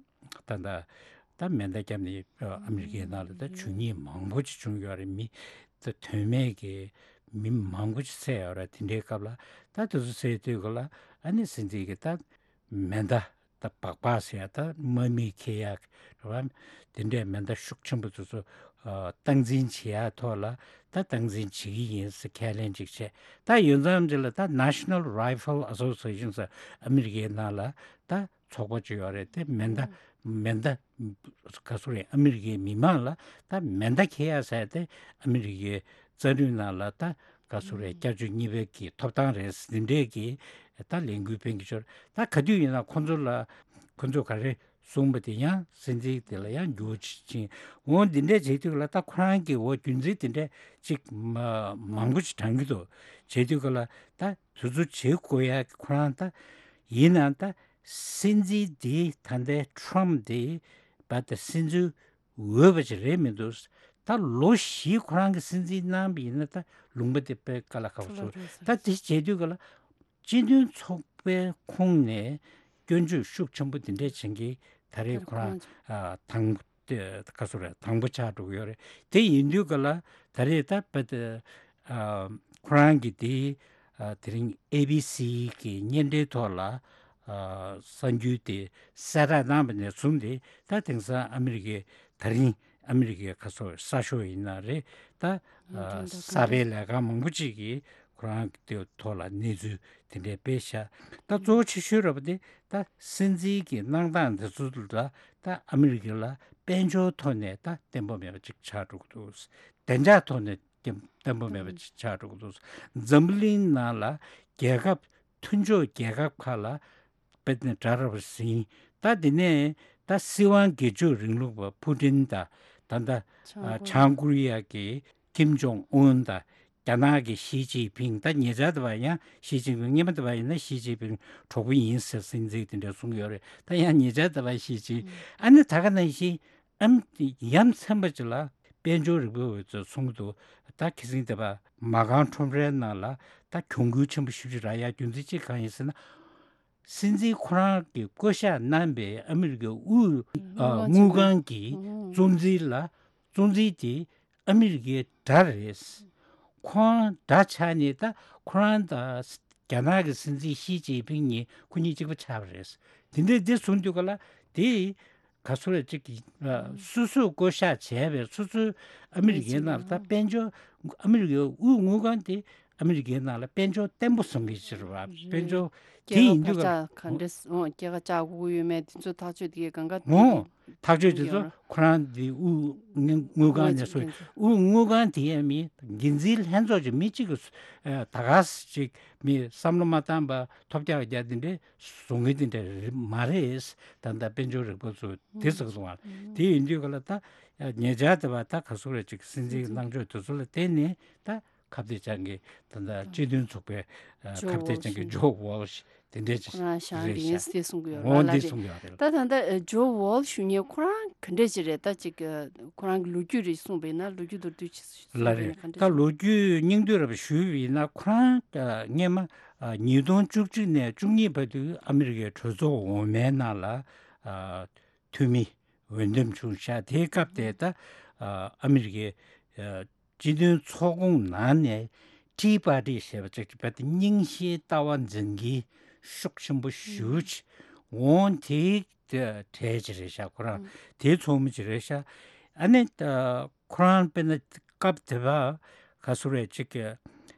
ད་ད་ད་མེ་མདའ་བརྒྱབ་ནས་ཨ་མི་རི་ཀའི་ནང་ལ་ད་ཇུས་ཉེས་མང་པོ་ཅིག་བྱུང་ཡོད་རེད། མི་ད་དོན་མེད་ཀྱི་མི་མང་པོ་ཅིག་བསད་ཡོད་རེད། དེ་འདྲའི་སྐབས་ལ་ད་དེ་ཚོ་བསད་དུས་ག་ལ་ཨ་ནི་སྲིད་འཛིན་གྱིས་ད་མེ་མདའ་ད་སྦག་སྦག་ཟེར་ཡ་ད་དམག་མིས་འཁྱེར་ཡ་རེད་བ། དེ་འདྲའི་མེ་མདའ་ཤུགས་ཆེན་པོ་དེ་ཚོ་ཨ་སྟངས་འཛིན་བྱེད་ཡ་ཐོག་ལ་ད་སྟངས་འཛིན་བྱེད་ཀྱི་ཡིན་ཟེར་ཁས་ལེན་ཅིག་བྱས། ད་ཡོད་ཙམ་ཅིག་ལ་ད་National Rifle Association ཟེར་ཨ་མི་རི་ཀའི་ནང་ལ་ད་ཚོགས་པ་ཅིག་ཡོད་རེད། དེ་མེ་མདའ་མེ་མདའ་ག་ཚོད་རེད། ཨ་མི་རི་ཀའི་མི་མང་ལ་ད་མེ་མདའ་འཁྱེར་ཡ་ཟེར་དེ་ཨ་མི་རི་ཀའི་རྩ་ཁྲིམས་ནང་ལ་ད་ག་ཚོད་རེད། བསྐྱར་བཅོས་གཉིས་པའི་གི་ཐོབ་ཐང་རེད། འདི་འདྲས་ཀྱི་ད་ལས་འགུལ་སྤེལ་གྱི་ཆོག་ད་ག་དུས་ཡིན་ན་ཁོ་ཚོ་ལ་ཁོ་ཚོ་ག་རེ་གསུངས་པ་དེ་ཡང་སྲིད་འཛིན་དེ་ལ་ཡང་འགྱུར་བ་ཕྱིན། འོ་འདི་འདྲས་བྱེད་དུས་ལ་ད་ཁོ་རང་གི་འོ་རྒྱུ་མཚན་དེ་འདྲས་ཅིག་མ་མང་པོ་ཅིག་དྲངས་ཀྱི་འདུག་བྱེད་དུས་ག་ལ་ད་དེ་ཚོ་བྱེད་དགོས་ཡ་ཁོ་རང་ད་ཡིན་ན་ད། སྲིད་འཛིན་འདི་ད་ལྟའི་ཊམ་འདི་བ་ད་སྲིད་འཛིན་འོས་པ་ཅིག་རེད་མི་འདུག་ད་ལོ་བཞི་ཁོ་རང་གི་སྲིད་འཛིན་གནང་བ་ཡིན་ན་ད་ལུང་པ་དེ་དཔེ་དཀའ་ལས་ཁག་པོ་བཟོ། ད་དེ་བྱེད་དུས་ག་ལ་སྤྱི་མཐུན་ཚོགས་པའི་ཁོངས་ནས་སྐྱོན་བརྗོད་ཤུགས་ཆེན་པོ་དེ་འདྲས་བྱེད་མཁན་ད་རེས་ཁོ་རང་ཨ་དང་དེ་ག་ཚོད་རེད། དང་པོ་ཆགས་འགྲོ་གི་ཡོད་རེད། དེ་ཡིན་དུས་ག་ལ་ད་རེས་ད་བ་ད་ཨ་ཁོ་རང་གི་དེ་ཨ་དེ་རིང་ཨེ་བི་སི་གི་བརྙན་འཕྲིན་ཐོག་ལ་ཨ་གསར་འགྱུར་དེ་གསལ་བསྒྲགས་གནང་བ་ནས་བཟུང་སྟེ། ད་དེང་སང་ཨ་མི་རི་ཀའི་ད་རིང་ཨ་མི་རི་ཀའི་ག་ཚོད་གསར་ཤོག་ཡིན་ན་རེད། ད་ཨ་གསར་པའི་ལས་ཁང་མང་པོ་ཅིག་གིས་ ཁོ་རང་གི་ཐོག་ལ་གནས་ཚུལ་དེ་འདྲས་སྤེལ་ཤག་ད་གཙོ་བོ་ཆེ་ཤོས་ར་བ་དེ་ད་སྲིད་འཛིན་གྱི་གནང་སྟངས་དེ་ཚོ་ལ་ད་ཨ་མི་རི་ཀ་ལ་དཔལ་འབྱོར་ཐོག་ནས་ད་བརྟན་པོ་མེད་པ་ཅིག་ཆགས་འགྲོ་གི་འདུག་བདེ་འཇགས་ཐོག་ནས་བརྟན་པོ་མེད་པ་ཅིག་ཆགས་འགྲོ་གི་འདུག་འཛམ་བུ་གླིང་ནང་ལ་རྒྱལ་ཁབ་མཐུན་ཕྱོགས་རྒྱལ་ཁབ་ཁག་ལ་དཔེ་ནས་གྲ་ར་བ་ཟིན། ད་དེ་ནས་ད་སྲིད་དབང་སྒེར་གཅོད་རིང་ལུགས་པ་ཕུ་ཏིན་དང་ད་ད་བྱང་ཀོ་རི་ཡ་གི་ཀིམ་ཇོང་ཨུན་དང་རྒྱ་ནག་གི་ཞི་ཅིན་ཕིང་ད་ཉེ་ཆར་དུ་བ་ཡང་ཞི་ཅིན་ཕིང་སྔོན་མ་དུ་བ་ཡིན་ན་ཞི་ཅིན་ཕིང་གྲོགས་པོ་ཡིན་ཟེར་ཟིན་ཚིག་དེ་འདྲ་གསུངས་ཡོད་རེད། ད་ཡང་ཉེ་ཆར་དུ་བ་ཞི་ཅིན་ཨ་ནི་ད་ག་ནང་བཞིན་ཨམ་ཡ་མཚན་པ་ཅིག་ལ་དཔལ་འབྱོར་རིག་པའི་འོས་ཚོས་གསུང་གི་འདུག་ད་ཁ་སང་དེ་བ་མ་རྐང་ཁྲོམ་རའི་ནང་ལ་ད་གྱོང་གུན་ཆེན་པོ་ཞེ་པོ་ཅིག་རག་ཡ་རྒྱུ་མཚན་གཅིག་གང་ཡིན་ཟེར་ན། སྲིད་འཛིན་ཁོ་རང་གི་བསྐོ་བཞག་གནང་པའི་ཨ་མི་རི་ཀའི་དབུས་ཨ་དངུལ་ཁང་གི་གཙོ་འཛིན་ལ་གཙོ་འཛིན་དེ་ཨ་མི་རི་ཀའི་དགྲ་རེད། ཁོང་དགྲ་ཆགས་ནས་ད་ཁོ་རང་དང་རྒྱ་ནག་གི་སྲིད་འཛིན་ཞི་ཅིན་ཕིང་གཉིས་ཁོ་གཉིས་གཅིག་པ་ཆགས་པ་རེད། དེ་འདྲའི་འདི་གསུངས་དུས་ག་ལ་དེ་ག་ཚོད་རེད་ཅིག་གི་ཨ་སོ་སོས་བསྐོ་བཞག་བྱས་པའི་སོ་སོའི་ཨ་མི་རི་ཀའི་ནང་ལ་ད་དཔལ་འབྱོར་ཨ་མི་རི་ཀའི་དབུས་དངུལ་ཁང་དེ་ཨ་མི་རི་ཀའི་ནང་ལ་དཔལ་འབྱོར་བརྟན་པོ་བཟོ་མཁན་ཅིག་རེད་བ། དཔལ་འབྱོར་དེ་ཡིན་དུས་ག་ལ་སྐྱེད་ཀ་བར་ཆ་ག་འདྲས་འོང་སྐྱེད་ཀ་བཅག་དགོས་ཀྱི་ཡོད་མེད་དེ་ཚོ་ཐག་གཅོད་དེ་གས་གང་ག་འོང་། ཐག་གཅོད་དེ་ཚོ་ཁོ་རང་དེ་དབུས་དངུལ་ཁང་ནས་སོ་དབུས་དངུལ་ཁང་དེ་ཡས་མི་འགན་འཛིན་ལྷན་ཚོགས་ཀྱི་མི་གཅིག་གིས་ད་ག་ས་ཅིག་མི་བསམ་བློ་མ་བཏང་པ་ཐོབ་རྒྱག་རྒྱག་དེ་འདྲས་བཟོ་མཁན་དེ་འདྲས་མ་རེད། ད་ལྟ་དཔལ་འབྱོར་རིག་པ་ཚོ་དེ་ཟེར་གི་སོང་བ་དེ་ཡིན་དུས་ག་ལ་ད་ཉེ་ཆར་དེ་བ་ད་ག་ཚོད་རེད་ཅིག་སྲིད་འཛིན་གནང་ཕྱོགས་དེ་ཚོ་ལ་བརྟེན་ནས་ད། ཁ་གཏད་ཅན་གྱི་ད་ལྟ་སྤྱི་མཐུན་ཚོགས་པའི་ཨ་ཇོ་ཁ་གཏད་ཅན་གྱི་ཝོལ་ཇོ་ཝོལ་ཤི་དེ་འདྲས་ཅིག་ཁོ་རང་བཞག་རེད་ཤག་འདི་ཡིན་ཟེར་གསུང་གི་ཡོད་རེད། འོ་ལ་འདི་རེད། གསུང་གི་ཡོད་རེད། ད་ད་ལྟ་ཨ་ཇོ་ཝོལ་ཤི་ཞུ་མཁན་ཁོ་རང་ག་འདྲས་ཅིག་རེད། ད་ཅིག་ཨ་ཁོ་རང་གི་ལོ་རྒྱུས་རེ་གསུངས་པ་ཡིན་ན་ལོ་རྒྱུས་མདོར་བསྡུས་ཅིག་གསུངས་ལ་པ་ཡིན་ན་རེད། ག་འདྲས་ད་ཅིག་ལོ་རྒྱུས་སྙིང་བསྡུས་ར་བ་ཞུས་པ་ཡིན་ན་ཁོ་རང་ཨ་སྔོན་མ་ཨ་ཉིས་སྟོང་བཅུ་གཅིག་ནས་བཅུ་གཉིས་བར་དུ་ཨ་མི་རི་ཀའི་གྲོས་ཚོགས་འོག་མའི་ནང་ལ་ཨ་འཐུས་མི་འོས་འདེམས་བྱུང་ཤག་དེའི་སྐབས་དེ་ད་ཨ་ཨ་མི་རི་ཀའི་ཨ་སྤྱི་མཐུན་ཚོགས་ཁོངས་ནང་ནས་ཊི་པར་ཊི་ཞེས་པ་ཅིག་བར་དུ་རྙིང་ཞེན་ལྟ་བ་འཛིན་གྱི་ཤུགས་ཆེན་པོ་ཞེ་པོ་ཅིག་འོང་། དེའི་གྲས་ཅིག་རེད་ཤག་ཁོ་རང་དེའི་ཚོགས་མི་ཅིག་རེད་ཤག་ཨ་ནི་ཨ་ཁོ་རང་དཔེར་ན་སྐབས་དེ་བ་ག་ཚོད་རེད་ཅིག་གི་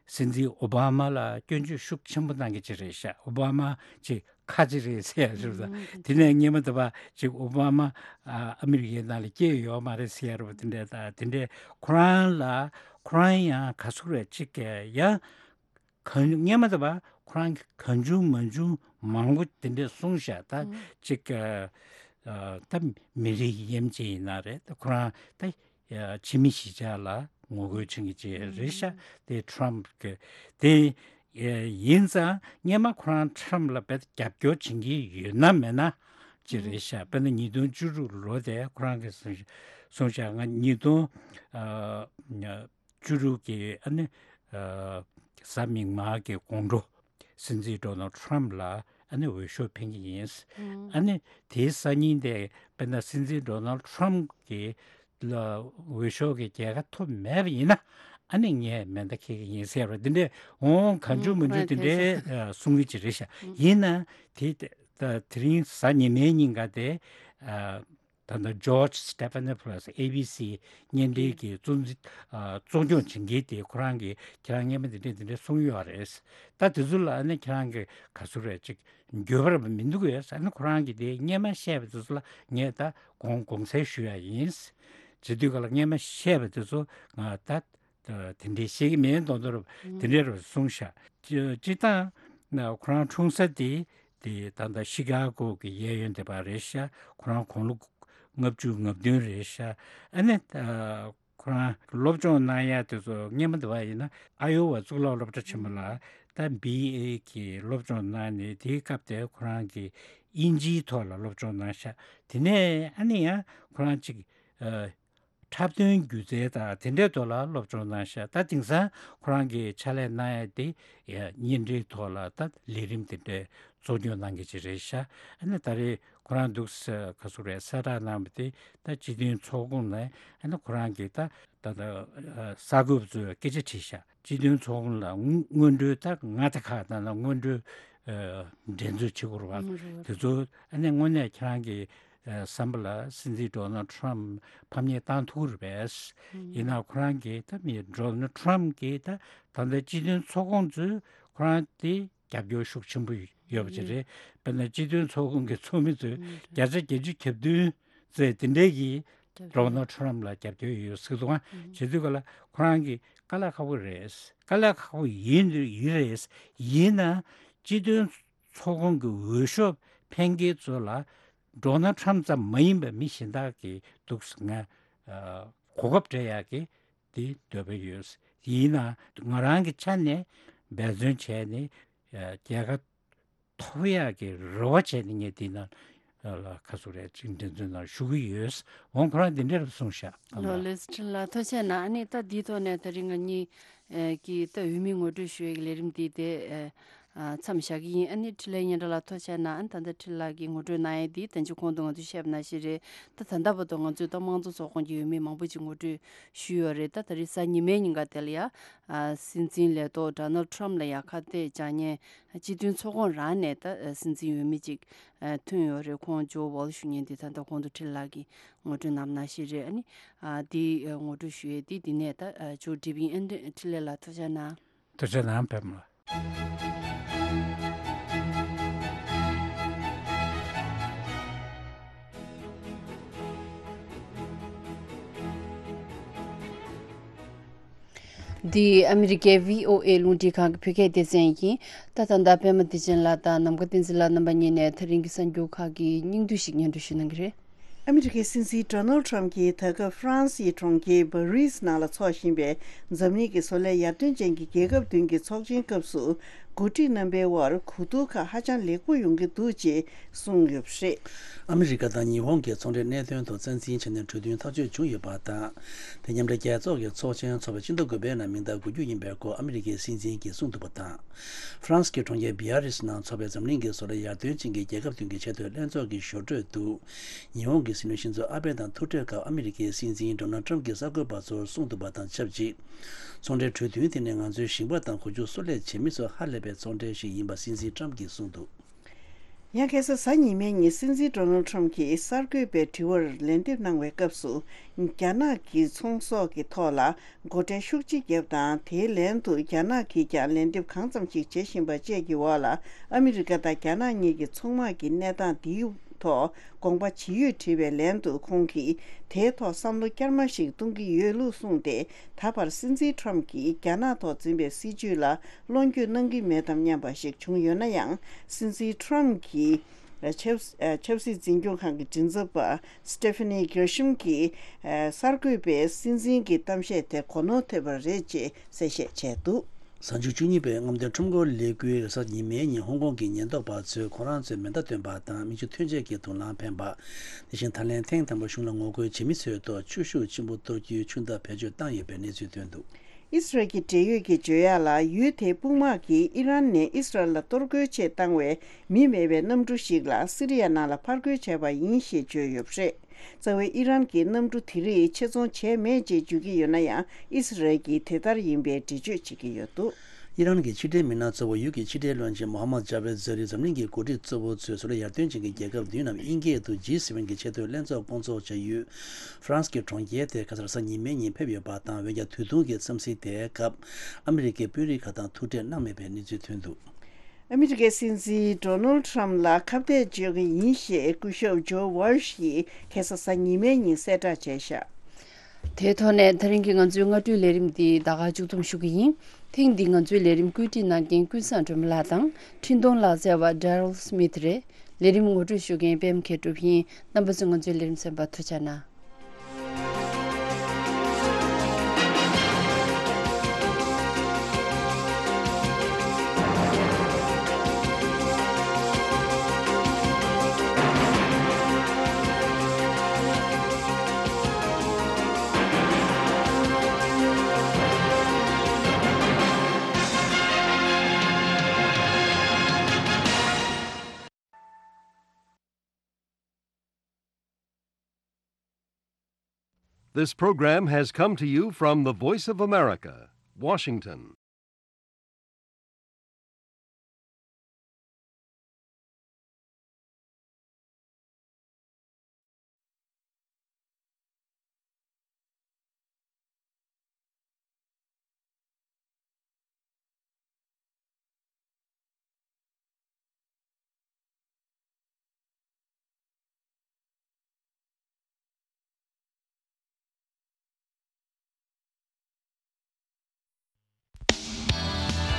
སྲིད་འཛིན་ཨོ་བྷ་མ་ལ་སྐྱོན་བརྗོད་ཤུགས་ཆེན་པོ་གནང་གི་ཅིག་རེད་ཤག་ཨོ་བྷ་མ་ཅིག་ཁ་ཅིག་རེད་ཟེར་ཡ་རེད། དེ་ནས་སྔོན་མ་དེ་བ་ཅིག་ཨོ་བྷ་མ་ཨ་ཨ་མི་རི་ཀའི་ནང་ལ་སྐྱེས་ཡོད་མ་རེད་ཟེར་ཡ་རེད་པ། དེ་འདྲས་ད་དེ་འདྲས་ཁོ་རང་ལ་ཁོ་རང་ཡང་ག་ཚོད་རེད་ཅིག་གི་ཡང་གང་སྔོན་མ་དེ་བ་ཁོ་རང་གི་གང་བྱུང་མང་བྱུང་མང་པོ་དེ་འདྲས་གསུངས་ཤག་ད་ཅིག་གི་ཨ་ད་མི་རིགས་གཡེམ་ཅིག་ཡིན་ན་རེད། ད་ཁོ་རང་ད་ཕྱི་མི་གཞིས་ཆགས་ལ་ངོ་རྒོལ་བྱེད་མཁན་ཅིག་རེད་ཤག་དེ་ཊམ་གི་དེ་ཡིན་ཙང་སྔོན་མ་ཁོ་རང་ཊམ་ལ་དཔེ་རྒྱབ་སྐྱོར་བྱེད་ཀྱི་ཡོད་ན་མེད་ན་ཅིག་རེད་ཤག་དཔེར་ན་ཉིས་སྟོང་བཅུ་དྲུག་ལོ་དེ་ཁོ་རང་གིས་གསུངས་ཤག་ང་ཉིས་སྟོང་བཅུ་དྲུག་གི་ཨ་ནི་གཟའ་མིག་དམར་གྱི་དགོང་དྲོ་སྲིད་འཛིན་ཌོ་ནལ་ཊམ་ལ་ཨ་ནི་འོས་ཤོག་འཕེན་གྱི་ཡིན། ཨ་ནི་དེའི་སང་ཉིན་དེ་དཔེར་ན་སྲིད་འཛིན་ཌོ་ནལ་ཊམ་གྱི་ལ་འོས་ཤོག་གི་རྒྱལ་ཁ་ཐོབ་མེད་པ་ཡིན་ན་ཨ་ནི་ངས་མེ་མདའ་འཁྱེར་གྱི་ཡིན་ཟེར་བ་འདི་འདྲས་འོང་། གང་བྱུང་མང་བྱུང་དེ་འདྲས་གསུང་གི་ཅིག་རེད་ཤག་ཡིན་ན་དེ་དེ་དེ་རིང་གཟའ་ཉི་མའི་ཉིན་ཀ་དེ་ད་ལྟ་ཇོརྗ་སི་ཊེ་ཕ་ནི་ཕུ་ལ་སི་ཨེ་བི་སི་བརྙན་འཕྲིན་གྱི་གཙོ་འཛིན་གཙོ་སྐྱོང་བྱེད་མཁན་དེ་ཁོ་རང་གིས་ཁྱེད་རང་སྔོན་མ་འདི་འདྲས་འདི་འདྲས་གསུངས་ཡོད་རེད། ད་དེ་ཚོ་ལ་ཨ་ནི་ཁྱེད་རང་གིས་ག་ཚོད་རེད་ཅིག་འགྱོད་པ་ར་མི་འདུག་ཡོད་ཟེར་ན་ཁོ་རང་གིས་དེ་སྔོན་མ་བཤད་པ་དེ་ཚོ་ལ་ངས་ད་དགོངས་དགོངས་སེལ་ཞུ་ཡ་ཡིན། བྱེད་དུས་ག་ལ་སྔོན་མ་བཤད་པ་དེ་ཚོ་ང་ད་དེ་འདྲའི་བཤད་ཀྱི་མེད་མདོག་མདོག་ར་དེ་འདྲའི་ར་གསུངས་ཤག་སྤྱི་བཏང་ཁོ་རང་འཁྲུངས་ས་དེ་དེ་ད་ལྟ་ཤི་ཀ་གོ་གི་གཡས་གཡོན་དེ་པ་རེད་ཤག་ཁོ་རང་དགུང་ལོ་ལྔ་བཅུ་ང་བདུན་རེད་ཤག་ཨ་ནི་ཁོ་རང་སློབ་སྦྱོང་གནང་ཡ་དེ་ཚོ་སྔོན་མ་དེ་བ་ཡིན་ན་ཨ་ཡོ་ཝ་གཙུག་ལག་སློབ་གྲྭ་ཆེན་མོ་ལ་ད་བི་ཨེ་གི་སློབ་སྦྱོང་གནང་ནས་དེའི་སྐབས་དེ་ཁོ་རང་གི་དབྱིན་ཇིའི་ཐོག་ལ་སློབ་སྦྱོང་གནང་ཤག་དེ་ནས་ཨ་ནི་ཡང་ཁོ་རང་ཅིག་ཨ་འཁྲབ་སྟོན་སྒྱུ་རྩལ་དང་དེ་འདྲའི་ཐོག་ལ་སློབ་སྦྱོང་གནང་ཤག་ད་དེང་སང་ཁོ་རང་གི་ཕྱག་ལས་གནང་ཡ་དེ་བརྙན་འཕྲིན་ཐོག་ལ་ད་ལས་རིམ་དེ་འདྲའི་གཙོ་སྐྱོང་གནང་མཁན་ཅིག་རེད་ཤག་ཨ་ནི་ད་རེས་ཁོ་རང་འདུག་ས་ག་ཚོད་རེད་གསལ་བསྒྲགས་གནང་བ་དེ་ད་སྤྱི་མཐུན་ཚོགས་ཁོངས་ནས་ཨ་ནི་ཁོ་རང་གིས་ད་ད་ད་གསར་འགོད་པ་ཚོས་སྐད་ཆ་དྲིས་ཤག་སྤྱི་མཐུན་ཚོགས་ཁོངས་ལ་སྔོན་འགྲོའི་ད་མངའ་སྡེ་ཁག་དང་ལ་སྔོན་འགྲོའི་འགྲན་རྩོད་བྱེད་དགོས་རེད་བ། དེ་ཚོ་ཨ་ནི་དངོས་གནས་ཁྱེད་རང་གི་ ཨ་བསམ་པ་ལ་སྲིད་འཛིན་ཌོ་ནལ་ཊམ་ཕམ་ཉེས་བཏང་ཐུབ་ཀྱི་རེད་པས། ཡིན་ནའང་ཁོ་རང་གིས་ད་མི་ཌོ་ནལ་ཊམ་གྱིས་ད་ད་ལྟ་སྤྱི་མཐུན་ཚོགས་ཁོངས་ཚོས་ཁོ་རང་དེ་རྒྱབ་སྐྱོར་ཤུགས་ཆེན་པོ་ཡོད་པ་ཅིག་རེད། དཔེར་ན་སྤྱི་མཐུན་ཚོགས་ཁོངས་ཀྱི་ཚོགས་མི་ཚོས་བརྒྱ་ཆ་བརྒྱད་ཅུ་གྱ་བདུན་ཙམ་དེ་འདྲས་ཀྱིས་རྒྱབ་སྐྱོར་ཌོ་ནལ་ཊམ་ལ་རྒྱབ་སྐྱོར་ཡོད་ཟེར་འདུག་ཨ། བྱེད་དུས་ག་ལ་ཁོ་རང་གིས་དཀའ་ལས་ཁག་པོ་རེད། དཀའ་ལས་ཁག་པོ་ཡིན་ཡིན་རེད། ཡིན་ན་སྤྱི་མཐུན་ཚོགས་ཁོངས་ཀྱི་འོས་ཤོག་འཕེན་མཁན་ཚོ་ལ་ཌོ་ནལ་ཊམ་ཙམ་མ་ཡིན་པའི་མི་གཞན་དག་གིས་འདུག་ང་ཨ་གོ་སྐབས་སྤྲད་ཡག་གི་དེ་འདོད་པ་ཡོད། ཡིན་ན་ང་རང་གི་ཆ་ནས་འབད་བརྩོན་བྱས་ནས་ཨ་རྒྱལ་ཁ་ཐོབ་ཡག་གི་རེ་བ་བྱས་ནས་ངས་དེ་ནང་ལ་ཁ་སུ་རེད་ཅིག་འགྲན་རྩོད་ནང་ཞུགས་ཀྱི་ཡོད། འོང་ཁོ་རང་འདི་འདྲ་རུ་གསུངས་ཤག་ལགས་ལགས་ལགས། ལགས་སོ་ཁྲིན་ལགས་ཐུགས་རྗེ་གནང་། ཨ་ནི་ད་འདིའི་ཐོག་ནས་ད་རིང་ང་གཉིས་ཀྱིས་ད་འོས་མི་ངོ་སྤྲོད་ཞུ་ཡས་ཀྱི་ལས་རིམ་འདི་དེ་མཚམས་བཞག་གི་ཡིན། ཨ་ནི་འཕྲིན་ལས་སྙན་གྲགས་ལགས་ཐུགས་རྗེ་གནང་། ཨ་ནི་ད་ལྟ་འཕྲིན་ལགས་ཀྱིས་ངོ་སྤྲོད་གནང་ཡས་འདི་ད་ཅི་གོང་དུ་ང་ཚོས་བཤད་པ་ནང་བཞིན་རེད། ད་ད་ལྟ་བར་དུ་ང་ཚོས་ད་དམངས་གཙོ་ཚོགས་ཁོངས་ཀྱི་འོས་མི་མང་པོ་ཅིག་ངོ་སྤྲོད་ཞུས་ཡོད་རེད། ད་ད་རེས་གཟའ་ཉི་མའི་ཉིན་ཀ་དེ་ལ་ཡ་སྲིད་འཛིན་ལས་ཐོག་ཌོ་ནལ་ཊམ་ལ་ཡ་ཁ་གཏད་བཅག་མཁན་སྤྱི་མཐུན་ཚོགས་ཁོངས་རང་ནས་ད་སྲིད་འཛིན་འོས་མི་ཅིག་ཐོན་ཡོད་རེད། ཁོང་ཇོ་ཝོལ་ཞུ་མཁན་དེ་ད་ལྟ་གོང་དུ་འཕྲིན་ལགས་ཀྱིས་ངོ་སྤྲོད་གནང་བ་ནང་བཞིན་རེད། ཨ་ནི་ཨ་དེ་ཨ་ངོ་སྤྲོད་ཞུ་ཡས་དེ་འདི་ནས་ད་ཨ་མཇུག་སྒྲིལ་བ་ཡིན། ཨ་ནི་འཕྲིན་ལས་ལགས་ཐུགས་རྗེ་གནང་། ཐུགས་རྗེ་གནང་པད་མ་ལགས། འདི་ཨ་མི་རི་ཀའི་བྷི་ཨོ་ཨེ་རླུང་འཕྲིན་ཁང་གི་བོད་སྐད་སྡེ་ཚན་ཡིན། ད་ད་ལྟ་པད་མ་བདེ་ཆེན་ལགས་དང་ནམ་མཁའ་བསྟན་འཛིན་ལགས་རྣམ་པ་གཉིས་ནས་ད་རིང་གི་གསར་འགྱུར་ཁག་གི་སྙིང་བསྡུས་ཤིག་སྙན་སྒྲོན་ཞུ་གནང་གི་རེད། ཨ་མི་རི་ཀའི་སྲིད་འཛིན་ཌོ་ནལ་ཊམ་གྱིས་ད་སྐབས་ཧྥ་རན་སིའི་གྲོང་ཁྱེར་པ་རིས་ནང་ལ་འཚོགས་བཞིན་པའི་འཛམ་གླིང་གི་བཟོ་ལས་ཡར་ཐོན་ཅན་གྱི་རྒྱལ་ཁབ་བདུན་གྱི་ཚོགས་ཆེན་སྐབས་སུ། འགོ་ཁྲིད་རྣམ་པའི་དབར་གོ་བསྡུར་ཁག་ཧ་ཅང་ལེགས་པོ་ཡོང་གི་འདུག་ཅེས་གསུངས་ཡོད་པ་རེད། ཨ་མི་རི་ཀ་དང་ཉི་ཧོང་གི་ཚོང་འབྲེལ་གནད་དོན་ཐོག་རྩ་འཛིན་བྱས་ནས་གྲོས་མཐུན་ཐག་གཅོད་བྱུང་ཡོད་པ་དང་། དེ་མཉམ་འབྲེལ་རྒྱལ་ཚོགས་ཀྱི་ཚོགས་ཆེན་འཚོགས་པའི་ཕྱི་ཟླ་དགུ་པའི་ནང་མིང་རྟགས་འགོད་རྒྱུ་ཡིན་པའི་སྐོར་ཨ་མི་རི་ཀའི་སྲིད་འཛིན་གྱིས་གསུངས་འདུག་པ་དང་། ཧྥ་རན་སི་གི་གྲོང་ཁྱེར་བི་ཡ་རིས་ནང་འཚོགས་པའི་འཛམ་གླིང་གི་བཟོ་ལས་ཡར་ཐོན་ཅན་གྱི་རྒྱལ་ཁབ་བདུན་གྱི་ཆེས་མཐོའི་ལྷན་ཚོགས་ཀྱི་ཞོར་འཕྲོས་དུ། ཉི་ཧོང་གི་སྲིད་བློན་ཤིན་ཛོ་ཨ་བྷེ་དང་ཐུག་འཕྲད་སྐབས་ཨ་མི་རི་ཀའི་སྲིད་འཛིན་ཌོ་ནལ་ཊམ་གྱིས་གསར་འགོད་པ་ཚོར་གསུངས་འདུག་པ་དང་ཆབས་ཅིག་ཚོང་འབྲེལ་གྲོས་མཐུན་དེ་ནི་ང་ཚོའི་ཞིང་པ་དང་འཁོར་རྒྱུག་གསོལ་ལས་བྱེད་མི་ཚོ་ཧ་ལས་པའི་ཚོང་འབྲེལ་ཞིག་ཡིན་པ་སྲིད་འཛིན་ཊམ་གྱིས་གསུངས་འདུག་ཡང་ཁ་སང་གཟའ་ཉི་མའི་ཉིན་སྲིད་འཛིན་ཌོ་ནལ་ཊམ་གྱིས་གསར་འགོད་པའི་དྲི་བར་ལན་འདེབས་གནང་བའི་སྐབས་སུ། རྒྱ་ནག་གི་ཚོང་ཟོག་གི་ཐོག་ལ་སྒོ་ཁྲལ་ཤུགས་ཆེ་བརྒྱབ་དང་། དེའི་ལན་དུ་རྒྱ་ནག་གིས་ཀྱང་ལན་འདེབས་གང་ཙམ་ཞིག་བྱེད་བཞིན་པ་བཅས་ཀྱི་འོག་ལ། ཨ་མི་རི་ཀ་དང་རྒྱ་ནག་གཉིས་ཀྱི་ཚོང་དམག་གི་གནས་སྟངས་འདིའི་ཐོག་དགོངས་པ་ཇི་ཡོད་དྲིས་པའི་ལན་དུ། ཁོང་གིས་དེའི་ཐོག་བསམ་བློ་བསྐྱར་མ་ཞིག་གཏོང་གི་ཡོད་ལུགས་གསུངས་ཏེ། ད་བར་སྲིད་འཛིན་ཊམ་གྱིས་རྒྱ་ནག་ཐོག་འཛིན་པའི་སྲིད་བྱུས་ལ་བློ་འགྱོད་གནང་གི་མེད་དམ་སྙམ་པ་ཞིག་བྱུང་ཡོད་ན་ཡང་། སྲིད་འཛིན་ཊམ་གྱི་ཆབ་ཆབ་སྲིད་འཛིན་སྐྱོང་ཁང་གི་མགྲིན་ཚབ་པ་སི་ཏེ་ཕེ་ནི་གྷེར་ཤམ་གྱིས། གསར་འགོད་པས་སྲིད་འཛིན་གྱི་གཏམ་བཤད་དེ་གོ་ནོར་ཐེབས་པ་རེད་ཅེས་གསལ་བཤད་བྱས་འདུག་གཟའ་འཁོར་བཅུ་གཉིས་པའི་རྔམ་སྟོན་ཁྲོམ་སྐོར་ལས་འགུལ་རེས་གཟའ་ཉི་མའི་ཉིན་ཧོང་ཀོང་གི་ཉེན་རྟོག་པ་ཚོས་ཁོ་རང་ཚོའི་མེ་མདའ་བཏོན་པ་དང་མིག་ཆུ་ཐོན་ཆས་ཀྱི་དུག་རླངས་འཕེན་པ། དེ་བཞིན་ད་ལན་ཐེངས་དང་པོ་གཞུང་ལ་ངོ་རྒོལ་བྱེད་མི་ཚོའི་ཐོག་ཆུ་ཤུགས་ཆེན་པོ་གཏོར་རྒྱུའི་ཆུ་མདའ་བེད་སྤྱོད་བཏང་ཡོད་པའི་གནས་ཚུལ་ཐོན་འདུག་ཨི་སི་རལ་གྱི་འབྲེལ་ཡོད་ཀྱིས་བརྗོད་ཡག་ལ། ཡུལ་དེའི་དཔུང་དམག་གིས་ཨི་རན་ནས་ཨི་སི་རལ་ལ་གཏོར་རྒོལ་ཆེད་བཏང་བའི་མི་མེད་པའི་གནམ་གྲུ་ཞིག་ལ་སི་རི་ཡ་ནང་ལ་ཕར་རྒོལ་བྱས་པ་ཡིན་ཞེས་བརྗོད་ཡོད་པ་རེད། རྩ་བའི་ཨི་རན་གྱིས་གནམ་གྲུ་དེ་རིགས་ཆེད་རྫོང་བྱས་མེད་ཅེས་བརྗོད་ཀྱི་ཡོད་ན་ཡང་། ཨི་སི་རལ་གྱིས་དེ་ལྟར་ཡིན་པའི་འགྲེལ་བརྗོད་བྱེད་ཀྱི་ཡོད་འདུག་ཨི་རན་གྱི་ཕྱི་འབྲེལ་མི་སྣ་གཙོ་བོ་ཡུལ་གྱི་ཕྱི་འབྲེལ་བློན་ཆེན་མོ་ཧམ་མད་ཇ་བེད་ཛ་རི་འཛམ་གླིང་གི་འགོ་ཁྲིད་གཙོ་བོ་ཚོས་བཟོ་ལས་ཡར་ཐོན་ཅན་གྱི་རྒྱལ་ཁབ་བདུན་ནམ་དབྱིན་སྐད་དུ་ཇི་སེ་ཝེན་གྱི་ཆེས་མཐོའི་ལྷན་ཚོགས་སྐོང་ཚོགས་བྱ་ཡུལ་ཧྥ་རན་སི་གི་གྲོང་ཁྱེར་དེར་ཁ་སང་གཟའ་ཉི་མའི་ཉིན་ཕེབས་ཡོད་པ་དང་། འོན་ཀྱང་དུས་ཐུང་གི་འཚམས་གཟིགས་དེའི་སྐབས་ཨ་མི་རི་ཀའི་དཔོན་རིགས་ཁག་དང་ཐུག་འཕྲད་གནང་མེད་པའི་གནས་ཚུལ་ཐོན་འདུག་ཨ་མི་རི་ཀའི་སྲིད་འཛིན་ཌོ་ནལ་ཊམ་ལ་ཁ་གཏད་གཅོག་གི་ཡིན་ཞེས་སྐུ་ཞབས་ཇོ་ཝོལ་ཤིས་ཁ་སང་གཟའ་ཉི་མའི་ཉིན་གསལ་བསྒྲགས་བྱས་བཞག་དེའི་ཐོག་ནས་ད་རིང་གི་ང་ཚོའི་སྔ་དྲོའི་ལས་རིམ་འདི་ད་ག་མཇུག་བསྡོམས་ཞུ་གི་ཡིན། ཐེངས་འདིའི་ང་ཚོའི་ལས་རིམ་བཀོད་སྒྲིག་གནང་མཁན་ཀུན་བཟང་སྒྲོལ་མ་ལགས་དང་འཕྲིན་གཏོང་ལག་རྩལ་བ་Daryl Smith་རེད། ལས་རིམ་ངོ་སྤྲོད་ཞུ་མཁན་པད་མ་མཁས་གྲུབ་ཡིན། རྣམ་པ་ཚོས་ང་ཚོའི་ལས་རིམ་གསན་པར་ཐུགས་རྗེ་གནང་། This program has come to you from the Voice of America, Washington.